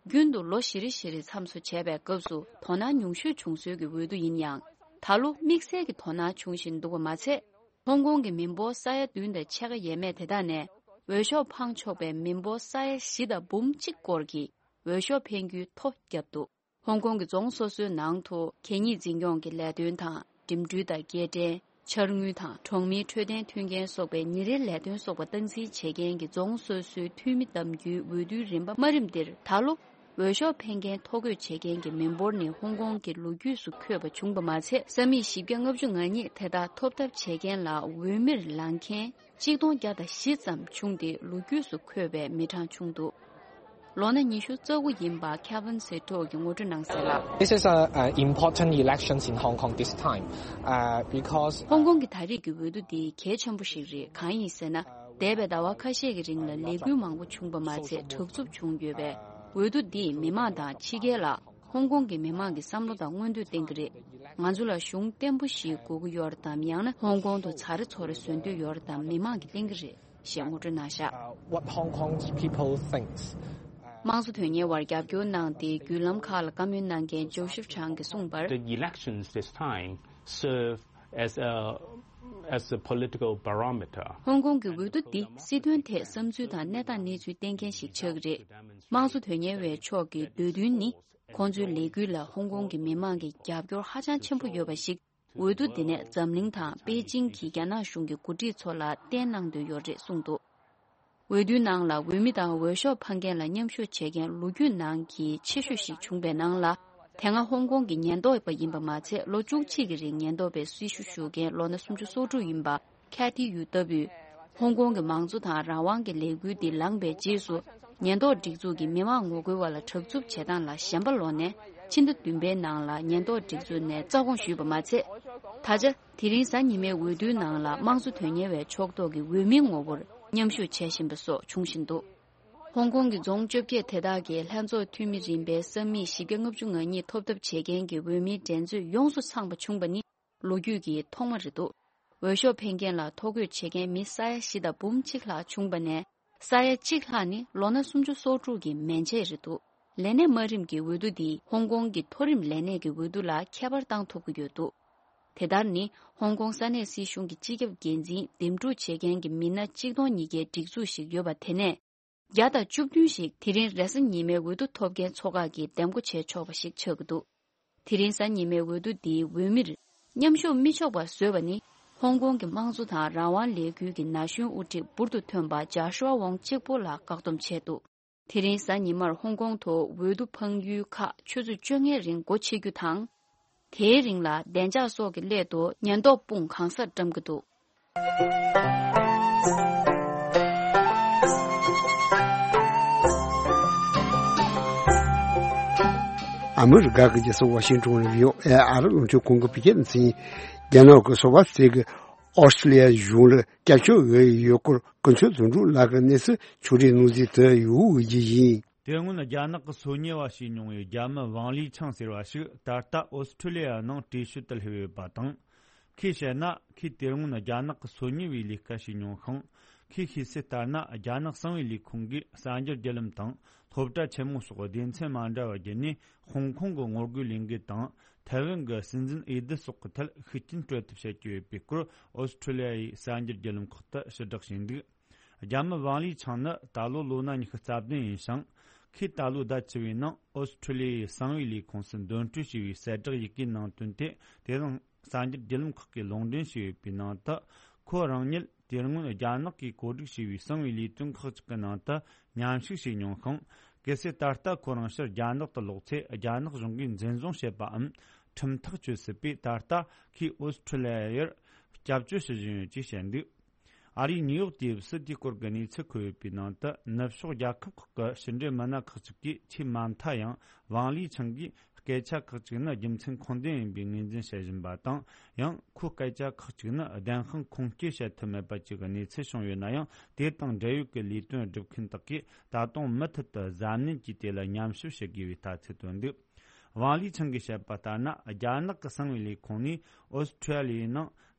རྒྱུན་དུ་ལོ་བཞི་རེ་བཞི་རེ་མཚམས་སུ་བྱས་པའི་སྐབས་སུ་དོ་སྣང་ཉུང་ཤོས་བྱུང་སྲོལ་གྱི་འོས་བསྡུ་ཡིན་ཡང་། ད་ལོ་དམིགས་བསལ་གྱི་དོ་སྣང་བྱུང་བཞིན་འདུག་པ་མ་ཚད། ཧོང་ཀོང་གི་མི་འབོར་ས་ཡ་བདུན་དང་ཕྱེད་ཀ་ཡས་མས་དེ་དག་ནས་འོས་ཤོག་འཕང་ཆོག་པའི་མི་འབོར་ས་ཡ་བཞི་དང་འབུམ་གཅིག་སྐོར་གྱིས་འོས་ཤོག་འཕེན་རྒྱུའི་ཐོ་བརྒྱབ་འདུག་ཧོང་ཀོང་གི་རྫོང་སོ་སོའི་ནང་དུ་གད་སྙིགས་འཛིན་སྐྱོང་གི་ལས་དོན་དང་། འགྲིམ་འགྲུལ་དང་སྐྱེལ་འདྲེན། འཆར་དངུལ་དང་གྲོང་མིའི་འཕྲོད་བསྟེན་མཐུན་རྐྱེན་སོགས་པའི་ཉིན་རེའི་ལས་དོན་སོགས་པ་སྟངས་འཛིན་བྱེད་མཁན་གྱི་རྫོང་སོ་སོའི་འཐུས་མི་གདམ་རྒྱུའི་འོས་བསྡུའི་རིམ་པ་དམའ་རིམ་འདིར་ད་ལོ་འོས་ཤོག་འཕེན་མཁན་ཐོ་འགོད་བྱེད་མཁན་གྱི་མི་འབོར་ནི་ཧོང་ཀོང་གི་ལོ་རྒྱུས་སུ་འཁོད་པ་བྱུང་བ་མ་ཚད། ས་མིག་བཞི་བརྒྱ་ལྔ་བཅུ་ང་གཉིས་དེ་དག་ཐོབ་ཐབས་བྱེད་མཁན་ལ་འོས་མིར་ལངས་མཁན། གཅིག་སྟོང་བརྒྱ་དང་བཞི་ཙམ་བྱུང་སྟེ་ལོ་རྒྱུས་སུ་འཁོད་པའི་མི་གྲངས་བྱུང་འདུག་ལོ་ན་ཉི་ཤུ་རྩ་དགུ་ཡིན་པ་ཁེ་ཝིན་སི་ཏྲོ་གིས་ངོ་སྤྲོད་གནང་གསལ་ལ། This is a, a important elections in Hong Kong this time, uh, because ཧོང་ཀོང་གི་ད་རེས་ཀྱི་འོས་བསྡུ་འདི་གལ་ཆེན་པོ་ཞིག་རེད། གང་ཡིན་ཟེར་ན། འདས་པའི་ཟླ་བ་ཁ་ཤས་ཀྱི་རིང་ལ་ལས་འགུལ་མང་པོ་བྱུང་བ་མ་ཚད་དྲག་རྩུབ་བྱུང་ཡོད་པས། འོས་བསྡུ་འདིས་མི་མང་དང་ཕྱི་རྒྱལ་ལ། ཧོང་ཀོང་གི་མི་མང་གི་བསམ་བློ་དང་མངོན་འདོད་བསྟན་གྱི་རེད། ང་ཚོ་ལ་གཞུང་བརྟན་པོ་ཞིག་དགོས་ཀྱི་ཡོད་རེད་དམ། ཡང་ན་ཧོང་ཀོང་དུ་ཚ་རེ་ཚོ་རེ་བཟོ་འདོད་ཡོད་རེད་དམ། མི་མང་གིས་བསྟན་གྱི་རེད་ཞེས་ངོ་སྤྲོད་གནང་བཞག What Hong Kong's people thinks. དམངས་གཙོ་དོན་གཉེར་བར་རྒྱབ་སྐྱོར་གནང་སྟེ་བརྒྱུད་ལམ་ཁག་ལ་བཀའ་མོལ་གནང་མཁན་ཇོ་ཤིབ་ཆང་གིས་གསུངས་པར། The elections this time serve as a, as a political barometer. ཧོང་ཀོང་གི་འོས་བསྡུ་འདི་སྲིད་དོན་ཐད་བསམ་ཚུལ་དང་གནས་སྟངས་གནས་ཚུལ་བསྟན་མཁན་ཞིག་ཆགས་ཀྱི་རེད། དམངས་གཙོ་དོན་གཉེར་བའི་ཕྱོགས་ཀྱི་འདོད་འདུན་ནི། ཁོང་ཚོའི་ལས་འགུལ་ལ་ཧོང་ཀོང་གི་མི་མང་གི་རྒྱབ་སྐྱོར་ཧ་ཅང་ཆེན་པོ་ཡོད་པ་ཞིག་འོས་བསྡུ་འདི་ནས་འཛམ་གླིང་དང་པེ་ཅིང་གི་རྒྱ་ནག་གཞུང་གི་འགོ་ཁྲིད་ཚོ་ལ་བསྟན་གནང་འདོད་ཡོད་རེད་གསུངས་འདུག་འོས་བསྡུའི་ནང་ལ་འོས་མི་དང་འོས་ཤོག་འཕང་མཁན་ལ་མཉམ་ཞུགས་བྱེད་མཁན་ལོ་རྒྱུས་ནང་གི་ཆེ་ཤོས་ཤིག་བྱུང་པའི་ནང་ལ། དེ་སྔ་ཧོང་ཀོང་གི་ཉེན་རྟོག་པ་ཡིན་པ་མ་ཚད་ལོ་བཅུ་གཅིག་གི་རིང་ཉེན་རྟོག་པའི་སྲི་ཞུ་ཞུ་མཁན་ལོ་ན་སུམ་ཅུ་སོ་དྲུག་ཡིན་པ། ཁེ་ཐི་ཡུ་ལྟ་བུས། ཧོང་ཀོང་གི་མང་གཙོ་དང་རང་དབང་གི་ལས་འགུལ་འདི་ལངས་པའི་རྗེས་སུ། ཉེན་རྟོག་སྒྲིག་འཛུགས་ཀྱིས་མི་མང་ངོ་རྒོལ་བ་ལ་དྲག་རྩུབ་བྱེད་སྟངས་ལ་ཞེན་པ་ལོག་ནས། ཕྱི་ཟླ་བདུན་པའི་ནང་ལ་ཉེན་རྟོག་སྒྲིག་འཛུགས་ནས་རྩ་དགོངས་ཞུས་པ་མ་ཚད། ད་ཆ། དེ་རིང་གཟའ་ཉི་མའི་འོས་བསྡུའི་ནང་ལ་དམངས་གཙོ་དོན་གཉེར་བའི་ཕྱོགས་གཏོགས་ཀྱི་འོས་མིའི་ངོ་བོར་མཉམ་ཞུགས་བྱེད་བཞིན་པ་སོགས་བྱུང་བཞིན་འདུག་ཧོང་ཀོང་གི་རྫོང་བཅོ་བརྒྱད་དེ་དག་གི་ལྷན་ཚོགས་འཐུས་མི་རིམ་པའི་ས་མིག་བཞི་བརྒྱ་ལྔ་བཅུ་ང་གཉིས་ཐོབ་ཐབས་བྱེད་མཁན་གྱི་འོས་མིའི་འགྲན་རྩོད་ཡོངས་སུ་ཚང་བ་བྱུང་བ་ནི། ལོ་རྒྱུས་ཀྱི་ཐོག་མ་རེད་འདུག་འོས་ཤོག་འཕེན་མཁན་ལ་ཐོ་འགོད་བྱེད་མཁན་མི་ས་ཡ་བཞི་དང་འབུམ་གཅིག་ལྷག་བྱུང་བ་ནས། ས་ཡ་གཅིག་ལྷག་ནི་ལོ་ན་སུམ་ཅུ་སོ་དྲུག་གི་མན་ཆད་རེད་འདུག་ལས་གནས་དམའ་རིམ་གྱི་འོས་བསྡུ་འདིས་ཧོང་ཀོང་གི་མཐོ་རིམ་ལས་གནས་ཀྱི་འོས་བསྡུ་ལ་ཁྱད་པར་བཏང་ཐུབ་ཀྱི་ཡོད་འདུག་དེ་ལྟར་ནི་ཧོང་ཀོང་ས་གནས་སྲིད་གཞུང་གི་སྤྱི་ཁྱབ་འགན་འཛིན་འདེམས་སྒྲུག་བྱེད་མཁན་གྱི་མི་སྣ་གཅིག་སྟོང་ཉིས་བརྒྱའི་སྒྲིག་འཛུགས་ཤིག་ཡོད་པ་དེ་ནས། བརྒྱ་དང་བཅུ་བདུན་ཞིག་དེ་རིང་རེས་གཟའ་ཉི་མའི་འོས་བསྡུ་ཐོབ་མཁན་ཚོ་ཁག་གིས་འདེམས་བསྐོ་བྱས་ཆོག་པ་ཞིག་ཆགས་ཀྱི་འདུག་དེ་རིང་གཟའ་ཉི་མའི་འོས་བསྡུ་འདིའི་འོས་མིར་མཉམ་ཞུགས་མི་ཆོག་པ་བཟོས་པ་ནི། ཧོང་ཀོང་གི་དམངས་གཙོ་དང་རང་དབང་ལས་འགུལ་གྱི་ན་གཞོན་དབུ་ཁྲིད་འབུར་དུ་ཐོན་པ་ཇཱ་ཤུ་ཨ་ཝོང་གཅིག་པོ་ལ་བཀག་སྡོམ་བྱས་འདུག་དེ་རིང་གཟའ་ཉི་མར་ཧོང་ཀོང་དུ་འོས་བསྡུ་འཕང་ཡུལ་ཁག་ཆུ་ཚོད་བཅོ་ལྔའི་རིང་སྒོ་ཕྱེ་རྒྱུ་དང་། དེའི་རིང་ལ་བདེ་འཇགས་སོགས་ཀྱི་སླད་དུ་ཉེན་རྟོག་དཔུང་གང་སར་བཀྲམ་གྱི་འདུག་ཨ་མི་རི་ཀ་གི་རྒྱལ་ས་ཝ་ཤིང་ཏོན་ལ་ཡོད་ཨེ་ཨ་རི་རླུང་འཕྲིན་ཁང་གི་བོད་སྐད་སྡེ་ཚན། རྒྱ་ནག་གི་སོ་པ་སེ་གི་ཨོ་སི་ཀྲི་ལི་ཡ་གཞུང་ལ་སྐྱབས་བཅོལ་འོས་ཡོད་སྐོར་ཀུན་མཁྱེན་དོན་གྲུབ་ལགས་ཀྱིས་གནས་ཚུལ་ཕྱོགས་སྒྲིག་གནང་གཟིགས་དུ་ཡོད་ཞུ་རྒྱུ་ཡིན། དེ་སྔོན་རྒྱ་ནག་གི་སོ་ཉུལ་བ་བྱས་མྱོང་བའི་རྒྱ་མི་ཝང་ལི་ཆང་ཟེར་བ་ཞིག་ད་ལྟ་ཨོ་སི་ཀྲི་ལི་ཡ་ནང་བྲོས་བྱོལ་དུ་སླེབས་ཡོད་པ་དང་། ཁོས་བཤད་ན་ཁོས་དེ་སྔོན་རྒྱ་ནག་གི་སོ་ཉུལ་བའི་ལས་ཀ་བྱས་མྱོང་ཤིང་། ཁོས་ཤེས་གསལ་ལྟར་ན། རྒྱ་ནག་གསང་བའི་ལས་ཁུངས་ཀྱིས་གསར་འགྱུར་བརྒྱུད་ལམ་དང་སློབ་གྲྭ་ཆེན་མོ་སོགས་སྡེ་ཚན་མ་འདྲ་བ་བརྒྱུད་ནས། ཧོང་ཀོང་གི་ངོ་རྒོལ་ལས་འགུལ་དང་། ཐའེ་ཝན་གྱི་སྲིད་འཛིན་འོས་བསྡུ་སོགས་ཀྱི་ཐད་ཤུགས་རྐྱེན་སྤྲོད་ཐབས་བྱེད་ཀྱི་ཡོད་པའི་སྐོར། ཨོ་སི་ཁྲུ་ལི་ཡ་ཡི་གསར་འགྱུར་བརྒྱུད་ལམ་ཁག་ཏུ་ཕྱིར་བསྒྲགས་བྱས་འདུག་རྒྱ་མི་ཝང་ལི་ཆང་ནི་ད་ལོ་ལོ་ན་ཉི་ཤུ་རྩ་བདུན་ཡིན་ཞིང་། ཁོས་ད་ལོའི་ཟླ་བཅུ་བའི་ནང་ཨོ་སི་ཁྲུ་ལི་ཡའི་གསང་བའི་ལས་ཁུངས་སུ་འདོན་སྤྲོད་བྱས་པའི་གསལ་བསྒྲགས་ཡི་གེའི་ནང་བཏོན་ཏེ། དེ་རིང་གསར་འགྱུར་བརྒྱུད་ལམ་ཁག་གིས་ལུང་འདྲེན་བྱས་ཡོད་པའི་ནང་དུ། ཁོ་རང་ཉིད་དེ་སྔོན་རྒྱ་ནག་གིས་བཀོད་སྒྲིག་བྱས་པའི་གསང་བའི་ལས་དོན་ཁག་ཅིག་གི་ནང་དུ་མཉམ་ཞུགས་བྱས་མྱོང་ཞིང་། གལ་སྲིད་ད་ལྟ་ཁོ་རང་ཕྱིར་རྒྱ་ནག་ཏུ་ལོག་ཚེ། རྒྱ་ནག་གཞུང་གིས་འཛིན་བཟུང་བྱེད་པའམ་ཁྲིམས་ཐག་གཅོད་སྲིད་པས། ད་ལྟ་ཁོས་ཨོ་སི་ཁྲུ་ལི་ཡར་སྐྱབས་བཅོལ་ཞུ་བཞིན་ཡོད་ཅེས་བཤད་འདུག་ཨ་རིའི་ནིའུ་ཡོག་ཊེམ་སི་དེའི་སྐོར་གྱི་གནས་ཚུལ་འཁོད་ཡོད་པའི་ནང་དུ། ནུབ་ཕྱོགས་རྒྱལ་ཁབ་ཁག་གི་ཕྱི་འབྲེལ་མི་སྣ་ཁག་ཅིག་གིས། ཆེས་མ་མཐའ་ཡང་ཝང་ལི་ཆང་གིས་སྐད་ཆ་ཁག་ཅིག་ནི་རྒྱུ་མཚན་ཁུངས་ལྡན་ཡིན་པའི་ངོས་འཛིན་བྱེད་བཞིན་པ་དང་། ཡང་ཁོའི་སྐད་ཆ་ཁག་ཅིག་ནི་བདེན་དཔང་ཁུངས་སྐྱེལ་བྱེད་ཐུབ་མེད་པ་བཅས་ཀྱི་གནས་ཚུལ་བྱུང་ཡོད་ན་ཡང་། དེ་དང་འབྲེལ་ཡོད་ཀྱི་ལས་དོན་སྒྲུབ་མཁན་དག་གིས་ད་དུང་མུ་མཐུད་དུ་གཟབ་ནན་གྱིས་དེ་ལ་མཉམ་ཞིབ་བྱེད་དགོས་པའི་ལྟ་ཚུལ་བཏོན་འདུག་ཝང་ལི་ཆང་གིས་བཤད་པ་ལྟར་ན། རྒྱ་ནག་གི་གསང་བའི་ལས་ཁུངས་ནས་ཨོ་སི་ཁྲུ་ལི་ཡའི་ནང་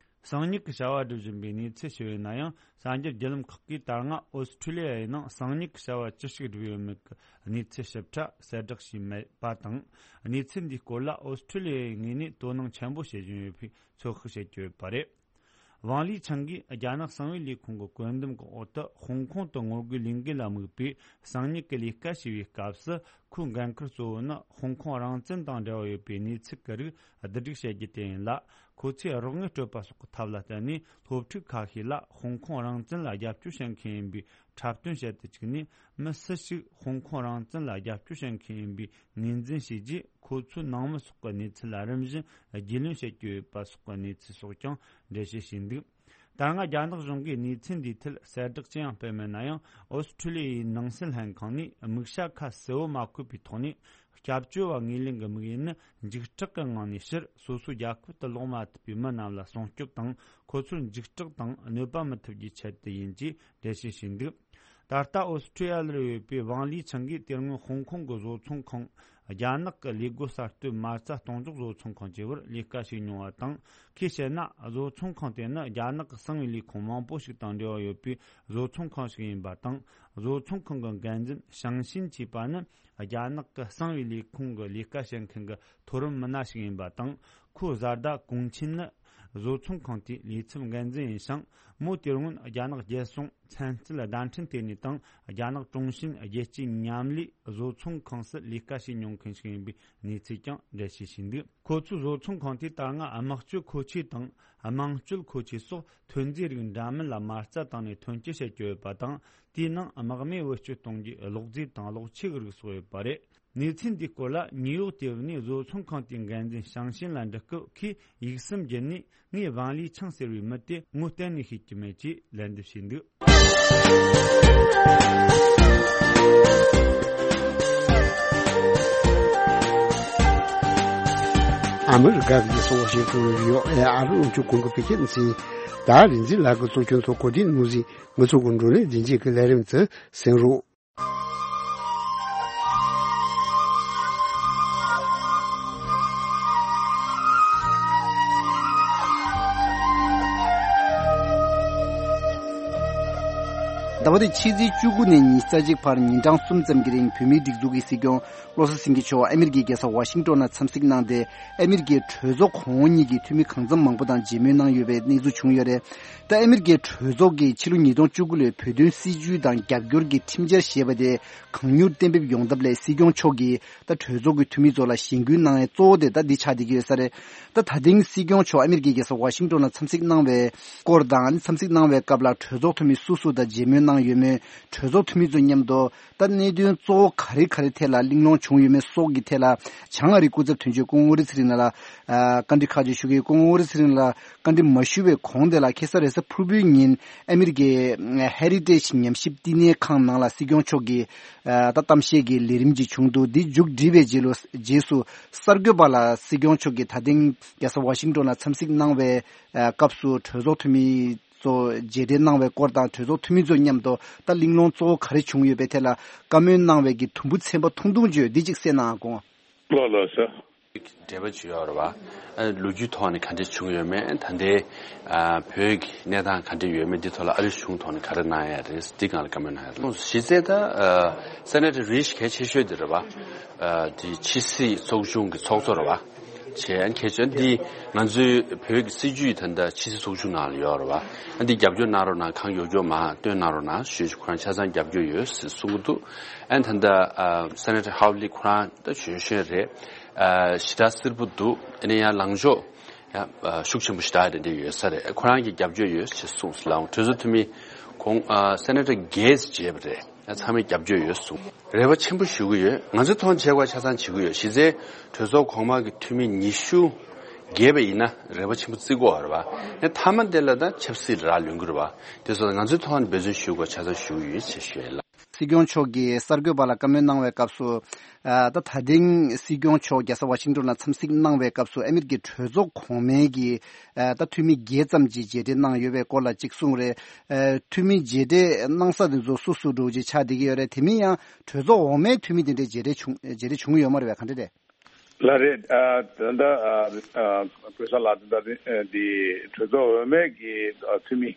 གསང་ཉུལ་གྱི་བྱ་བ་སྒྲུབ་བཞིན་པའི་གནས་ཚུལ་ཞིག་ཡོད་ན་ཡང་། གསར་འགྱུར་བརྒྱུད་ལམ་ཁག་གིས་ད་སྔ་ཨོ་སི་ཁྲུ་ལི་ཡའི་ནང་གསང་ཉུལ་གྱི་བྱ་བ་ཅི་ཞིག་བསྒྲུབས་ཡོད་མེད་ཀྱི་གནས་ཚུལ་ཞིབ་ཕྲ་གསལ་བསྒྲགས་བྱས་མེད་པ་དང་། གནས་ཚུལ་འདིའི་སྐོར་ལ་ཨོ་སི་ཁྲུ་ལི་ཡའི་ངོས་ནས་དོ་སྣང་ཆེན་པོ་བྱེད་བཞིན་ཡོད་པའི་ཚོད་དཔག་བྱེད་ཀྱི་ཡོད་པ་རེད། ཝང་ལི་ཆང་གིས་རྒྱ་ནག་གསང་བའི་ལས་ཁུངས་ཀྱི་བཀོད་འདོམས་ཀྱི་འོག་ཏུ་ཧོང་ཀོང་དུ་ངོ་རྒོལ་ལས་འགུལ་ལ་དམིགས་པའི་གསང་ཉུལ་གྱི་ལས་ཀ་བྱས་པའི་སྐབས་སུ། ཁོའི་འགན་ཁུར་གཙོ་བོ་ནི་ཧོང་ཀོང་རང་བཙན་དང་འབྲེལ་བ་ཡོད་པའི་གནས་ཚུལ་གྱི་རིགས་བསྡུ་སྒྲིག་བྱེད་རྒྱུ་དེ་ཡིན་ལ། ཁོ་ཚོས་རོགས་དངུལ་སྤྲོད་པ་སོགས་ཀྱི་ཐབས་ལ་བརྟེན་ནས། སློབ་ཕྲུག་ཁ་ཤས་ལ་ཧོང་ཀོང་རང་བཙན་ལ་རྒྱབ་སྐྱོར་བྱེད་མཁན་ཡིན་པའི་འཁྲབ་སྟོན་བྱེད་དུ་བཅུག་ནས། མི་སུ་ཞིག་ཧོང་ཀོང་རང་བཙན་ལ་རྒྱབ་སྐྱོར་བྱེད་མཁན་ཡིན་པའི་ངོས་འཛིན་བྱས་རྗེས། ཁོ་ཚོའི་ནང་མི་སོགས་ཀྱི་གནས་ཚུལ་ལ་རིམ་བཞིན་རྒྱུས་ལོན་བྱེད་ཀྱི་ཡོད་པ་སོགས་ཀྱི་གནས་ཚུལ་སོགས་ཀྱང་འགྲེལ་བཤད་བྱས་འདུག་ད་སྔ་རྒྱ་ནག་གཞུང་གིས་གནས་ཚུལ་འདིའི་ཐད་གསལ་བསྒྲགས་ཅི་ཡང་སྤེལ་མེད་ན་ཡང་། ཨོ་སི་ཁྲུ་ལི་ཡའི་ནང་སྲིད་ལྷན་ཁང་ནས་དམིགས་བྱ་ཁ་གསལ་བོ་མ་བཀོད་པའི་ཐོག་ནས། སྐྱབས་བཅོལ་བ་ངོས་ལེན་གྱི་དམིགས་ཡུལ་ནི། འཇིགས་སྐྲག་གི་ངང་ནས་ཕྱིར་སོ་སོའི་རྒྱལ་ཁབ་ཏུ་ལོག་མ་ཐུབ་པའི་མི་རྣམས་ལ་སྲུང་སྐྱོབ་དང་། ཁོ་ཚོར་འཇིགས་སྐྲག་དང་གནོད་པ་མི་ཐེབས་རྒྱུའི་ཆེད་དུ་ཡིན་ཅེས་འགྲེལ་བཤད་བྱས་འདུག་ད་ལྟ་ཨོ་སི་ཁྲུ་ལི་ཡར་ཡོད་པའི་ཝང་ལི་ཆང་གིས་དེ་སྔོན་ཧོང་ཀོང་གི་བཟོ་ཚོང་ཁང་། རྒྱ་ནག་གི་ལས་སྒོ་གསར་གཏོད་མ་རྩ་གཏོང་འཇོག་བཟོ་ཚོང་ཁང་བཅས་པར་ལས་ཀ་བྱས་མྱོང་བ་དང་། ཁོས་བཤད་ན། བཟོ་ཚོང་ཁང་དེ་ནི་རྒྱ་ནག་གི་གསང་བའི་ལས་ཁུངས་མང་པོ་ཞིག་དང་འབྲེལ་བ་ཡོད་པའི་བཟོ་ཚོང་ཁང་ཞིག་ཡིན་པ་དང་། བཟོ་ཚོང་ཁང་གི་འགན་འཛིན་ཞང་ཤིན་ཅེས་པ་ནི། རྒྱ་ནག་གི་གསང་བའི་ལས་ཁུངས་ཀྱི་ལས་ཀ་བྱེད་མཁན་གྱི་མཐོ་རིམ་མི་སྣ་ཞིག་ཡིན་པ་དང་། ཁོའི་བཟའ་ཟླ་ཀུང་ཆིན་ནི་བཟོ་ཚོང་ཁང་དེའི་ལས་ཚབ་འགན་འཛིན་ཡིན་ཞིང་། མོ་དེ་སྔོན་རྒྱ་ནག་རྒྱལ་སྲུང་ཚན་རྩལ་བརྡ་འཕྲིན་ལྟེ་གནས་དང་། རྒྱ་ནག་ཀྲུང་ཞིན་རྒྱལ་སྤྱིའི་མཉམ་ལས་བཟོ་ཚོང་ཁང་སུ་ལས་ཀ་བྱས་མྱོང་མཁན་ཞིག་ཡིན་པའི་གནས་ཚུལ་ཀྱང་འགྲེལ་བཤད་བྱས་འདུག་ཁོ་ཚོའི་བཟོ་ཚོང་ཁང་དེས་ད་སྔ་དམག་སྤྱོད་མཁོ་ཆས་དང་། དམངས་སྤྱོད་མཁོ་ཆས་སོགས་ཐོན་རྫས་རིགས་འདྲ་མིན་ལ་མ་རྩ་བཏང་ནས་ཐོན་སྐྱེད་བྱེད་ཀྱི་ཡོད་པ་དང་། དེའི་ནང་དམག་མི་བེད་སྤྱོད་གཏོང་རྒྱུའི་གློག་རྫས་དང་གློག་ཆས་ཀྱི་རིགས་སོགས་ཡོད་པ་རེད། གནས་ཚུལ་འདིའི་སྐོར་ལ་ནིའུ་ཡོག་ཏེ་བ་ནས་བཟོ་ཚོང་ཁང་དེའི་འགན་འཛིན་ཞང་ཤིན་ལ་འདྲི་སྐབས། ཁོས་ཡིག་གསུམ་བརྒྱུད་ནས། ངས་ཝང་ལི་ཆང་ཟེར་བའི་མི་དེ་ངོ་གཏན་ནས་ཤེས་ཀྱི་མེད་ཅེས་ལན་འདེབས་བྱས་འདུག་ཨ་མི་རི་ཀ་གི་སོ་ཤིང་ཏོན་རི་ཡོ་ཨེ་ཨར་ཨུ་ཅུ་ཀུང་གི་བོད་སྐད་མཚན། ད་རིན་འཛིན་ལགས་ཀྱིས་གཙོ་སྐྱོང་ཐོག་གོ་སྒྲིག་གནང་ཟིན། ང་ཚོ་གི་འགྲོ་ལས་རྒྱུན་ཆད་ཀྱི་ལས་རིམ་དུ་གསན་རོགས། ཟླ་བ་འདིའི་ཕྱི་ཚེས་བཅུ་དགུ་ནས་ཉི་ཤུ་རྩ་གཅིག་བར་ཉིན་གྲངས་གསུམ་ཙམ་གྱི་རིང་བོད་མིའི་སྒྲིག་འཛུགས་ཀྱི་སྲིད་སྐྱོང་བློ་བཟང་སེང་གེ་མཆོག་ཨ་མི་རི་ཀའི་རྒྱལ་ས་ཝ་ཤིང་ཏོན་ལ་འཚམས་གཟིགས་གནང་སྟེ། ཨ་མི་རི་ཀའི་གྲོས་ཚོགས་གོང་འོག་གཉིས་ཀྱི་འཐུས་མི་གང་འཚམ་མང་པོ་དང་མཇལ་མོལ་གནང་ཡོད་པའི་གནས་ཚུལ་བྱུང་ཡོད་རེད། ད་ཨ་མི་རི་ཀའི་གྲོས་ཚོགས་ཀྱིས་ཕྱི་ལོ་ཉིས་སྟོང་བཅུ་དགུ་ལོའི་བོད་དོན་སྲིད་བྱུས་དང་རྒྱབ་སྐྱོར་གྱི་ཁྲིམས་འཆར་ཞེས་པ་དེ་གང་མྱུར་གཏན་འབེབས་ཡོང་ཐབས་སླད་སྲིད་སྐྱོང་མཆོག་གིས་ད་གྲོས་ཚོགས་ཀྱི་འཐུས་མི་ཚོ་ལ་ཞེན་སྐུལ་གནང་ཡས་གཙོ་བོ་དེ་ད་འདི་ཆགས་བསྡད་ཀྱི་ཡོད་ས་རེད། ད་ད་ཐེངས་སྲིད་སྐྱོང་མཆོག་ཨ་མི་རི་ཀའི་རྒྱལ་ས་ཝ་ཤིང་ཏོན་ལ་འཚམས་གཟིགས་གནང་བའི་སྐོར་དང་། འཚམས་གཟིགས་གནང་བའི་སྐབས་ལ་གྲོས་ཚོགས་འཐུས་མི་སུ་སུ་དང་མཇལ་མོལ་གནང་ཡོད་མེད། གྲོས་ཚོགས་འཐུས་མི་ཚོ་མཉམ་དུ་ད་གནད་དོན་གཙོ་བོ་ག་རེ་ག་རེ་ཐད་ལ་གླེང་སློང་བྱུང་ཡོད་མེད་སོགས་ཀྱི་ཐད་ལ། བྱང་ཨ་རིའི་སྐུ་ཚབ་དོན་གཅོད་སྐུ་ངོ་ཨོ་རི་ཚེ་རིང་ལགས་ལ་ཨ་བཀའ་འདྲི་ཁག་ཅིག་ཞུ་གི་ཡོད། སྐུ་ངོ་ཨོ་རི་ཚེ་རིང་ལགས་བཀའ་འདྲི་མ་ཞུ་བའི་གོང་དེ་ལ། ཁ་སང་རེས་གཟའ་ཕུར་བུའི་ཉིན་ཨ་མི་རི་ཀའི་ཧེ་རི་ཊེཇ་ཉམས་ཞིབ་བསྟི་གནས་ཁང་ནང་ལ་སྲིད་སྐྱོང་མཆོག་གིས་ཨ་ད་གཏམ་བཤད་ཀྱི་ལས་རིམ་ཅིག་བྱུང་འདུག་འདི་མཇུག་བསྒྲིལ་བའི་རྗེས་ལོ། རྗེས་སུ་གསར་འགོད་པ་ལ་སྲིད་སྐྱོང་མཆོག་གིས་ད་ཐེངས་རྒྱལ་ས་ཝ་ཤིང་ཏོན་ལ་འཚམས་གཟིགས་གནང་བའི་ཨ་སྐབས་སུ་གྲོས་ཚོགས་འཐུས་མི་ཚོ་མཇལ་འཕྲད་གནང་བའི་སྐོར་དང་། གྲོས་ཚོགས་འཐུས་མི་ཚོ་མཉམ་དུ་ད་གླེང་སློང་གཙོ་བོ་ག་རེ་བྱུང་ཡོད་པའི་ཐད་ལ་བཀའ་མོལ་གནང་བའི་གི་དུམ་བུ་ཚན་པ་ཐུང་ཐུང་བརྗོད་འདི་གཅིག་གསན་གནང་དགོངས། ལགས་ལགས་སོ། འབྲེལ་བ་ཅིག་ཡོད་རེད་བ། ཨ་ལོ་རྒྱུས་ཐོག་ནས་ག་འདྲས་བྱུང་ཡོད་མེད། ད་ལྟའི་ཨ་བོད་ཀྱི་གནས་སྟངས་ག་འདྲས་ཡོད་མེད། འདི་ཐོག་ལ་ཨ་རིའི་གཞུང་ཐོག་ནས་ག་རེ་གནང་ཡ་རེད། འདི་སྒང་ལ་བཀའ་མོལ་གནང་ཡ་རེད། གཞི་རྩའི་ད་ཨ་སེ་ནེ་ཊར་རིཆ་གལ་ཆེ་ཤོས་འདི་རེད་བ། ཨ་འདི་ཕྱི་སྲིད་ཚོགས་ཆུང་གི་ཚོགས་གཙོ་རེད་བ། བྱས་ཁྱེད་ཚོ་འདི་ང་ཚོའི་བོད་ཀྱི་སྲིད་ཇུས་ད་ལྟ་ཕྱི་སྲིད་ཚོགས་ཆུང་ནང་ལ་ཡོད་རེད་བ། ཨ་འདི་རྒྱབ་སྐྱོར་གནང་རོགས་གནང་། གང་མགྱོགས་མགྱོགས་མར་བཏོན་གནང་རོགས་གནང་ཞུས། ཁོ་རང་ཆ་ཚང་རྒྱབ་སྐྱོར་ཡོད་ཟེར་གསུང་གི་འདུག་ཨ་ད་ལྟ་ཨ་སེ་ནེ་ཊར་ཧའོ་ལི་ཁོ་རང་ད་གཞོན་གཞོན་རེད། ཨ་ཞེ་དྲག་སེར་པོ་འདུག་ཨ་ནི་ཡང་ལངས་ཕྱོགས་ཡང་ཨ་ཤུགས་ཆེན་པོ་ཞེ་དྲག་རེ་འདྲ་ཡོད་ས་རེད། ཁོ་རང་གིས་རྒྱབ་སྐྱོར་ཡོད་ཅེས་གསུངས་སོང་། ལའང་གྲོས་ཚོགས་འཐུས་མི་ཁོང་ཨ་སེ་ནེ་ཊར་བརྒྱད་ཅིག་བྱས་པ་རེད། ཡང་ཚང་མས་རྒྱབ་སྐྱོར་ཡོད་གསུངས། རེ་བ་ཆེན་པོ་ཞུ་གི་ཡོད། ང་ཚོའི་ཐོག་ནས་བྱེད་དགོས་ཆ་ཚང་བྱེད་ཀྱི་ཡོད། གཞི་རྩའི་གྲོས་ཚོགས་གོང་མ་གི་འཐུས་མི་ཉི་ཤུ་བརྒལ་བ་ཡིན་ན་རེ་བ་ཆེན་པོ་བརྩི་དགོས་རེད་བ། ཡང་མཐའ་མ་དེ་ལ་ད་ཆབ་སྲིད་ལ་རག་ལུས་ཀྱི་རེད་བ། དེ་སོགས་ང་ཚོའི་ཐོག་ནས་འབད་བརྩོན་ཞུ་དགོས་ཆ་ཚང་ཞུ་གི་ཡོད་ཅེས་ཞུ་ཡས་ལ། སྲིད་སྐྱོང་མཆོག་གིས་གསར་འགོད་པ་ལ་བཀའ་མོལ་གནང་བའི་སྐབས་སུ། ཨ་ད་ད་ཐེངས་སྲིད་སྐྱོང་མཆོག་རྒྱལ་ས་ཝ་ཤིང་ཏོན་ལ་འཚམས་གཟིགས་གནང་བའི་སྐབས་སུ་ཨ་མེ་རི་ཀའི་གྲོས་ཚོགས་གོང་མའི་གི་ཨ་ད་འཐུས་མི་བརྒྱད་ཙམ་གྱིས་མཇལ་འཕྲད་གནང་ཡོད་པའི་སྐོར་ལ་གཅིག་གསུངས་རེད། ཨ་འཐུས་མི་མཇལ་འཕྲད་གནང་ས་དེ་ཚོ་སུ་སུ་འདྲ་བོ་ཅིག་ཆགས་བསྡད་ཀྱི་ཡོད་རེད། དེ་མིན་ཡང་གྲོས་ཚོགས་འོག་མའི་འཐུས་མི་དེ་འདྲའི་མཇལ་འཕྲད་བྱུང་མཇལ་འཕྲད་བྱུང་ཡོད་མ་རེད་པས། ག་འདྲ་རེད། ལགས་རེད། ཨ་ད་ལྟ་ཨ་ཨ་བོད་ས་ལགས་ད་ལྟ་འདི་གྲོས་ཚོགས་འོག་མའི་གི་ཨ་འཐུས་མི་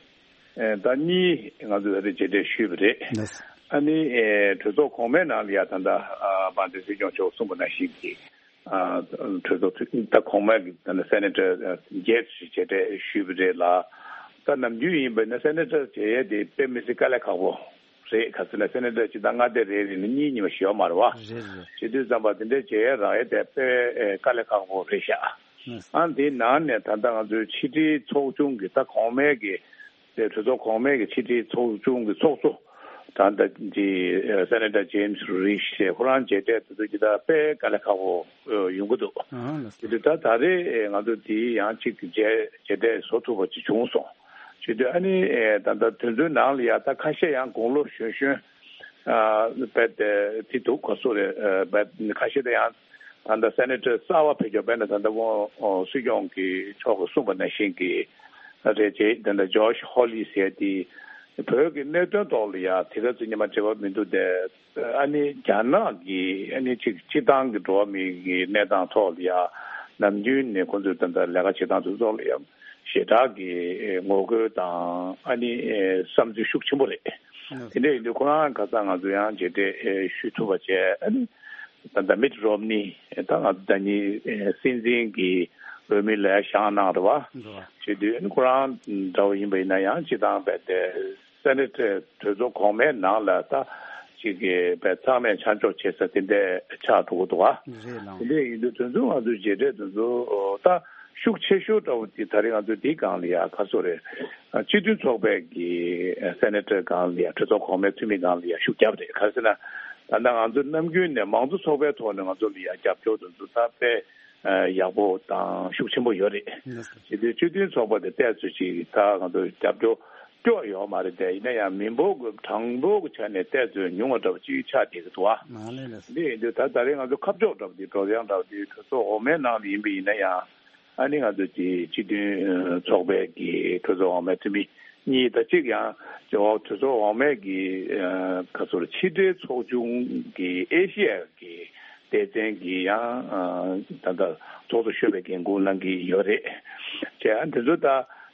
ཨ་ད་གཉིས་ང་ཚོས་ད་ལྟ་མཇལ་འཕྲད་ཞུས་པ་རེད། ལགས། ཨ་ནི་ཨ་གྲོས་ཚོགས་གོང་མའི་ནང་ལ་ཡ་ད་ལྟ་ཨ་དཔལ་ལྡན་སྲིད་སྐྱོང་མཆོག་གསུངས་པ་ནང་བཞིན་གྱི་ཨ་གྲོས་ཚོགས་འཐུས་ད་གོང་མའི་གི་ད་ལྟ་སེ་ནེ་ཊར་བརྒྱད་ཅིག་མཇལ་འཕྲད་ཞུས་པ་རེད་ལ། ད་ནམ་རྒྱུན་ཡིན་པ་ན་སེ་ནེ་ཊར་མཇལ་ཡས་དེ་དཔེ་མི་སྲིད་དཀའ་ལས་ཁག་པོ་རེད། ག་ཟེར་ན་སེ་ནེ་ཊར་སྤྱི་བཏང་མངའ་སྡེ་རེ་རེ་ནས་གཉིས་གཉིས་མ་ཞིག་ཡོད་མ་རེད་བ། རེད་རེད། བྱེད་དུས་ཙམ་པ་དེ་འདྲའི་བྱེད་ཡས་རག་ཡས་དེ་དཔེ་ཨེ་དཀའ་ལས་ཁག་པོ་རེད་ཤག་ཨ་དེའི་ནང་ནས་ད་ལྟ་ང་ཚོའི་ཕྱི་དྲིལ་ཚོགས་ཆུང་གི་ད་གོང་མའི་གི་དེ་གྲོས་ཚོགས་གོང་མའི་གི་ཕྱི་དྲིལ་ཚོགས་ཆུང་གི་ཚོགས་གཙོ་ད་ལྟ་ཅི་ཨེ་སེ་ནེ་ཊར་ཇེམ་སི་རི་ཤི་ཁོ་རང་མཇལ་འཕྲད་དེ་ཚོ་ཅི་ད་དཔེ་དཀའ་ལས་ཁག་པོ་ཨེ་ཡོང་གི་འདུག་ཨ་ལགས་སོ། དེ་དུས་ད་ད་རེས་ཨེ་ང་ཚོ་དེའི་ཡང་གཅིག་མཇལ་མཇལ་འཕྲད་བཟོ་ཐུབ་པ་ཅིག་བྱུང་སོང་། བྱེད་དུས་ཨ་ནི་ཨེ་ད་ལྟ་དེ་ཚོའི་ནང་ལ་ཡ་ད་ཁ་ཤས་ཡང་དགུང་ལོ་གཞོན་གཞོན་ཨ་བས་དེ་དེ་འདུག་ག་སུ་རེད། ཨ་བས་ཁ་ཤས་དེ་ཡང་ད་ལྟ་སེ་ནེ་ཊར་གསར་པ་ཕེབས་ཀྱོག་བས་ན་ད་ལྟ་དབང་སྲིད་སྐྱོང་གི་མཆོག་གིས་གསུངས་པ་ནང་བཞིན་གྱི་རེད་ཅེས། ད་ལྟ་ཇོ་ཤི་ཧོ་ལི་ཟེར་དེ་བོད་ཀྱི་གནད་དོན་ཐོག་ལ་ཡ་དེ་ག་ཚོད་སྙན་མ་འབྲེལ་བ་མི་འདུག་སྟེ། ཨ་ནི་རྒྱ་ནག་གི་ཨ་ནི་ཅིག་སྤྱི་བཏང་གི་འགྲོ་བ་མིའི་གི་གནས་སྟངས་ཐོག་ལ་ཡ་ནམ་རྒྱུན་ནས་ཁོང་ཚོས་ད་ལྟ་ལས་ཀ་བྱེད་སྟངས་དེ་ཚོ་ལ་ཡ་ཞེ་དྲག་གི་ངོ་རྒོལ་དང་ཨ་ནི་བསམ་ཚུལ་ཤུགས་ཆེན་པོ་རེད། དེ་འདྲ་ཡིན་དུས་ཁོ་རང་ཁ་སང་ང་ཚོ་ཡང་མཇལ་འཕྲད་ཞུ་ཐུབ་པ་བྱས། ཨ་ནི་ད་ལྟ་མིཊ་རོམ་ནི་ད་ང་ཚོ་ད་ནི་སྲིད་འཛིན་གྱི་འོས་མི་ལ་བཞེངས་གནང་རེད་བ། བྱེད་དུས་ཨ་ནི་ཁོ་རང་འདྲ་བོ་ཡིན་པ་ཡིན་ན་ཡང་སྤྱི་བཏང་རྦད་དེ། སེ་ནེ་ཊར་གྲོས་ཚོགས་གོང་མའི་ནང་ལ་ད་ཅིག་གི་བས་ཚང་མས་ཆ་འཇོག་བྱེད་ས་དེ་འདྲ་ཆགས་འགྲོ་གི་འདུག་ཨ། རེད་ལགས། དེ་འདྲ་ཡིན་དུས་དེ་ཚོ་ང་ཚོའི་མཇལ་འཕྲད་དེ་ཚོ་ད་ཤུགས་ཆེ་ཤོས་འདྲ་བོ་དེ་ད་རེས་ང་ཚོ་འདི་སྒང་ལ་ཡ་ག་སོ་རེད། སྤྱི་མཐུན་ཚོགས་པའི་གི་སེ་ནེ་ཊར་སྒང་ལ་ཡ་གྲོས་ཚོགས་གོང་མའི་འཐུས་མི་སྒང་ལ་ཡ་ཤུགས་རྒྱབ་རེད། ག་རེ་ཟེར་ན་ད་ལྟ་ང་ཚོ་ནམ་རྒྱུན་ནས་མང་གཙོ་ཚོགས་པའི་ཐོག་ནས་ང་ཚོ་ལ་ཡ་རྒྱབ་སྐྱོར་དེ་ཚོ་ད་དཔེ། ཡག་པོ་དང་ཤུགས་ཆེན་པོ་ཡོད་རེད། ལགས་སོ། བྱེད་དུས་སྤྱི་མཐུན་ཚོགས་པ་དེ་ཏོག་ཙམ་ཅིག་ད་ང་ཚོ་རྒྱབ་སྐྱོར་སྐྱོ་ཡོད་མ་རེད་དེ། ཡིན་ན་ཡང་མི་འབོར་གྱི་གྲངས་འབོར་གྱི་ཆ་ནས་ཏོག་ཙམ་ཉུང་བ་འདྲ་བོ་ཅིག་ཆགས་བསྡད་ཀྱི་འདུག་ཨ། མ་ལས་ལགས་སོ། འདི་ཡིན་དུས་ད་ད་རེས་ང་ཚོ་ཁ་ཕྱོགས་འདྲ་བོ་དེ་གྲོས་ཡང་འདྲ་བོ་དེ་གྲོས་ཚོགས་འོག་མའི་ནང་ལ་ཡིན་པ་ཡིན་ན་ཡང་ཨ་ནི་ང་ཚོ་དེ་སྤྱི་མཐུན་ཚོགས་པའི་གི་གྲོས་ཚོགས་འོག་མའི་འཐུས་མི་གཉིས་དང་གཅིག་ཡང་ཇོ་བོ་གྲོས་ཚོགས་འོག་མའི་གི་ཁ་ཚུར་ཕྱི་དྲིལ་ཚོགས་ཆུང་གི་ཨེ་ཤི་ཡ་གི་སྡེ་ཚན་གྱི་ཡང་ད་ལྟ་ཚོགས་གཙོ་གཞོན་པའི་འགན་འཁུར་གནང་གི་ཡོད་རེད། བྱས་ཨ་འདི་ཚོ་ད་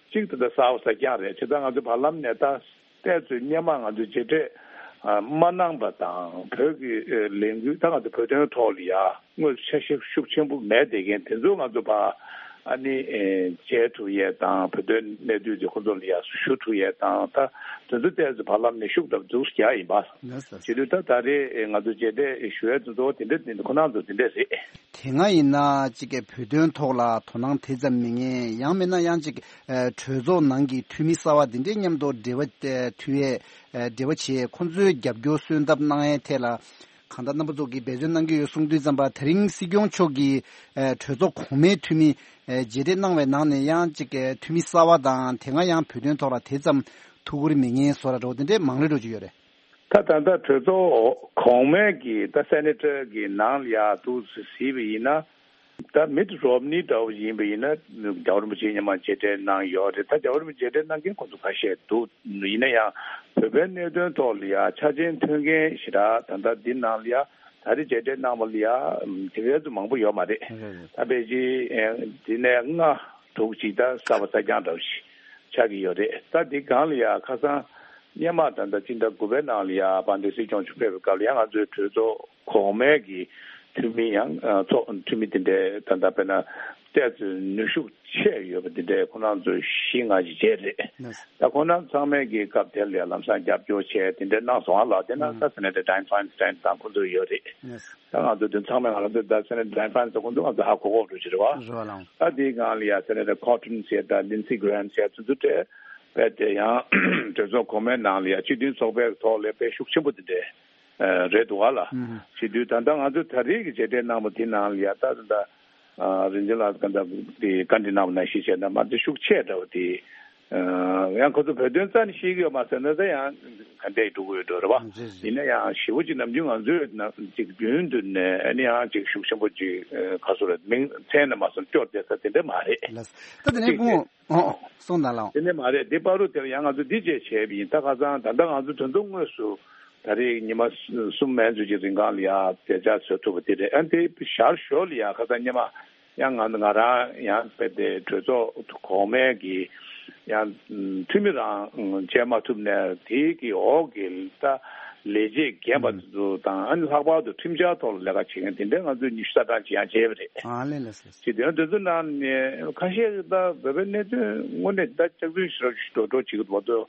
གཅིག་ད་ལྟ་གསར་པ་གསར་རྐྱང་རེད། བྱས་ཙང་ང་ཚོ་བར་ལམ་ནས་ད་ཏོག་ཙམ་སྔོན་མ་ང་ཚོ་མཇལ་འཕྲད་མ་གནང་པ་དང་བོད་ཀྱི་ལས་འགུལ་ད་ང་ཚོ་བོད་དོན་ཐོག་ལ་ཡ་དངོས་སུ་འཆར་གཞི་ཤུགས་ཆེན་པོ་མེད་བསྡད་མཁན་དེ་ཚོ་ང་ཚོ་ཕར་ཨ་ནི་མཇལ་ཐུབ་ཡས་དང་བོད་དོན་གནད་དོན་དེ་ཁོ་ཚོ་ལ་ཡ་ཞུ་ཐུབ་ཡས་དང་ད་དེ་ཚོ་ཏོག་ཙམ་བར་ལམ་ནས་ཤུགས་ད་འཛུགས་རྒྱག་ཡིན་པ། ལགས་སོ། བྱེད་དུས་ད་ད་རེས་ང་ཚོ་མཇལ་འཕྲད་ཞུ་ཡས་དེ་ཚོ་དེ་འདྲ་དེ་འདྲ་ཁོ་ན་ཚོ་དེ་འདྲ་རེད། དེ་སྔ་ཡིན་ན་གཅིག་གི་བོད་དོན་ཐོག་ལ་དོ་སྣང་དེ་ཙམ་མེད་མཁན། ཡང་མིན་ན་ཡང་གཅིག་གྲོས་ཚོགས་ནང་གི་འཐུས་མི་གསར་པ་དེ་འདྲའི་མཉམ་དུ་འབྲེལ་བ་མཐུད་ཡས་འབྲེལ་བ་བྱེད་ཡས་ཁོང་ཚོའི་རྒྱབ་སྐྱོར་སོན་ཐབས་གནང་ཡས་ཐད་ལ་གང་ལྟར་རྣམ་པ་ཚོ་གིས་འབད་བརྩོན་གནང་གི་ཡོད་གསུང་དུས་ཙམ་པ། དེ་རིང་སྲིད་སྐྱོང་མཆོག་གིས་གྲོས་ཚོགས་གོང་མའི་འཐུས་མི་མཇལ་འཕྲད་གནང་བའི་ནང་ནས་ཡང་གཅིག་འཐུས་མི་གསར་པ་དང་དེ་སྔ་ཡང་བོད་དོན་ཐོག་ལ་དེ་ཙམ་ཐུགས་ཁུར་མེད་མཁན་བཟོ་འདྲ་འདྲ་བོ་དེ་འདྲའི་མང་རེ་འགྲོ་གི་ཡོད་རེད། ད་ད་ལྟ་གྲོས་ཚོགས་གོང་མའི་གི་ད་སེ་ནེ་ཊར་གི་ནང་ལ་ཡ་འདུག་སེ་གཟིགས་པ་ཡིན་ན། ད་མིཊ་རོམ་ནི་འདྲ་བོ་ཡིན་པ་ཡིན་ན་རྒྱལ་བ་རིན་པོ་ཆེ་སྔོན་མ་མཇལ་འཕྲད་གནང་ཡོད་རེད། ད་རྒྱལ་བ་རིན་པོ་ཆེ་མཇལ་འཕྲད་གནང་མཁན་ཁོང་ཚོ་ཁ་ཤས་འདུག་ཡིན་ན་ཡང་བོད་པའི་གནད་དོན་ཐོག་ལ་ཡ་ཆ་རྐྱེན་མཐུན་མཁན་ཞེ་དྲག་ད་ལྟ་འདི་ནང་ལ་ཡ་ ད་རེས་མཇལ་འཕྲད་གནང་བ་ལ་ཡ་དེ་གའི་ཚོ་མང་པོ་ཡོད་མ་རེད། ད་པེ་ཅིན་དེ་ནས་ལྔ་དྲུག་ཅིག་ད་གསར་པ་གསར་རྐྱང་འདྲ་བོ་ཞིག་ཆགས་ཀྱི་ཡོད་རེད། ད་དེ་སྒང་ལ་ཡ་ཁ་སང་སྔོན་མ་ད་ལྟ་སྤྱི་ཟླ་དགུ་པའི་ནང་ལ་ཡ་དཔལ་ལྡན་སྲིད་སྐྱོང་མཆོག་ཕེབས་པའི་སྐབས་ལ་ཡ་ང་ཚོའི་གྲོས་ཚོགས་གོང་མའི་གི་འཐུས་མི་ཡང་ཚོགས་འཐུས་མི་དེ་འདྲའི་ད་ལྟ་དཔེར་ན་ཏོག་ཙམ་ནུས་ཤུགས་ཆེ་ཡོད་པ་དེ་འདྲའི་ཁོང་རྣམ་ཚོ་བཞི་ལྔ་ཞིག་བྱས་རེད། ད་ཁོང་རྣམ་ཚང་མས་ཀྱི་སྐབས་དེར་ལ་ལམ་སང་རྒྱབ་སྐྱོར་བྱས་དེ་འདྲའི་གནང་སོང་ཨ་ལགས། དེ་ན་ད་Senator Dianne Feinstein་དང་ཁོང་ཚོ་ཡོད་རེད། ད་ང་ཚོ་དེ་ཚང་མས་ང་རང་ཚོ་ད་Senator Dianne Feinstein་ཁོང་ཚོ་ང་ཚོ་ཧ་གོ་གོ་འགྲོ་གི་རེད་བ། ད་དེའི་སྒང་ལ་ཡ་Senator Cotton་བྱས་དང་Lindsey Graham་བྱས་ཚོ་ཚོ་གྲས་བས་དེ་ཡང་གྲོས་ཚོགས་གོང་མའི་ནང་ལ་ཡ་སྤྱི་མཐུན་ཚོགས་པའི་ཐོག་ལ་དཔེ་ཤུགས་ཆེན་པོ་དེ་འདྲའི་རེད་འདུག་ཨ་ལ། བྱེད་དུས་ད་ལྟ་ང་ཚོ་ད་རེས་ཀྱི་མཇལ་འཕྲད་གནང་བ་དེ་ནང་ལ་ཡ་ད་ད་ལྟ་རིན་ཆེན་ལགས་ག་འདྲ་དེ་བཀའ་འདྲི་གནང་བ་ནང་བཞིན་བྱས་ན་མ་ཚད་ཤུགས་ཆེ་འདྲ་བ་དེ་ཡང་ཁོ་ཚོ་བོད་དོན་རྩ་ནས་ཤེས་ཀྱི་ཡོད་མ་ཟེར་ན་ད་ཡང་ག་འདྲས་འགྲོ་གི་ཡོད་འགྲོ་རེད་བ། ཡིན་ན་ཡང་ཞེ་པོ་ཅིག་ནམ་རྒྱུན་ང་ཚོས་ཅིག་རྒྱུན་དུ་ནས་ཨ་ནི་ཡང་ཅིག་ཤུགས་ཆེན་པོ་ཅིག་ག་སོ་རེད་མིང་མཚན་ནས་མ་སོང་སྐྱོར་བསྡད་ས་དེ་འདྲ་མ་རེད། ད་དེ་ནས་ཅིག་དེ་སྐུ་ངོ་ཨོ་གསུངས་དང་ལགས། དེ་ནས་མ་རེད་དེ་བར་དུ་དེར་ཡང་ང་ཚོ་འདི་བཅས་བྱས་པ་ཡིན། ད་ཁ་སང་ད་ལྟ་ང་ཚོ་དོན་ཚོགས་དངོས་སུ་ད་རེས་ཉི་མ་གསུམ་མན་ཚོད་ཀྱི་རིང་གང་ལ་ཡང་མཇལ་བཅར་བཟོ་ཐུབ་པ་དེ་རེད། ཨ་ནི་དེ་ཞར་ཞོར་ལ་ཡང་ཁ་སང་སྔོན་མ་ཡང་ང་ང་རང་ཡང་དཔེ་དེ་གྲོས་ཚོགས་གོང་མའི་གི་ཡང་འཐུས་མི་རང་བྱས་མ་ཐུབ་ནས་དེའི་གི་འོག་གི་ད་ལས་བྱེད་རྒན་པ་ཚོ་དང་ཨ་ནི་ལྷག་པར་དུ་ཁྲིམས་འཆར་ཐོག་ལ་ལས་ཀ་བྱེད་མཁན་དེ་འདྲའི་ང་ཚོས་ཉི་ཤུ་རྩ་གྲངས་ཅིག་ཡང་མཇལ་བ་རེད། ཨ་ལས་ལས་སོ། ཅིག་དོན་དེ་ཚོ་ནང་ནས་ཁ་ཤས་ཀྱིས་ད་བོད་པའི་གནད་དོན་དངོས་གནས་ད་སྐྱག་རྫུན་ཞེ་དྲག་ཞིག་འགྲོ་འགྲོ་བྱེད་ཀྱི་འདུག་བ། ཚོ་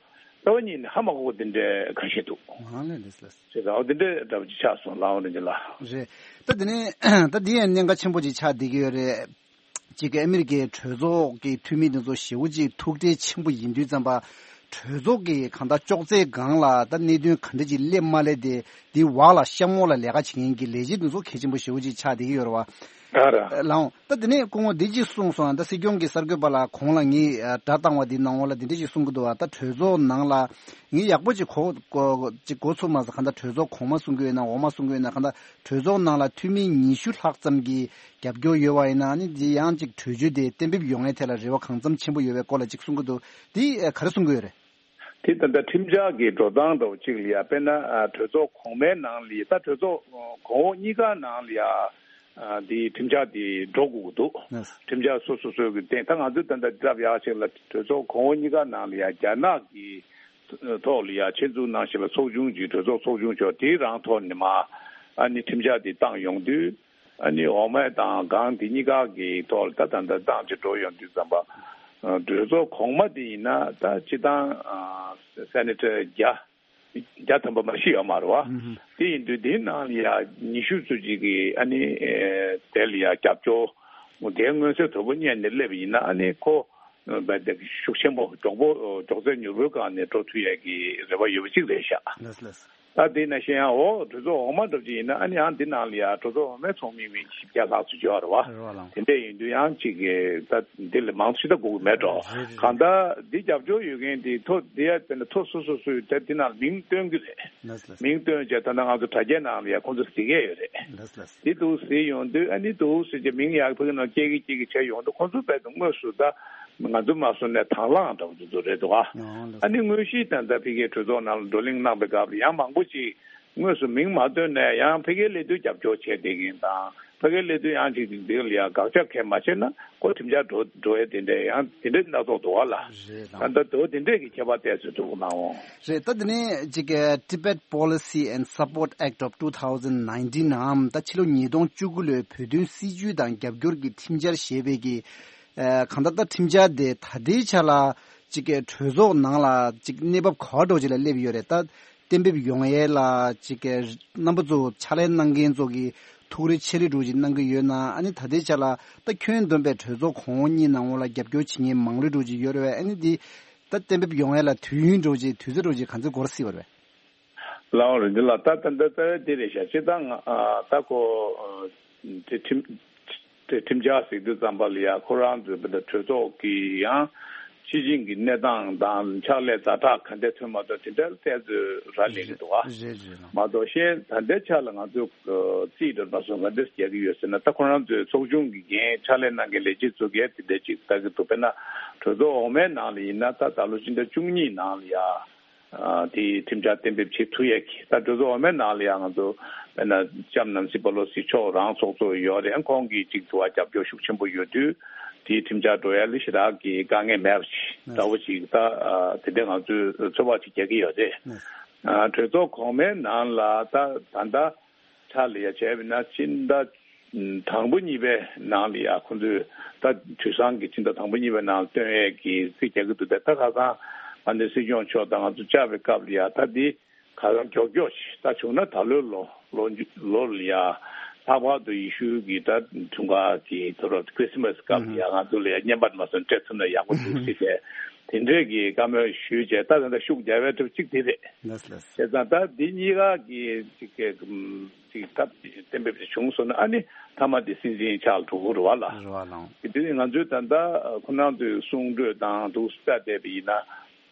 རྩ་བ་ཉིད་ནས་ཧ་མ་གོ་བ་དེ་འདྲའི་ཁ་ཤས་འདུག་ཨ་ལས་ལས་ལས། ཅེས་ཟེར་བ་དེ་འདྲའི་འདྲ་པོ་ཅིག་ཆགས་སོང་ལགས་འོ་རེད་ཅེ་ལགས། རེད། ད་དེ་ནས་ད་འདི་ཡང་གནད་འགག་ཆེན་པོ་ཅིག་ཆགས་བསྡད་ཀྱི་ཡོད་རེད། ཅིག་གི་ཨ་མི་རི་ཀའི་གྲོས་ཚོགས་ཀྱི་འཐུས་མི་དེ་ཚོ་ཞེ་པོ་ཅིག་ཐུགས་ཁྲལ་ཆེན་པོ་ཡིན་དུས་ཙམ་པ། གྲོས་ཚོགས་ཀྱི་གང་ལྟར་ཅོག་ཙེའི་སྒང་ལ་ད་གནད་དོན་ག་འདྲ་ཅིག་སླེབས་མ་སླེབས་དེ་འདི་འོག་ལ་གཤམ་འོག་ལ་ལས་ཀ་བྱེད་མཁན་གྱི་ལས་བྱེད་དེ་ཚོ་གལ་ཆེན་པོ་ཞེ་པོ་ཅིག་ཆགས་བསྡད་ཀྱི་ཡོད་རེད་བ། ཨ་ར། ལགས་འོང་། ད་དེ་ནས་སྐུ་ངོ་འདི་ཅིག་གསུངས་སོང་། ད་སྲིད་སྐྱོང་གི་གསར་འགོད་པ་ལ་གོང་ལ་ངས་ཨ་སྒྲ་བཏང་བ་འདི་ནང་ལོགས་ལ་འདི་འདྲ་ཞིག་གསུང་གི་འདུག་བ། ད་གྲོས་ཚོགས་ནང་ལ་ངས་ཡག་པོ་ཅིག་གོ་གོ་ཅིག་གོ་ཚོད་མ་སོང་། གང་ལྟར་གྲོས་ཚོགས་གོང་མ་གསུང་གི་ཡོད་ན་འོག་མ་གསུང་གི་ཡོད་ན། གང་ལྟར་གྲོས་ཚོགས་ནང་ལ་འཐུས་མི་ཉི་ཤུ་ལྷག་ཙམ་གྱིས་རྒྱབ་སྐྱོར་ཡོད་པ་ཡིན་ན་ནི་འདི་ཡང་ཅིག་གྲོས་ཆོད་དེ་གཏན་འབེབས་ཡོང་ཡའི་ཐད་ལ་རེ་བ་གང་འཚམ་ཆེན་པོ་ཡོད་པའི་སྐོར་ལ་ཅིག་གསུང་གི་འདུག་འདི་ཨ་ག་རེ་གསུང་གི་ཡོད་རེད། དེ་ད་ལྟ་ཁྲིམས་འཆར་གྱི་འགྲོ་སྟངས་འདྲ་བོ་གཅིག་ལ་ཡ་དཔེར་ན་ཨ་གྲོས་ཚོགས་གོང་མའི་ནང་ལ་ད་གྲོས་ཚོགས་གོང་འོག་གཉིས་ཀ་ནང་ལ་ཡ་ཨ་དེ་ཁྲིམས་འཆར་དེ་འགྲོ་དགོས་ཀྱི་འདུག་ཁྲིམས་འཆར་སོ་སོ་སོའི་གི་སྟེང་ད་ང་ཚོས་ད་ལྟ་སྐབས་ཡག་ཅིག་ལ་གྲོས་ཚོགས་གོང་འོག་གཉིས་ཀ་ནང་ལ་ཡ་རྒྱ་ནག་གི་ཐོག་ལ་ཡ་ཆེད་འཛུགས་གནང་བཞིན་པའི་ཚོགས་ཆུང་གི་གྲོས་ཚོགས་ཚོགས་ཆུང་མཆོག་དེའི་རང་ཐོག་ནས་མ་ཨ་ནི་ཁྲིམས་འཆར་དེ་བཏང་ཡོང་དུས། ཨ་ནི་འོག་མ་དང་སྒང་དེ་གཉིས་ཀ་གི་ཐོག་ལ་ད་ད་ད་ཏང་ཅིག་འགྲོ་ཡོང་དུས་ཙམ་པ། ཨ་གྲོས་ཚོགས་གོང་མ་དེ་ཡིན་ན་ད་སྤྱི་བཏང་ཨ་སེ་ནེ་ཊར་བརྒྱ་བརྒྱ་ཐམ་པ་མ་ཤི་ཡོད་མ་རེད་བ། དེ་ཡིན་དུས་དེའི་ནང་ལ་ཡ་ཉི་ཤུ་ཙམ་ཅིག་གིས་ཨ་ནི་ཨེ་དེ་ལ་ཡ་རྒྱབ་སྐྱོར་དེའི་མངོན་གསལ་དོད་པོ་རྙེད་ནས་སླེབས་པ་ཡིན་ན་ཨ་ནི་ཁོ་བས་དེ་ཤུགས་ཆེན་པོ་མགྱོགས་པོ་མགྱོགས་ཚད་མྱུར་པོའི་སྒང་ནས་འགྲོ་ཐུབ་ཡས་ཀྱི་རེ་བ་ཡོད་པ་ཅིག་རེད་ཤག་ལགས་ལགས། ད་དེ་ནང་བཞིན་ཡང་འོ་གྲོས་ཚོགས་འོག་མ་འདྲ་པོ་ཅིག་ཡིན་ན་ཨ་ནི་ཡང་འདི་ནང་ལ་ཡང་གྲོས་ཚོགས་འོག་མའི་ཚོགས་མི་མི་བཞི་བརྒྱ་ལྷག་ཙམ་ཡོད་རེད་བ། རེད་བ་ལགས། དེ་འདྲས་ཡིན་དུས་ཡང་ཅིག་གི་ད་འདི་ལས་མང་ཤོས་ད་དགོས་ཀྱི་མེད་འགྲོ། རེད་རེད། གང་ལྟར་འདི་རྒྱབ་སྐྱོར་ཡོད་མཁན་དེ་ཐོ་འདི་ཡ་དེ་འདྲ་ཐོ་སོ་སོ་སོས་ད་འདི་ནང་མིང་བཏོན་གྱི་རེད། ལགས་ལགས། མིང་བཏོན་བྱས་ད་ལྟ་ང་ཚོ་དྲ་རྒྱའི་ནང་ལ་ཡ་ཁོང་ཚོ་གཟིགས་ཡས་ཡོད་རེད། ལགས་ལགས། འདི་འདུག་གཟིགས་ཡོང་དུས་ཨ་ནི་འདུག་ཟེར་གྱི་མིང་ཡག་ཕ་གི་ནང་སྐྱེ་གི་སྐྱེ་གི་བྱས་ཡོང་དུས་ཁོང་ཚོ་རྦད་དེ་དངོས་སུ་ད། ང་ཚོ་མ་སོང་ནས་དང་བླངས་འདྲ་བོ་ཚོ་རེད་འདུག་ཨ། ཨ་ནི་དངོས་གཞི་ད་ལྟ་ཕ་གིའི་གྲོས་ཚོགས་ནང་ལ་བགྲོ་གླེང་གནང་པའི་སྐབས་ལ་ཡང་མང་པོ་ཅིག་དངོས་སུ་མིང་མ་བཏོན་ནས་ཡང་ཕ་གིའི་ལས་དོན་རྒྱབ་སྐྱོར་བྱས་བསྡད་མཁན་དང་ཕ་གིའི་ལས་དོན་ཡང་ཅིག་འདི་ལ་ཡང་དགག་བྱ་གང་མ་བྱས་ན་ཁོ་ཁྲིམས་འཆར་འགྲོ་འགྲོ་ཡས་དེ་འདྲས་ཡང་དེ་འདྲས་སྣ་ཚོགས་འདུག་ཨ་ལ། རེད་ད་ལྟ་དེ་འདྲས་ཀྱི་ཁྱད་པར་ཏོག་ཙམ་འདུག་གནང་འོང་། རེད། ད་དེ་ནས་ཅིག་Tibet Policy and Support Act of two thousand nineteen ནའམ་ད་ཕྱི་ལོ་ཉིས་སྟོང་བཅུ་དགུ་ལོའི་བོད་དོན་སྲིད་བྱུས་དང་རྒྱབ་སྐྱོར་གྱི་ཁྲིམས་འཆར་ཞེས་པའི་གི་ཨ་གང་ལྟར་ད་ཁྲིམས་འཆར་དེ་ད་ལྟའི་ཆ་ལ་ཅིག་གི་གྲོས་ཚོགས་ནང་ལ་ཅིག་གནས་བབ་ག་བ་འདྲ་བོ་ཅིག་ལ་སླེབས་ཡོད་རེད། ད་གཏན་འབེབས་ཡོང་ཡས་ལ་ཅིག་གི་རྣམ་པ་ཚོ་ཕྱག་ལས་གནང་མཁན་ཚོ་གི་ཐུགས་རེ་ཆེ་རེ་འདྲ་བོ་ཅིག་གནང་གི་ཡོད་ན། ཨ་ནི་ད་ལྟའི་ཆ་ལ་ད་ཁྱོན་བསྡོམས་པའི་གྲོས་ཚོགས་གོང་འོག་གཉིས་ནང་ལོགས་ལ་རྒྱབ་སྐྱོར་བྱེད་མཁན་མང་རེ་འདྲ་བོ་ཅིག་ཡོད་རེད་བས། ཨ་ནི་འདི་ད་གཏན་འབེབས་ཡོང་ཡས་ལ་དུས་ཡུན་འདྲ་བོ་ཅིག་དུས་ཚོད་འདྲ་བོ་ཅིག་ག་ཚོད་འགོར་སྲིད་པ་རེད། ལའོ་རིན་ཆེན་ལགས། ད་ད་ད་ད་དེ་རེད་ཤག་སྤྱིར་བཏང་ང་ཨ་ད་ཁོ་ཨ་དེ་ཁྲིམས་དེ་ཁྲིམས་འཆར་ཟེར་དུས་ཙམ་པ་ལ་ཡ་ཁོ་རང་ཚོའི་བོད་གྲོས་ཚོགས་ཀྱི་ཡང་སྤྱི་བྱིངས་ཀྱི་གནས་སྟངས་དང་ཕྱག་ལས་ཛ་དྲག་ག་འདྲས་ཐོན་མ་ཐོན་དེ་འདྲ་ལ་བལྟས་ཚོད་རག་ལས་ཀྱི་འདུག་ཨ། རེད་རེད་ལགས། མ་གཏོགས་གཞན་ད་ལྟའི་ཆ་ལ་ང་ཚོས་རྩིས་འགྲོ་མ་སོང་ག་འདྲས་རྒྱག་གི་ཡོད་ཟེར་ན། ད་ཁོ་རང་ཚོའི་ཚོགས་ཆུང་གི་འགན་ཕྱག་ལས་གནང་མཁན་ལས་བྱེད་ཚོ་གས་དེ་འདྲས་ཅིག་ལྟ་གི་འདུག་དཔེར་ན་གྲོས་ཚོགས་འོག་མའི་ནང་ལ་ཡིན་ན་ད་ད་ལོ་སྤྱི་ཟླ་བཅུ་གཉིས་ནང་ལ་ཡ། ཨ་དེའི་ཁྲིམས་འཆར་གཏན་འབེབས་བྱེད་ཐུབ་ཡས་ཀྱི། ད་གྲོས་ཚོགས་འོག་མའི་ནང་ལ་ཡང་ང་ཚོ་དཔེར་ན་ལྕམ་ནན་སི་པེ་ལོ་སི་མཆོག་རང་ཚོགས་གཙོ་ཡོད་རེད། ཁོང་གིས་ཅིག་དུ་བ་རྒྱབ་སྐྱོར་ཤུགས་ཆེན་པོ་ཡོད་དུས་དེའི་ཁྲིམས་འཆར་འགྲོ་ཡ་ལ་ཞེ་དྲག་གི་དཀའ་ངལ་མེད་པ་ཞིག་འདྲ་བོ་ཞིག་ད་ཨ་དེ་འདྲ་ང་ཚོས་ཚོད་དཔག་ཅིག་རྒྱག་གི་ཡོད་རེད། ཨ་གྲོས་ཚོགས་གོང་མའི་ནང་ལ་ད་ད་ལྟ་ཆ་ལ་ཡ་བྱས་པ་ན་སྤྱི་ཟླ་དང་པོ་གཉིས་པའི་ནང་ལ་ཡ་ཁོང་ཚོས་ད་དུས་སང་གི་སྤྱི་ཟླ་དང་པོ་གཉིས་པའི་ནང་ལ་བཏོན་ཡས་ཀྱི་རྩིས་རྒྱག་གི་འདུག་སྟེ། ད་ཁ་སང་ཨ་ནི་སྲིད་སྐྱོང་མཆོག་དང་ང་ཚོ་བཅར་བའི་སྐབས་ལ་ཡ་ད་འདི་ཁ་སང་མགྱོགས་མགྱོགས་ཤིག་ད་བྱུང་ན་ད་ལོའི་ལོ་ལོ་མཇུག་ལོ་ལ་ཡ་ལྷག་པར་དུ་ཡེ་ཤུ་གི་ད་དུས་འགོ་གི་དུས་རབས་ཁྲི་སི་མ་སི་སྐབས་ལ་ཡ་ང་ཚོ་ལ་ཡ་བརྙན་པར་མ་སོན་སྤྲད་ཐུབ་ན་ཡག་པོ་འདུག་ཟེར་ཏེ་དེ་འདྲས་ཀྱི་བཀའ་མོལ་ཞུས་བྱས། ད་ད་ལྟ་ཤུགས་རྒྱག་པའི་གྲུབ་གཅིག་དེ་རེད། ལགས་ལགས། བྱས་ཙང་ད་འདི་གཉིས་ཀ་གི་ཅིག་གི་ཅིག་ད་གཏན་འབེབས་ཅིག་བྱུང་སོང་ན་ཨ་ནི་མཐའ་མ་དེ་སྲིད་འཛིན་ཕྱག་ལ་འགྲོ་གི་རེད་བ་ལ། རེད་བ་ལགས། དེ་དུས་ང་ཚོས་ད་ལྟ་ཁོ་རང་ཚོའི་གསུང་གྲོས་དང་འདུག་སེ་བལྟས་པ་ཡིན་ན།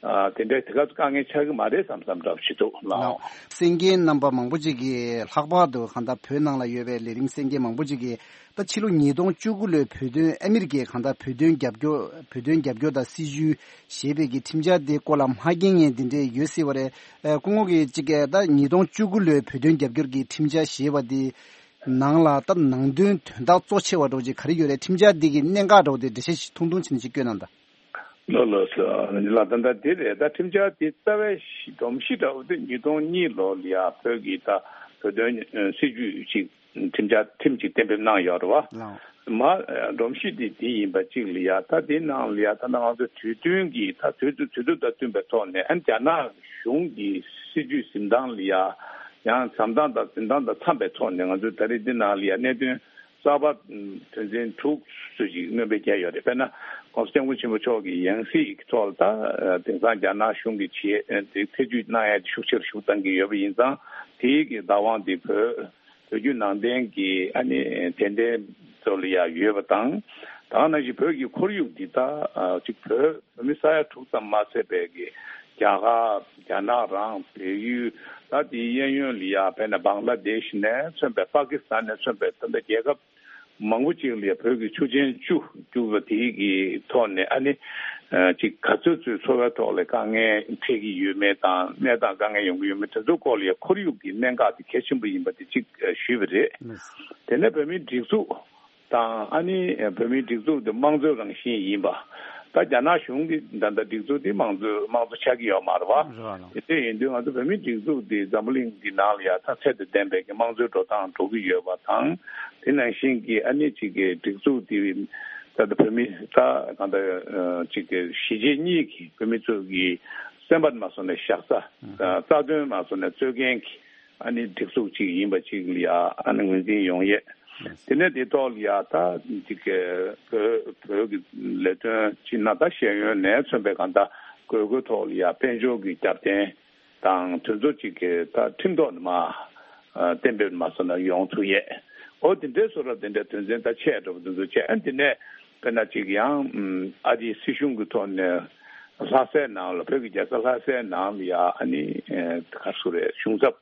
ཨ་དེ་འདྲའི་དེ་ག་ཚོ་དཀའ་ངལ་ཆགས་ཀྱི་མ་རེད་བསམ་བསམ་འདྲ་པོ་ཞིག་འདུག་ལགས། ལགས། གསན་མཁན་རྣམ་པ་མང་པོ་ཅིག་གིས་ལྷག་པར་དུ་གང་ལྟར་བོད་ནང་ལ་ཡོད་པའི་ལས་རིགས་གསན་མཁན་མང་པོ་ཅིག་གིས་ད་ཕྱི་ལོ་ཉིས་སྟོང་བཅུ་དགུ་ལོའི་བོད་དོན་ཨ་མི་རི་ཀས་གང་ལྟར་བོད་དོན་རྒྱབ་སྐྱོར་བོད་དོན་རྒྱབ་སྐྱོར་དང་སྲིད་ཇུས་ཞེས་པའི་གི་ཁྲིམས་འཆར་དེ་སྐོར་ལ་མ་མཁྱེན་མཁན་དེ་འདྲས་ཡོད་སྲིད་པ་རེད། ཨ་སྐུ་ངོ་གིས་ཅིག་གིས་ད་ཉིས་སྟོང་བཅུ་དགུ་ལོའི་བོད་དོན་རྒྱབ་སྐྱོར་གྱི་ཁྲིམས་འཆར་ཞེས་པ་དེ་ནང་ལ་ད་ནང་དོན་དོན་དག་གཙོ་ཆེ་བ་འདྲ་བོ་ཅིག་ག་རེ་ཡོད་རེད། ཁྲིམས་འཆར་འདི་གི་གནད་འགག་འདྲ་བོ་དེ་འགྲེལ་བཤད་ཞིག་ཐུང་ཐུང་བྱས་ནས་ཅིག་བཀོད་གནང་དང་། ལགས་ལགས་སོ། ལགས་ད་ལྟ་དེ་རེད། ད་ཁྲིམས་འཆར་དེ་རྩ་བའི་གཞི་སྒྲོམ་གཞི་འདྲ་བོ་དེ་ཉིས་སྟོང་གཉིས་ལོ་ལ་ཡ་བོད་ཀྱི་ད་བོད་དོན་ཨ་སྲིད་ཇུས་ཅིག་ཁྲིམས་འཆར་ཁྲིམས་ཅིག་གཏན་འབེབས་གནང་ཡོད་རེད་བ། ལགས། མ་ཨ་སྒྲོམ་གཞི་དེ་དེ་ཡིན་པ་ཅིག་ལ་ཡ། ད་དེ་ནང་ལ་ཡ་ད་ང་ཚོ་དུས་བསྟུན་གྱི་ད་དུས་དུས་དུས་དང་བསྟུན་པའི་ཐོག་ནས་ཨ་རྒྱ་ནག་གཞུང་གི་སྲིད་ཇུས་འཛིན་སྟངས་ལ་ཡ་ཡང་བྱེད་སྟངས་དང་འཛིན་སྟངས་དང་འཚམས་པའི་ཐོག་ནས་ང་ཚོས་ད་རེས་འདི་ནང་ལ་ཡ་གནད་དོན་གསར་པ་དོན་ཚན་དྲུག་ཙམ་ཞིག་སྣོན་པ་བརྒྱབ་ཡོད་རེད། དཔེར་ན་༸གོང་ས་༸སྐྱབས་མགོན་ཆེན་པོ་མཆོག་གི་ཡང་སྲིད་ཀྱི་ཐོག་ལ་ད་དེང་སང་རྒྱ་ནག་གཞུང་གིས་བྱེད་དེ་ཐེ་ཇུས་གནང་ཡ་ཤུགས་ཆེ་རུ་ཤུགས་བཏང་གི་ཡོད་པ་ཡིན་ཙང་། དེའི་གི་བདག་དབང་དེ་བོད་བོད་བརྒྱུད་ནང་བསྟན་གྱི་ཨ་ནི་དད་ལྡན་ཚོ་ལ་ཡ་ཡོད་པ་དང་། ད་ག་ནང་བཞིན་བོད་ཀྱི་ཁོར་ཡུག་འདི་ད་ཅིག་བོད་བོད་མི་ས་ཡ་དྲུག་ཙམ་མ་ཟད་པའི་གི་རྒྱ་གར་རྒྱ་ནག་རང་བལ་ཡུལ་ད་དེའི་གཡས་གཡོན་ལ་ཡ་དཔེར་ན་བང་ལ་དེཤ་ནས་མཚོན་པའི་པ་ཀི་སི་ཐན་ནས་མཚོན་པའི་ད་ལྟ་རྒྱལ་ཁབ་མང་པོ་ཅིག་ལ་བོད་ཀྱི་ཆུ་ཆེན་བཅུ་བཅུ་བ་དེའི་གི་ཐོག་ནས་ཨ་ནི་ཅིག་ག་ཚོད་ཚོད་འཚོ་བའི་ཐོག་ལ་དཀའ་ངལ་འཕྲད་ཀྱི་ཡོད་མེད་དང་གནས་སྟངས་དཀའ་ངལ་ཡོང་གི་ཡོད་མེད་དེ་ཚོའི་སྐོར་ལ་ཡ་ཁོར་ཡུག་གི་གནད་འགག་དེ་གལ་ཆེན་པོ་ཡིན་པ་དེ་ཅིག་ཞུས་པ་རེད། དེ་ནས་བོད་མིའི་སྒྲིག་འཛུགས་དང་ཨ་ནི་བོད་མིའི་སྒྲིག་འཛུགས་དེ་དམངས་གཙོའི་རང་བཞིན་ཡིན་པ། ད་རྒྱ་ནག་གཞུང་གི་ད་ལྟ་སྒྲིག་འཛུགས་དེ་དམངས་གཙོའི་དམངས་གཙོ་ཆགས་ཀྱི་ཡོད་མ་རེད་བ། རེད་བ་ལགས། དེ་འདྲ་ཡིན་དུས་ང་ཚོ་བོད་མིའི་སྒྲིག་འཛུགས་དེ་འཛམ་བུ་གླིང་གི་ནང་ལ་ཡ་ད་ཚད་དང་ལྡན་པའི་གི་དམངས་གཙོའི་འགྲོ་སྟངས་འགྲོ་གི་ཡོད་པ་དང་། དེ་ནང་བཞིན་གྱི་ཨ་ནི་ཅིག་གི་སྒྲིག་འཛུགས་དེ་ད་ལྟ་བོད་མི་ད་གང་ལྟར་ཅིག་གི་གཞིས་བྱེས་གཉིས་ཀྱི་བོད་མི་ཚོ་གི་སེམས་པ་མ་སོང་ནས་བཞག་ས། རྩ་དོན་མ་སོང་ནས་རྩོད་མཁན་གྱི་ཨ་ནི་སྒྲིག་འཛུགས་ཅིག་ཡིན་པ་ཅིག་ལ་ཡ་ཨ་ནི་ངོས་འཛིན་ཡོང་ཡས། དེ་ནས་དེ་ཐོག་ལ་ཡ་ད་ཅིག་གི་བོད་བོད་ཀྱི་ལས་དོན་ཅིག་ན་ད་ཤེས་ཡོན་ནས་མཚོན་པའི་གང་ལྟར་དགོས་མཁོའི་ཐོག་ལ་ཡ་དཔལ་འབྱོར་གྱི་རྒྱབ་རྟེན་དང་དེ་ཚོ་ཅིག་གི་ད་ཁྲིམས་ཐོག་ནས་མ་གཏན་འབེབས་མ་སོང་ན་ཡོང་ཐུབ་ཡས། འོ་དེ་འདྲའི་བཟོ་འདྲ་དེ་འདྲའི་དོན་ཚན་ད་ཆེ་འགྲོ་བ་དེ་ཚོ་བྱས། ཨ་ནི་དེ་ནས་དཔེར་ན་ཅིག་ཡང་ཨ་རིའི་སྲིད་གཞུང་གི་ཐོག་ནས་ལྷ་སའི་ནང་ལ་བོད་ཀྱི་རྒྱལ་ས་ལྷ་སའི་ནང་ལ་ཡ་ཨ་ནི་ག་རེ་ཟེར་རེད། གཞུང་ཚབ་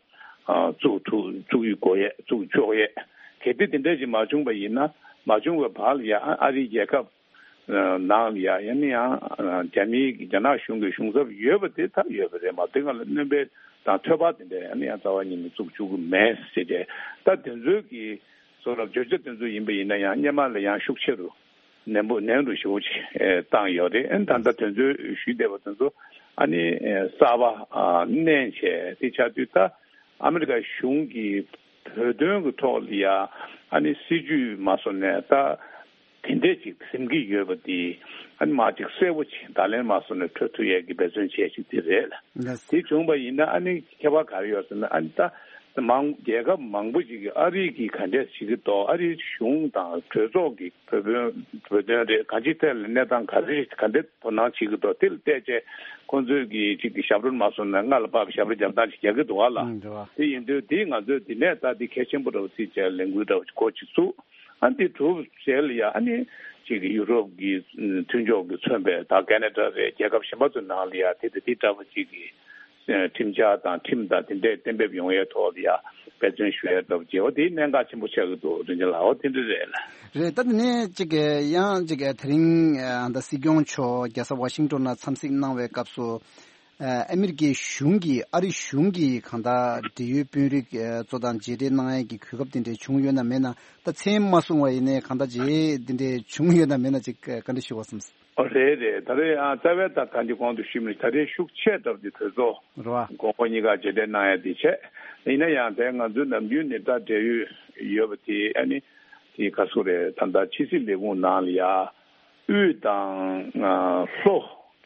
བཙུགས་ཐུབ་བཙུགས་ཡོད་དགོས་ཡས་བཙུགས་ཆོག་ཡས། གལ་ཏེ་དེ་འདྲ་ཞིག་མ་བྱུང་བ་ཡིན་ན། མ་བྱུང་བའི་བར་ལ་ཡ་ཨ་རིའི་རྒྱལ་ཁབ་ནང་ལ་ཡ་ཡང་ནི་ཡང་རྒྱ་མིའི་རྒྱ་ནག་གཞུང་གི་གཞུང་ཚབ་ཡོད་པ་དེ་ད་ཡོད་པ་རེད་མ། དེ་སྒང་ལ་སྣོན་པ་དང་ཐོས་པ་དེ་འདྲ་ཡང་ནི་ཡང་རྩ་བ་ཉིད་ནས་བཙུགས་བཅུག་གི་མེད་ཟེར་ཏེ། ད་དེ་ཚོའི་གི་བཟོ་འདྲ་བརྗོད་བྱ་དེ་ཚོ་ཡིན་པ་ཡིན་ན་ཡང་སྔོན་མ་ལ་ཡང་ཤུགས་ཆེ་རུ་ནན་པོ་ནན་རུ་ཞེ་པོ་ཅིག་བཏང་ཡོད་རེད། ཨ་ནི་ད་ལྟ་དེ་ཚོའི་ཞུས་བསྡད་པ་དེ་ཚོ་ཨ་ནི་གསར་པ་བསྣན་བྱས་དེ་ཆགས་དུས། ད་ཨ་མི་རི་ཀ་གཞུང་གིས་བོད་དོན་གྱི་ཐོག་ལ་ཡ་ཨ་ནི་སྲིད་ཇུས་མ་བཟོ་ནས་ད་དེ་འདྲས་ཅིག་འཛིན་གྱི་ཡོད་པ་དེ་ཨ་ནི་མ་ཅིག་གསལ་པོ་ཅིག་བརྡ་ལན་མ་བཟོ་ནས་འཕྲོད་ཐུབ་ཡས་ཀྱི་འབད་བརྩོན་བྱས་ཤིག་དེ་རེད། ལགས། དེ་བྱུང་བ་ཡིན་ན་ཨ་ནི་ཁྱད་པར་ག་རེ་ཡོད་ཟེར་ན། ཨ་ནི་ད་མང་རྒྱལ་ཁབ་མང་པོ་ཞིག་གིས་ཨ་རི་གིས་ག་འདྲས་བྱེད་ཀྱི་འདུག་ཨ་རིའི་གཞུང་དང་གྲོས་ཚོགས་ཀྱིས་བོད་དོན་བོད་དོན་རེད། གང་ཅིའི་ཐད་ལ་གནས་སྟངས་ག་རེ་ག་འདྲས་དོ་སྣང་བྱེད་ཀྱི་འདུག་དེ་ལ་བལྟས་བྱས་ཁོང་ཚོས་ཀྱིས་གཅིག་གི་ཞབས་བྲོ་མ་སོང་ན་རྔ་ལ་བབས་ཞབས་བྲོ་རྒྱབ་སྟངས་ཤིག་རྒྱག་གི་འདུག་ག་ལགས། ཨང་། རེད་བ། དེ་ཡིན་དུས་དེ་ང་ཚོས་དེ་ནས་ད་དེ་གལ་ཆེན་པོ་འདྲ་བོ་བརྩིས་བྱས་ལས་འགུལ་འདྲ་བོ་འགོ་ཅིག་བཙུགས། ཨ་ནི་དེ་གྲུབ་རྗེས་ལ་ཡ་ཨ་ནི་གཅིག་གི་ཡུ་རོབ་ཀྱི་མཐུན་ཕྱོགས་ཀྱིས་མཚོན་པའི་ད་ཁེ་ན་ཌ་རེད། རྒྱལ་ཁབ་གཞན་པ་ཚོའི་ནང་ལ་ཡ་དེ་དང་དེ་འདྲ་བོ་གཅིག་གི་ཁྲིམས་འཆར་དང་ཁྲིམས་དང་དེ་འདྲས་གཏན་འབེབས་ཡོང་ཡའི་ཐོག་ལ་ཡ་འབད་བརྩོན་ཞུ་ཡ་འདྲ་བོ་བྱེད། འོ་དེ་གནད་འགག་ཆེན་པོ་ཆགས་ཀྱི་འདུག་རིན་ཆེན་ལགས། འོ་དེ་འདྲ་རེད་ལགས། རེད། ད་དེ་ནས་གཅིག་གི་ཡང་གཅིག་གི་དེ་རིང་ཨ་ད་སྲིད་སྐྱོང་མཆོག་རྒྱལ་ས་ཝ་ཤིང་ཏོན་ལ་འཚམས་གཟིགས་གནང་བའི་སྐབས་སུ། ཨ་མི་རི་ཀའི་གཞུང་གིས་ཨ་རི་གཞུང་གིས་གང་ལྟར་འབྲེལ་ཡོད་དཔོན་རིགས་ཚོ་དང་མཇལ་འཕྲད་གནང་ཡས་ཀྱི་གོ་སྐབས་དེ་འདྲས་བྱུང་ཡོད་ན་མེད་ན། ད་མཚན་མ་གསུངས་པ་ཡིན་ནའི་གང་ལྟར་མཇལ་དེ་འདྲས་བྱུང་ཡོད་ན་མེད་ན་ཅིག་བཀའ་འདྲི་ཞུ་བ་བསམས། ཨོ་རེད་རེད། ད་རེས་ཨ་རྩ་བའི་ད་ད་འདི་གོང་དུ་ཞུས་མི་ད་རེས་ཤུགས་ཆེ་སྟབས་ཀྱིས་གྲོས་ཚོགས་རེད་བ། གོང་འོག་གཉིས་ཀ་མཇལ་འཕྲད་གནང་ཡ་དེ་བྱས། ཡིན་ན་ཡང་དེ་ང་ཚོའི་ནམ་རྒྱུན་ནས་ད་འབྲེལ་ཡོད་ཡོད་པ་དེ་ཨ་ནི་དེ་ག་སུ་རེད། ད་ལྟ་ཕྱི་སྲིད་ལས་ཁུངས་ནང་ལ་ཡ་དབུས་དང་ལྷོ་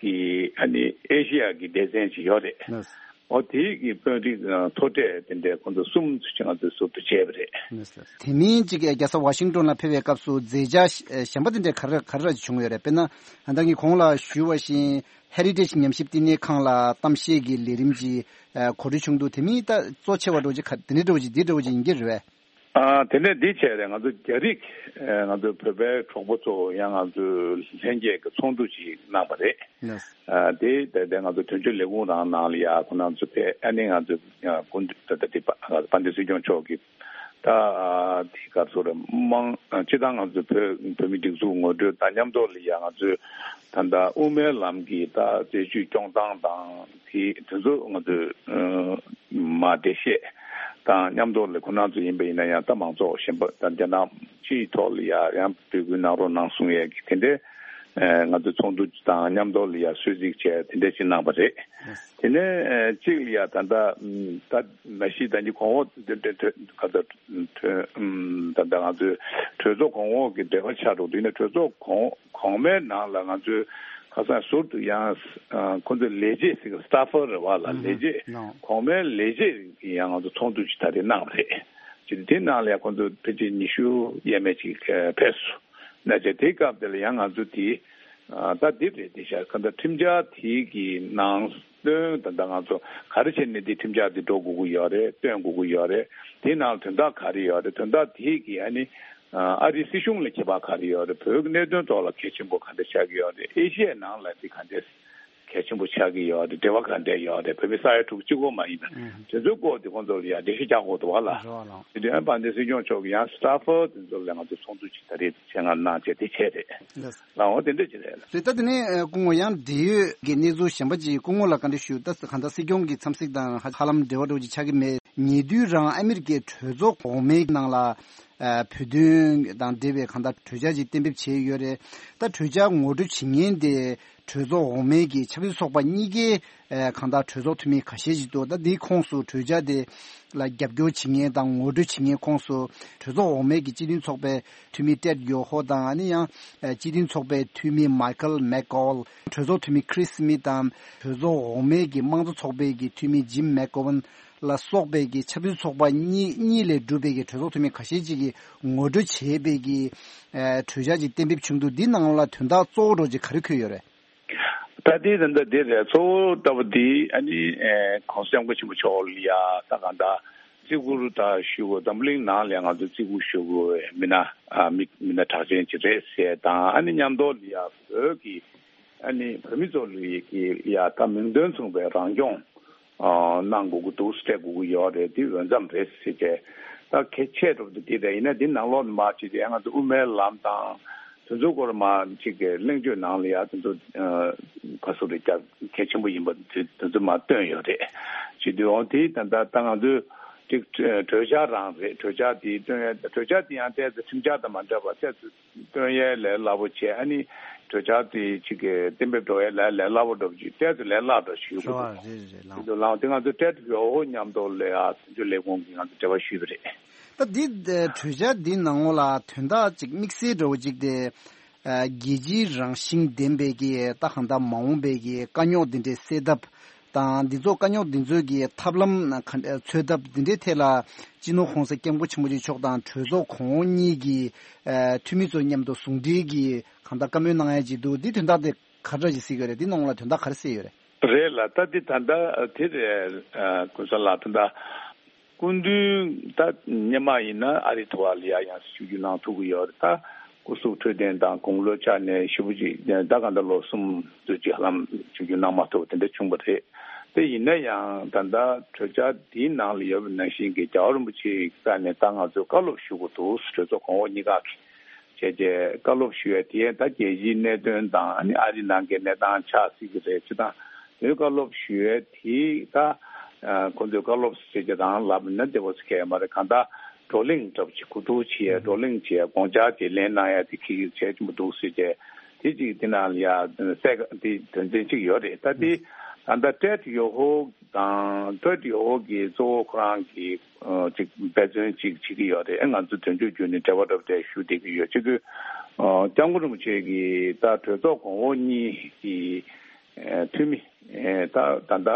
གི་ཨ་ནི་ཨེ་ཤི་ཡ་གི་སྡེ་ཚན་ཅིག་ཡོད་རེད། ལགས། ཨོ་དེའི་གི་དཔོན་རིགས་ཨ་མཐོ་གྲས་དེ་འདྲའི་ཁོང་ཚོ་གསུམ་ཚོ་ཅིག་ང་ཚོས་ཟུར་དུ་བྱས་པ་རེད། ལགས་སོ། དེ་མིན་ཅིག་རྒྱལ་ས་ཝ་ཤིང་ཏོན་ལ་ཕེབས་པའི་སྐབས་སུ་མཛད་འཆར་གཞན་པ་དེ་འདྲ་ག་རེ་ག་རེ་ར་ཅིག་བྱུང་ཡོད་རེད། དཔེར་ན་ད་ལྟ་ངས་གོང་ལ་ཞུས་པ་བཞིན་ཧེ་རི་ཊེཇ་ཉམས་ཞིབ་བསྟི་གནས་ཁང་ལ་གཏམ་བཤད་ཀྱི་ལས་རིམ་ཅིག་གོ་སྒྲིག་བྱུང་འདུག་དེ་མིན་ད་གཙོ་ཆེ་བ་འདྲ་བོ་ཅིག་ག་དེ་འདྲ་འདྲ་བོ་ཅིག་འདི་འདྲ་བོ་ཅིག་ཡིན་གྱི་རེད་པས། ཨ་དེ་ནས་འདི་བྱས་རེད། ང་ཚོ་རྒྱ་རིགས་ཨ་ང་ཚོ་བོད་པའི་གྲོགས་པོ་ཚོ་ཡང་ང་ཚོའི་ལྷན་རྒྱས་ཀྱི་ཚོགས་འདུ་ཅིག་གནང་བ་རེད། ལགས། ཨ་དེ་དེ་དེ་ང་ཚོ་དོན་གཅོད་ལས་ཁུངས་རང་ནང་ལ་ཡ་ཁོ་རང་ཚོ་ཕེབས། ཨ་ནི་ང་ཚོ་ཨ་སྐུ་མདུན་ད་ལྟ་དེ་དཔལ་ལྡན་སྲིད་སྐྱོང་མཆོག་གིས་ད་ཨ་དེ་ག་ཚོ་རེད། དམངས་ཨ་སྤྱི་བཏང་ང་ཚོ་བོད་བོད་མི་སྒྲིག་འཛུགས་ངོ་སྤྲོད་དང་མཉམ་དུ་ལ་ཡ་ང་ཚོས་ད་ལྟ་དབུ་མའི་ལམ་གྱི་ད་རྩད་གཅོད་སྐྱོང་སྟངས་དང་དེ་དེ་ཚོ་ང་ཚོས་ཨ་མ་འགྲེལ་བཤད་དང་མཉམ་དུ་ལ་ཁོ་རང་ཚོ་ཡིན་པ་ཡིན་ན་ཡང་ད་མང་ཚོགས་གཞན་པ་དང་རྒྱ་ནག་སྤྱིའི་ཐོག་ལ་ཡ་ཡང་འབོད་སྐུལ་གནང་རོགས་གནང་གསུང་ཡས་ཀྱི་དེ་འདྲའི་ཨ་ང་ཚོ་ཚོགས་འདུ་དང་མཉམ་དུ་ལ་ཡ་གསོལ་ཚིགས་བྱས་དེ་འདྲ་ཞིག་གནང་བ་རེད། དེ་ནས་ཨ་གཅིག་ལ་ཡ་ད་ལྟ་ཨམ་ད་མ་གཞི་ད་ནི་གོང་འོག་འདི་འདྲ་ག་ད་ཨམ་ད་ལྟ་ང་ཚོའི་གྲོས་ཚོགས་གོང་འོག་གི་འབྲེལ་བ་ཆགས་འགྲོ་དུས་ནས་གྲོས་ཚོགས་གོང་གོང་མའི་ནང་ལ་ང་ཚོའི་ཁ་སང་ཟུར་དུ་ཡང་ཨ་ཁོ་ཚོའི་ལས་བྱེད་ཟེར་གི་སི་ཊ་ཕར་རེད་བ་ལ། ལས་བྱེད་གོང་མའི་ལས་བྱེད་ཀྱི་ཡང་ང་ཚོ་ཚོགས་འདུ་ཅིག་ད་རེས་གནང་བ་རེད། ཅིག་དེ་ནང་ལ་ཡང་ཁོ་ཚོ་ཕལ་ཆེར་ཉི་ཤུ་ཡས་མས་ཅིག་ཕེབས་སོང་། ན་ཅེ་དེ་སྐབས་དེ་ལ་ཡང་ང་ཚོ་དེ་ཨ་ད་འདི་རེད། དེ་ཤར་ཁ་འདྲ་ཁྲིམས་འཆར་དེ་གི་ནང་དོན་ད་ལྟ་ང་ཚོ་ག་རེ་བྱས་ནས་འདི་ཁྲིམས་འཆར་འདི་འགྲོ་དགོས་ཀྱི་ཡོད་རེད། སྟོན་དགོས་ཀྱི་ཡོད་རེད། དེའི་ནང་དོན་དག་ག་རེ་ཡོད་རེད། དོན་དག་དེ་གི་ཨ་ནི་ཨ་རིའི་སྲིད་གཞུང་ལ་ཁྱད་པར་ག་རེ་ཡོད་རེད། བོད་ཀྱི་གནད་དོན་ཐོག་ལ་གལ་ཆེན་པོ་ག་འདྲ་ཆགས་ཀྱི་ཡོད་རེད། ཨེ་ཤི་ཡའི་ནང་ལ་འདི་ག་འདྲ་གལ་ཆེན་པོ་ཆགས་ཀྱི་ཡོད་རེད། འབྲེལ་བ་ག་འདྲ་ཡོད་རེད། བོད་མི་ས་ཡ་དྲུག་གཅིག་པོ་མ་ཡིན་པ་དེ་ཚོའི་སྐོར་དེ་ཁོང་ཚོ་ལ་ཡང་འགྲེལ་བཤད་རྒྱག་དགོས་འདུག་བ་ལ། དེ་དུས་ཨ་དཔལ་ལྡན་སྲིད་སྐྱོང་མཆོག་གིས་ཡང་སི་ཊ་ཕར་དེ་ཚོ་ལ་ང་ཚོ་ཚོགས་འདུ་ཅིག་ད་རེས་ཆེད་མངགས་གནང་བྱས་དེ་བྱས་རེད། ལགས། ལའང་དེ་འདྲ་ཅིག་རེད། རེད། ད་དེ་ནས་ཨ་སྐུ་ངོ་ཡང་འབྲེལ་ཡོད་ཀྱི་གནས་ཚུལ་གཞན་པ་ཅིག་སྐུ་ངོ་ལ་བཀའ་འདྲི་ཞུ། ད་གང་ལྟར་སྲིད་སྐྱོང་གི་འཚམས་གཟིགས་དང་ཧ་ཧ་ལམ་འབྲེལ་བ་འདྲ་བོ་ཅིག་ཆགས་ཀྱི་མེད། ཉེ་དུས་རང་ཨ་མི་རི་ཀའི་གྲོས་ཚོགས་འོག་མའི་ནང་ལ་ཨ་བོད་དོན་དང་འབྲེལ་བའི་གང་ལྟར་གྲོས་འཆར་ཅིག་གཏན་འབེབས་བྱས་ཡོད་རེད། ད་གྲོས་འཆར་ངོ་སྤྲོད་བྱེད་མཁན་དེ་གྲོས་ཚོགས་འོག་མའི་གི་ཆབ་སྲིད་ཚོགས་པ་གཉིས་ཀའི་ཨ་གང་ལྟར་གྲོས་ཚོགས་འཐུས་མི་ཁ་ཤས་ཅིག་འདུག་ད་འདིའི་ཁོངས་སུ་གྲོས་འཆར་དེ་ལ་རྒྱབ་སྐྱོར་བྱེད་མཁན་དང་ངོ་སྤྲོད་བྱེད་མཁན་ཁོངས་སུ་གྲོས་ཚོགས་འོག་མའི་གི་སྤྱི་མཐུན་ཚོགས་པའི་འཐུས་མི་ཏེད་ཡོ་ཧོ་དང་། ཨ་ནི་ཡང་ཨ་སྤྱི་མཐུན་ཚོགས་པའི་འཐུས་མི་མའི་ཁལ་མེག་ཀོལ། གྲོས་ཚོགས་འཐུས་མི་ཁི་རིས་སི་མི་ཐི་དང་། གྲོས་ཚོགས་འོག་མའི་གི་དམངས་གཙོ་ཚོགས་པའི་གི་འཐུས་མི་ཇིམ་མེག་གོ་ཝན་ལ་སོགས་པའི་གི་ཆབ་སྲིད་ཚོགས་པ་གཉིས་གཉིས་ལས་གྲུབ་པའི་གི་གྲོས་ཚོགས་འཐུས་མི་ཁ་ཤས་ཅིག་གིས་ངོ་སྤྲོད་བྱས་པའི་གི་ཨ་གྲོས་འཆར་ཅིག་གཏན་འབེབས་བྱུང་འདུག་འདི་ནང་ལ་དོན་དག་གཙོ་བོ་འདྲ་ཅིག་ག་རེ་འཁོད་ཡོད་རེད། ད་ལྟའི་ད་ལྟ་འདི་རེད། གཙོ་བོ་ལྟ་བུ་འདི་ཨ་ནི་ཨེ་༸གོང་ས་༸སྐྱབས་མགོན་ཆེན་པོ་མཆོག་ལ་ཡ་ད་གང་ལྟར་བརྩི་བཀུར་ད་ཞུ་དགོས། འཛམ་བུ་གླིང་ནང་ལ་ང་ཚོ་བརྩི་བཀུར་ཞུ་དགོས་མི་སྣ་ཨ་མི་མི་སྣ་གྲགས་ཅན་ཅིག་རེད་ཟེར་དང་། ཨ་ནི་མཉམ་དུ་ལ་ཡ་བོད་ཀྱི་ཨ་ནི་བོད་མི་ཚོ་ལ་ཡ་ད་མིང་དོན་མཚུངས་པའི་རང་སྐྱོང་ཨ་གནང་དགོས་ཀྱི་འདུག་སྤྲད་དགོས་ཀྱི་ཡོད་རེད། འདི་འོས་འཚམ་རེད་ཟེར་བྱས་ད་གལ་ཆེ་དྲགས་འདི་རེད། ཡིན་ན་འདི་ནང་ལོགས་ནས་མར་ཅིག་དེ་ང་ཚོ་དབུ་མའི་ལམ་དང་དེ་ཚོའི་སྐོར་མར་ཅིག་གི་གླེང་བརྗོད་ནང་ལ་ཡ་དེ་ཚོ་ཨ་ག་ཚོད་རེད། རྒྱ་གལ་ཆེན་པོ་ཡིན་པ་དེ་དེ་ཚོ་མར་བཏོན་ཡོད་རེད། བྱེད་དུས་འོང་དེ་ད་ལྟ་ད་ང་ཚོས་ཅིག་གྲོས་འཆར་རང་རེད། གྲོས་འཆར་དེ་བཏོན་ཡ་གྲོས་འཆར་དེ་ཡང་ཏོག་ཙམ་ཁྲིམས་འཆར་དང་མ་འདྲ་བ་ཏོག་ཙམ་བཏོན་ཡས་ལས་སླ་པོ་བྱས། ཨ་ནི་གྲོས་འཆར་དེ་གཅིག་གི་གཏན་འབེབས་འགྲོ་ཡས་ལས་ལས་སླ་པོ་འགྲོ་བ་ཅིག་ཏོག་ཙམ་ལས་སླ་འགྲོ་ཞུ་དགོས་འདུག་རེད་རེད། ལགས། དེ་ཚོ་ལའང་དེ་ང་ཚོ་ཏྲེད་ཡོ་ཧོ་མཉམ་དུ་ལས་ཨ་དེ་ཚོ་ལས་ཁུངས་ཀྱིས་ང་ཚོ་འབྲེལ་བ་ཞུས་པ་རེད། ད་འདི་གྲོས་འཆར་འདི་ནང་ལོགས་ལ་དོན་དག་ཅིག་དམིགས་བསལ་འདྲ་བོ་ཅིག་དེ་རྒྱལ་སྤྱིའི་རང་བཞིན་ལྡན་པའི་གི་ད་གང་ལྟར་མ་འོངས་པའི་གི་དཀའ་རྙོག་འདི་འདྲའི་སེལ་ཐབས་དང་། འདི་ཚོ་དཀའ་རྙོག་འདི་ཚོའི་གི་ཐབས་ལམ་ག་འདྲ་འཚོལ་ཐབས་འདི་འདྲའི་ཐད་ལ་སྤྱི་ནོར་༸གོང་ས་༸སྐྱབས་མགོན་ཆེན་པོ་མཆོག་དང་གྲོས་ཚོགས་གོང་འོག་གཉིས་ཀྱི་ཨ་འཐུས་མི་ཚོ་མཉམ་དུ་ཟུང་འབྲེལ་གྱིས་གང་ལྟར་བཀའ་མོལ་གནང་ཡ་ཅིག་འདུག་འདི་དོན་དག་དེ་ག་འདྲ་ཞིག་གཟིགས་ཡོད་རེད། འདི་ནང་ལ་དོན་དག་ག་རེ་གསལ་ཡོད་རེད། རེད་ལ། ད་འདི་ད་ལྟ་དེ་རེད། ཨ་ཀུན་བཟང་ལགས། ད་ལྟ་སྐུ་མདུན་ད་སྔོན་མ་ཡིན་ན་ཨ་རི་ཐོག་ལ་ཡ་ཡང་ཞུ་རྒྱུ་གནང་ཐུབ་ཀྱི་ཡོད་རེད། ད་སྐུ་གཟུགས་འཕྲོད་བསྟེན་དང་དགུང་ལོ་ཆ་ནས་ཞེ་པོ་ཅིག་ད་གང་ལྟར་ལོ་གསུམ་ཙམ་ཅིག་ཧ་ལམ་ཞུ་རྒྱུ་གནང་མ་ཐུབ་དེ་འདྲ་བྱུང་བ་རེད། དེ་ཡིན་ན་ཡང་ད་ལྟ་གྲོས་འཆར་འདིའི་ནང་ལ་ཡོད་པ་ནང་བཞིན་གྱི་རྒྱལ་བ་རིན་པོ་ཆེའི་རྩ་ནས་ད་ང་ཚོས་བཀའ་སློབ་ཞུ་དགོས་འདུག་གྲོས་ཚོགས་གོང་འོག་གཉིས་ཀ་གི་བྱས་རྗེས་བཀའ་སློབ་ཞུ་ཡས་དེ་ད་རྒྱལ་སྤྱིའི་གནད་དོན་དང་ཨ་ནི་ཨ་རི་ནང་གི་གནས་སྟངས་ཆགས་སྲིད་ཀྱི་རེད། སྤྱིར་བཏང་ མོས་བཀའ་སློབ་ཞུ་ཡས་དེ་ད་ཁོ་ཚོས་བཀའ་སློབ་ཟེར་གྱི་རང་ལབ་ན་བདེ་པོ་ཟེར་མཁན་མ་རེད། གང་ལྟར་བགྲོ་གླེང་འདྲ་པོ་ཅིག་གོ་བསྡུར་བྱེད་ཡས། བགྲོ་གླེང་བྱེད་ཡས། དགོངས་འཆར་དེ་ལེན་གནང་ཡས་དེ་གལ་ཆེན་པོ་འདུག་ཟེར་གྱི་དེ་ཅིག་དེ་ནང་ལ་ཡ་གསལ་ཁ་དེ་དོན་ཚན་གཅིག་ཡོད་རེད། ད་དེ་ད་ལྟ་ཏྲེད་ཡོ་ཧོ་དང་ཏྲེད་ཡོ་ཧོ་གི་གཙོ་བོ་ཁོ་རང་གི་ཅིག་འབད་བརྩོན་ཅིག་བྱེད་ཀྱི་ཡོད་རེད། ང་ཚོ་དོན་གཅོད་བརྒྱུད་ནས་འབྲེལ་བ་འདྲ་པོ་དེ་ཞུ་བསྡད་ཀྱི་ཡོད། ཅིག་གི་སྐྱབས་མགོན་རིན་པོ་ཆེ་གི་ད་གྲོས་ཚོགས་གོང་འོག་གཉིས་ཀྱི་འཐུས་མི་ད་ད་ལྟ་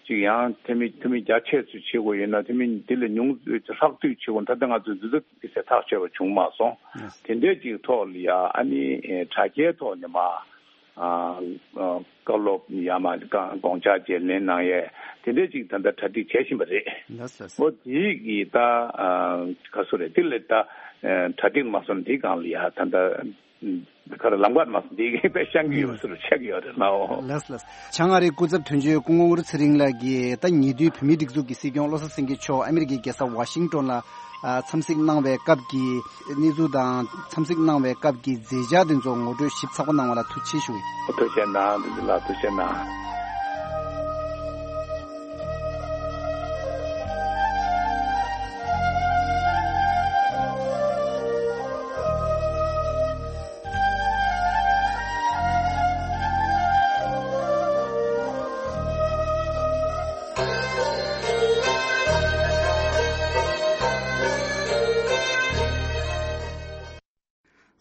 ཅིག་ཡང་འཐུས་མི་འཐུས་མི་རྒྱ་ཆེ་ཚོས་བྱེད་དགོས་ཡོད་ན་འཐུས་མི་དེ་ལས་ཉུང་ཚོས་ཧྲག་བསྡུས་བྱེད་དགོས། ད་ལྟ་ང་ཚོས་འདི་ཚོ་དམིགས་བསལ་ཐག་ཆོད་པ་བྱུང་མ་སོང་། དེ་འདྲའི་ཅིག་ཐོག་ལ་ཡ་ཨ་ནི་དྲ་རྒྱའི་ཐོག་ནས་མ། ཨ་ཨ་བཀའ་སློབ་ཡང་མ་དགོངས་འཆར་བཅས་ལེན་གནང་ཡས་དེ་འདྲའི་ཅིག་ད་ལྟ་གྲ་སྒྲིག་བྱེད་བཞིན་པ་རེད། ལགས་སོ། ཨོ་དེའི་གི་ད་ཨ་ག་སུ་རེད། དེ་ལས་ད་ཨ་གྲ་སྒྲིག་མ་སོང་དེའི་སྒང་ལ་ཡ་ད་ལྟ་ཨ་ག་རེ་ལམ་ཁ་མ་སོང་དེའི་གི་དཔེ་བཤང་གི་ཡོད་པ་སུ་རུ་ཆགས་ཀྱི་ཡོད་རེད་ལགས། ལགས་ལགས། བྱང་ཨ་རིའི་སྐུ་ཚབ་དོན་གཅོད་སྐུ་ངོ་ཨུ་རུ་ཚེ་རིང་ལགས་ཀྱིས་ད་ཉེ་དུས་བོད་མིའི་སྒྲིག་འཛུགས་ཀྱི་སྲིད་སྐྱོང་བློ་བཟང་སེང་གེ་མཆོག་ཨ་མི་རི་ཀའི་རྒྱལ་ས་ཝ་ཤིང་ཏོན་ལ་ཨ་འཚམས་གཟིགས་གནང་བའི་སྐབས་ཀྱི་གནས་ཚུལ་དང་འཚམས་གཟིགས་གནང་བའི་སྐབས་ཀྱི་མཛད་འཆར་དེ་ཚོ་ངོ་སྤྲོད་ཞིབ་ཚགས་པོ་གནང་བ་ལ་ཐུགས་རྗེ་ཆེ་ཞུ། ཐུགས་རྗེ་གནང་། དེ་ལ་ཐུགས་རྗེ་གནང་།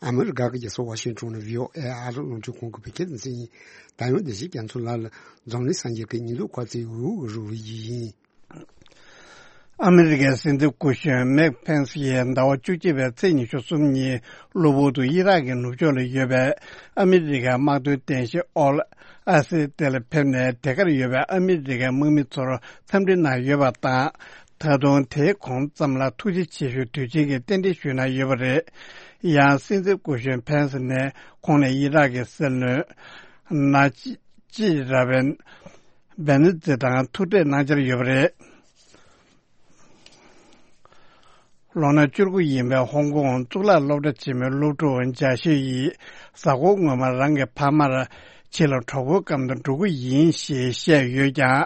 ཨ་མི་རི་ཀ་གི་རྒྱལ་ས་ཝ་ཤིང་ཊོན་ནས་བྷི་ཨོ་ཨེ་ཨ་རི་རླུང་འཕྲིན་ཁང་གི་བོད་སྐད་སྡེ་ཚན་ཡིན། ད་ཡང་བདེ་སྐྱིད་རྒྱ་མཚོ་ལགས་ལ་འཛམ་གླིང་སངས་རྒྱས་ཀྱི་ཉིན་ལུགས་ཁ་ཚིག་འུ་འུ་རུ་རུ་ཡིན། ཨ་མི་རི་ཀའི་སྲིད་འཛིན་སྐུ་གཞོན་མེག་ཕེན་སི་ཡིས་ཟླ་བ་བཅུ་གཅིག་པའི་ཚེས་ཉི་ཤུ་གསུམ་ཉིན་གློ་བུར་དུ་ཨི་རག་གི་ནུབ་ཕྱོགས་ལ་ཡོད་པའི་ཨ་མི་རི་ཀའི་དམག་དོན་རྟེན་གཞི་ཨོལ་ཨ་སི་དེ་ལ་ཕེབས་ནས་དེ་གར་ཡོད་པའི་ཨ་མི་རི་ཀའི་དམག་མི་ཚོར་འཚམས་འདྲི་གནང་ཡོད་པ་དང་། ད་དུང་དེའི་གོང་ཙམ་ལ་ཐུགས་རྗེ་ཆེ་ཞུ་དུས་ཆེན་གྱི་རྟེན་འབྲེལ་ཞུས་གནང་ཡོད་པ་རེད། ཡང་སྲིད་འཛིན་སྐུ་གཞོན་ཕེན་སི་ནས་ཁོང་ནས་ཨི་རག་གི་སྲིད་བློན་ན་ཅི་ཅི་ར་བན་བེ་ནི་ཛི་དང་ཐུག་འཕྲད་གནང་འཆར་ཡོད་པ་རེད། ལོ་ན་བཅུ་དགུ་ཡིན་པའི་ཧོང་ཀོང་གཙུག་ལག་སློབ་གྲྭ་ཆེན་མོའི་སློབ་ཕྲུག་ཇཱ་ཤི་ཡིས་གཟའ་འཁོར་སྔོན་མ་རང་གི་ཕ་མར་ཕྱི་ལ་གྲོགས་པོའི་སྒང་དུ་འགྲོ་གི་ཡིན་ཞེས་བཤད་ཡོད་ཀྱང་།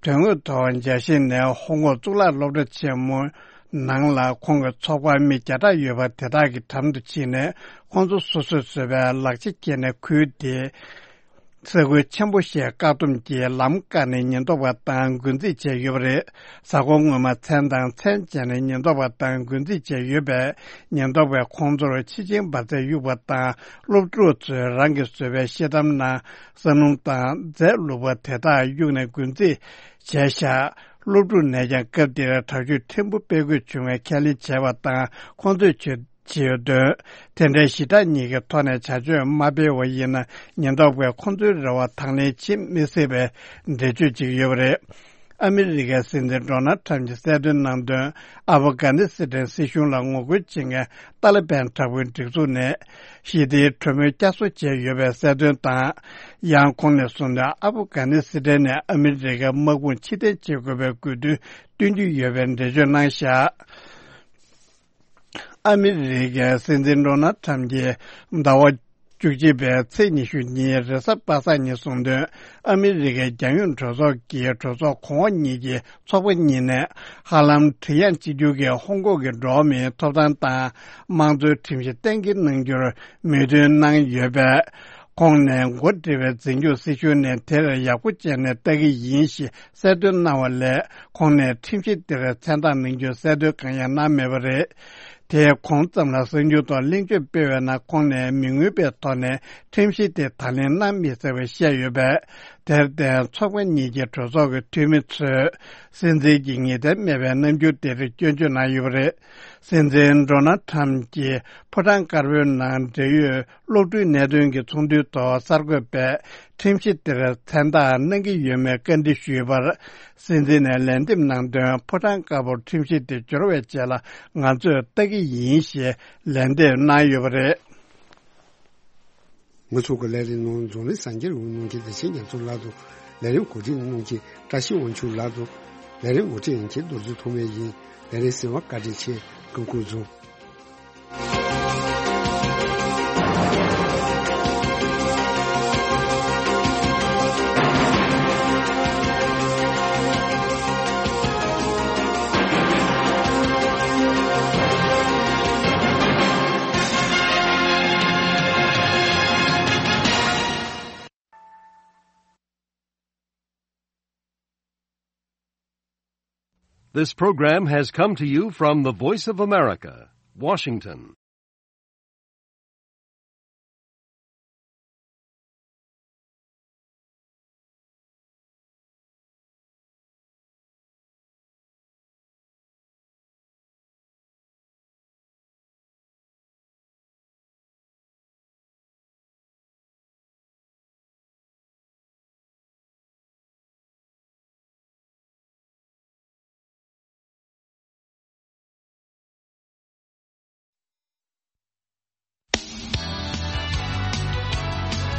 དོན་དངོས་ཐོག་ཇཱ་ཤི་ནས་ཧོང་ཀོང་གཙུག་ལག་སློབ་གྲྭ་ཆེན་མོའི་ནང་ལ་ཁོང་གི་ཚོགས་པར་མི་བརྒྱ་ཕྲག་ཡོད་པ་དེ་དག་གི་འགྲམ་དུ་ཕྱིན་ནས་ཁོང་ཚོ་སོ་སོས་བཟོས་པའི་ལག་ཆ་འཁྱེར་ནས་ཁུལ་དེ། ས་ཁུལ་ཆེན་པོ་ཞེས་བཀག་སྡོམ་གྱིས་ལམ་བཀག་ནས་ཉེན་རྟོག་པ་དང་འགོ་འཛིང་བྱས་ཡོད་པ་རེད། གཟའ་འཁོར་སྔོན་མ་མཚན་དང་མཚན་བྱས་ནས་ཉེན་རྟོག་པ་དང་འགོ་འཛིང་བྱས་ཡོད་པས། ཉེན་རྟོག་པས་ཁོང་ཚོར་ཕྱི་ཆེན་འབར་རྫས་གཡུགས་པ་དང་། སློབ་ཕྲུག་ཚོས་རང་གིས་བཟོས་པའི་ཤེལ་དམ་ནང་ས་སྣུམ་དང་རྫས་བླུགས་པ་དེ་དག་གཡུགས་ནས་འགོ་འཛིང་བྱས་བཞག་སློབ་ཕྲུག་ནས་ཀྱང་སྐབས་དེར་དྲག་སྤྱོད་ཕྲན་བུ་སྤེལ་དགོས་བྱུང་བའི་ཁས་ལེན་བྱས་པ་དང་། ཁོང་ཚོས་ཆོས། ཇི་ཡོད་དོན། དེ་འདྲའི་ཞི་དྲག་གཉིས་ཀྱི་ཐོག་ནས་བྱ་སྤྱོད་མ་སྤེལ་བ་ཡིན་ན། ཉེན་རྟོག་པས་ཁོང་ཚོའི་རེ་བ་དང་ལེན་བྱེད་མི་སྲིད་པའི་འགྲེལ་བརྗོད་ཅིག་ཡོད་པ་རེད། ཨ་མི་རི་ཀའི་སྲིད་འཛིན་ཌོ་ནལ་ཁྲམ་གྱིས་གསལ་སྟོན་གནང་དོན། ཨ་ཕ་གྷ་ནི་སི་ཐན་སྲིད་གཞུང་ལ་ངོ་རྒོལ་བྱེད་མཁན་ཏཱ་ལི་བན་དྲག་པོའི་སྒྲིག་འཛུགས་ནས་ཞི་བདེའི་གྲོས་མོལ་བསྐྱར་གསོ་བྱས་ཡོད་པའི་གསལ་སྟོན་དང་། ཡང་ཁོང་ནས་གསུངས་དོན། ཨ་ཕ་གྷ་ནི་སི་ཐན་ནས་ཨ་མི་རི་ཀའི་དམག་དཔུང་ཕྱིར་འཐེན་བྱེད་དགོས་པའི་དགོས་འདུན་བཏོན་རྒྱུ་ཡོད་པའི་འགྲེལ་བརྗོད་གནང་བཞག་ཨ་མི་རི་ཀའི་སྲིད་འཛིན་ཌོ་ནལ་ཁྲམ་གྱིས་ཟླ་བ་བཅུ་གཅིག་པའི་ཚེས་ཉི་ཤུ་ཉིན་རེས་གཟའ་པ་སངས་ཉིན་གསུངས་དོན། ཨ་མི་རི་ཀའི་རྒྱལ་ཡོངས་གྲོས་ཚོགས་ཀྱི་གྲོས་ཚོགས་གོང་འོག་གཉིས་ཀྱི་ཚོགས་པ་གཉིས་ནས་ཧ་ལམ་བྲེལ་ཡང་གཅིག་གྱུར་གྱིས་ཧོང་ཀོང་གི་འགྲོ་བ་མིའི་ཐོབ་ཐང་དང་དམངས་གཙོའི་ཁྲིམས་གཞི་གཏན་འཁེལ་གནང་རྒྱུར་མོས་མཐུན་གནང་ཡོད་པས། ཁོང་ནས་འགོ་ཁྲིད་པའི་འཛིན་སྐྱོང་སྲིད་གཞུང་ནས་དེར་ཡག་པོ་བྱས་ནས་ལྟ་གི་ཡིན་ཞེས་གསལ་སྟོན་གནང་བ་ལས། ཁོང་ནས་ཁྲིམས་གཞི་དེར་མཚན་རྟགས་གནང་རྒྱུའི་གསལ་སྟོན་གང་ཡང་གནང་མེད་པ་རེད། དེའི་གོང་ཙམ་ལ་གསར་འགྱུར་ཐོག་གླེང་བརྗོད་སྤེལ་བའི་ནང་ཁོང་ནས་མི་མངོན་པའི་ཐོག་ནས་ཁྲིམས་གཞི་དེ་དང་ལེན་གནང་མི་ཚར་བ་བཤད་ཡོད་པས། དེར་བརྟེན་ཚོགས་པ་གཉིས་ཀྱི་གྲོས་ཚོགས་ཀྱི་འཐུས་མི་ཚོས་སྲིད་འཛིན་གྱི་ངེས་གཏན་མེད་པའི་རྣམ་འགྱུར་དེར་སྐྱོན་བརྗོད་གནང་ཡོད་པ་རེད། སྲིད་འཛིན་ཌོ་ནལ་ཁྲམ་གྱིས་ཕོ་བྲང་དཀར་པོའི་ནང་འབྲེལ་ཡོད་སློབ་ཕྲུག་གནད་དོན་གྱི་ཚོགས་འདུའི་ཐོག་གསར་འགོད་པས་ཁྲིམས་གཞི་དེར་མཚན་རྟགས་གནང་གི་ཡོད་མེད་བཀའ་འདྲི་ཞུས་པར། སྲིད་འཛིན་ནས་ལན་འདེབས་གནང་དོན། ཕོ་བྲང་དཀར་པོར་ཁྲིམས་གཞི་དེ་འབྱོར་བའི་རྗེས་ལ་ང་ཚོས་ལྟ་གི་ཡིན་ཞེས་ལན་འདེབས་གནང་ཡོད་པ་རེད། ང་ཚོ་གི་ལས་རིམ་ནང་འཛམ་གླིང་གསར་འགྱུར་འོད་སྣང་གི་བདེ་ཆེན་རྒྱ་མཚོ་ལགས་དང་། ལས་རིམ་གོ་སྒྲིག་གནང་མཁན་བཀྲ་ཤིས་དབང་ཕྱུག་ལགས་དང་། ལས་རིམ་ངོ་སྤྲོད་མཁན་རྡོ་རྗེ་ཐོགས་མེད་ཡིན། ལས་རིམ་གསན་པར་བཀའ་དྲིན་ཆེ། སྐུ་ཁམས་བཟང་། This program has come to you from the Voice of America, Washington.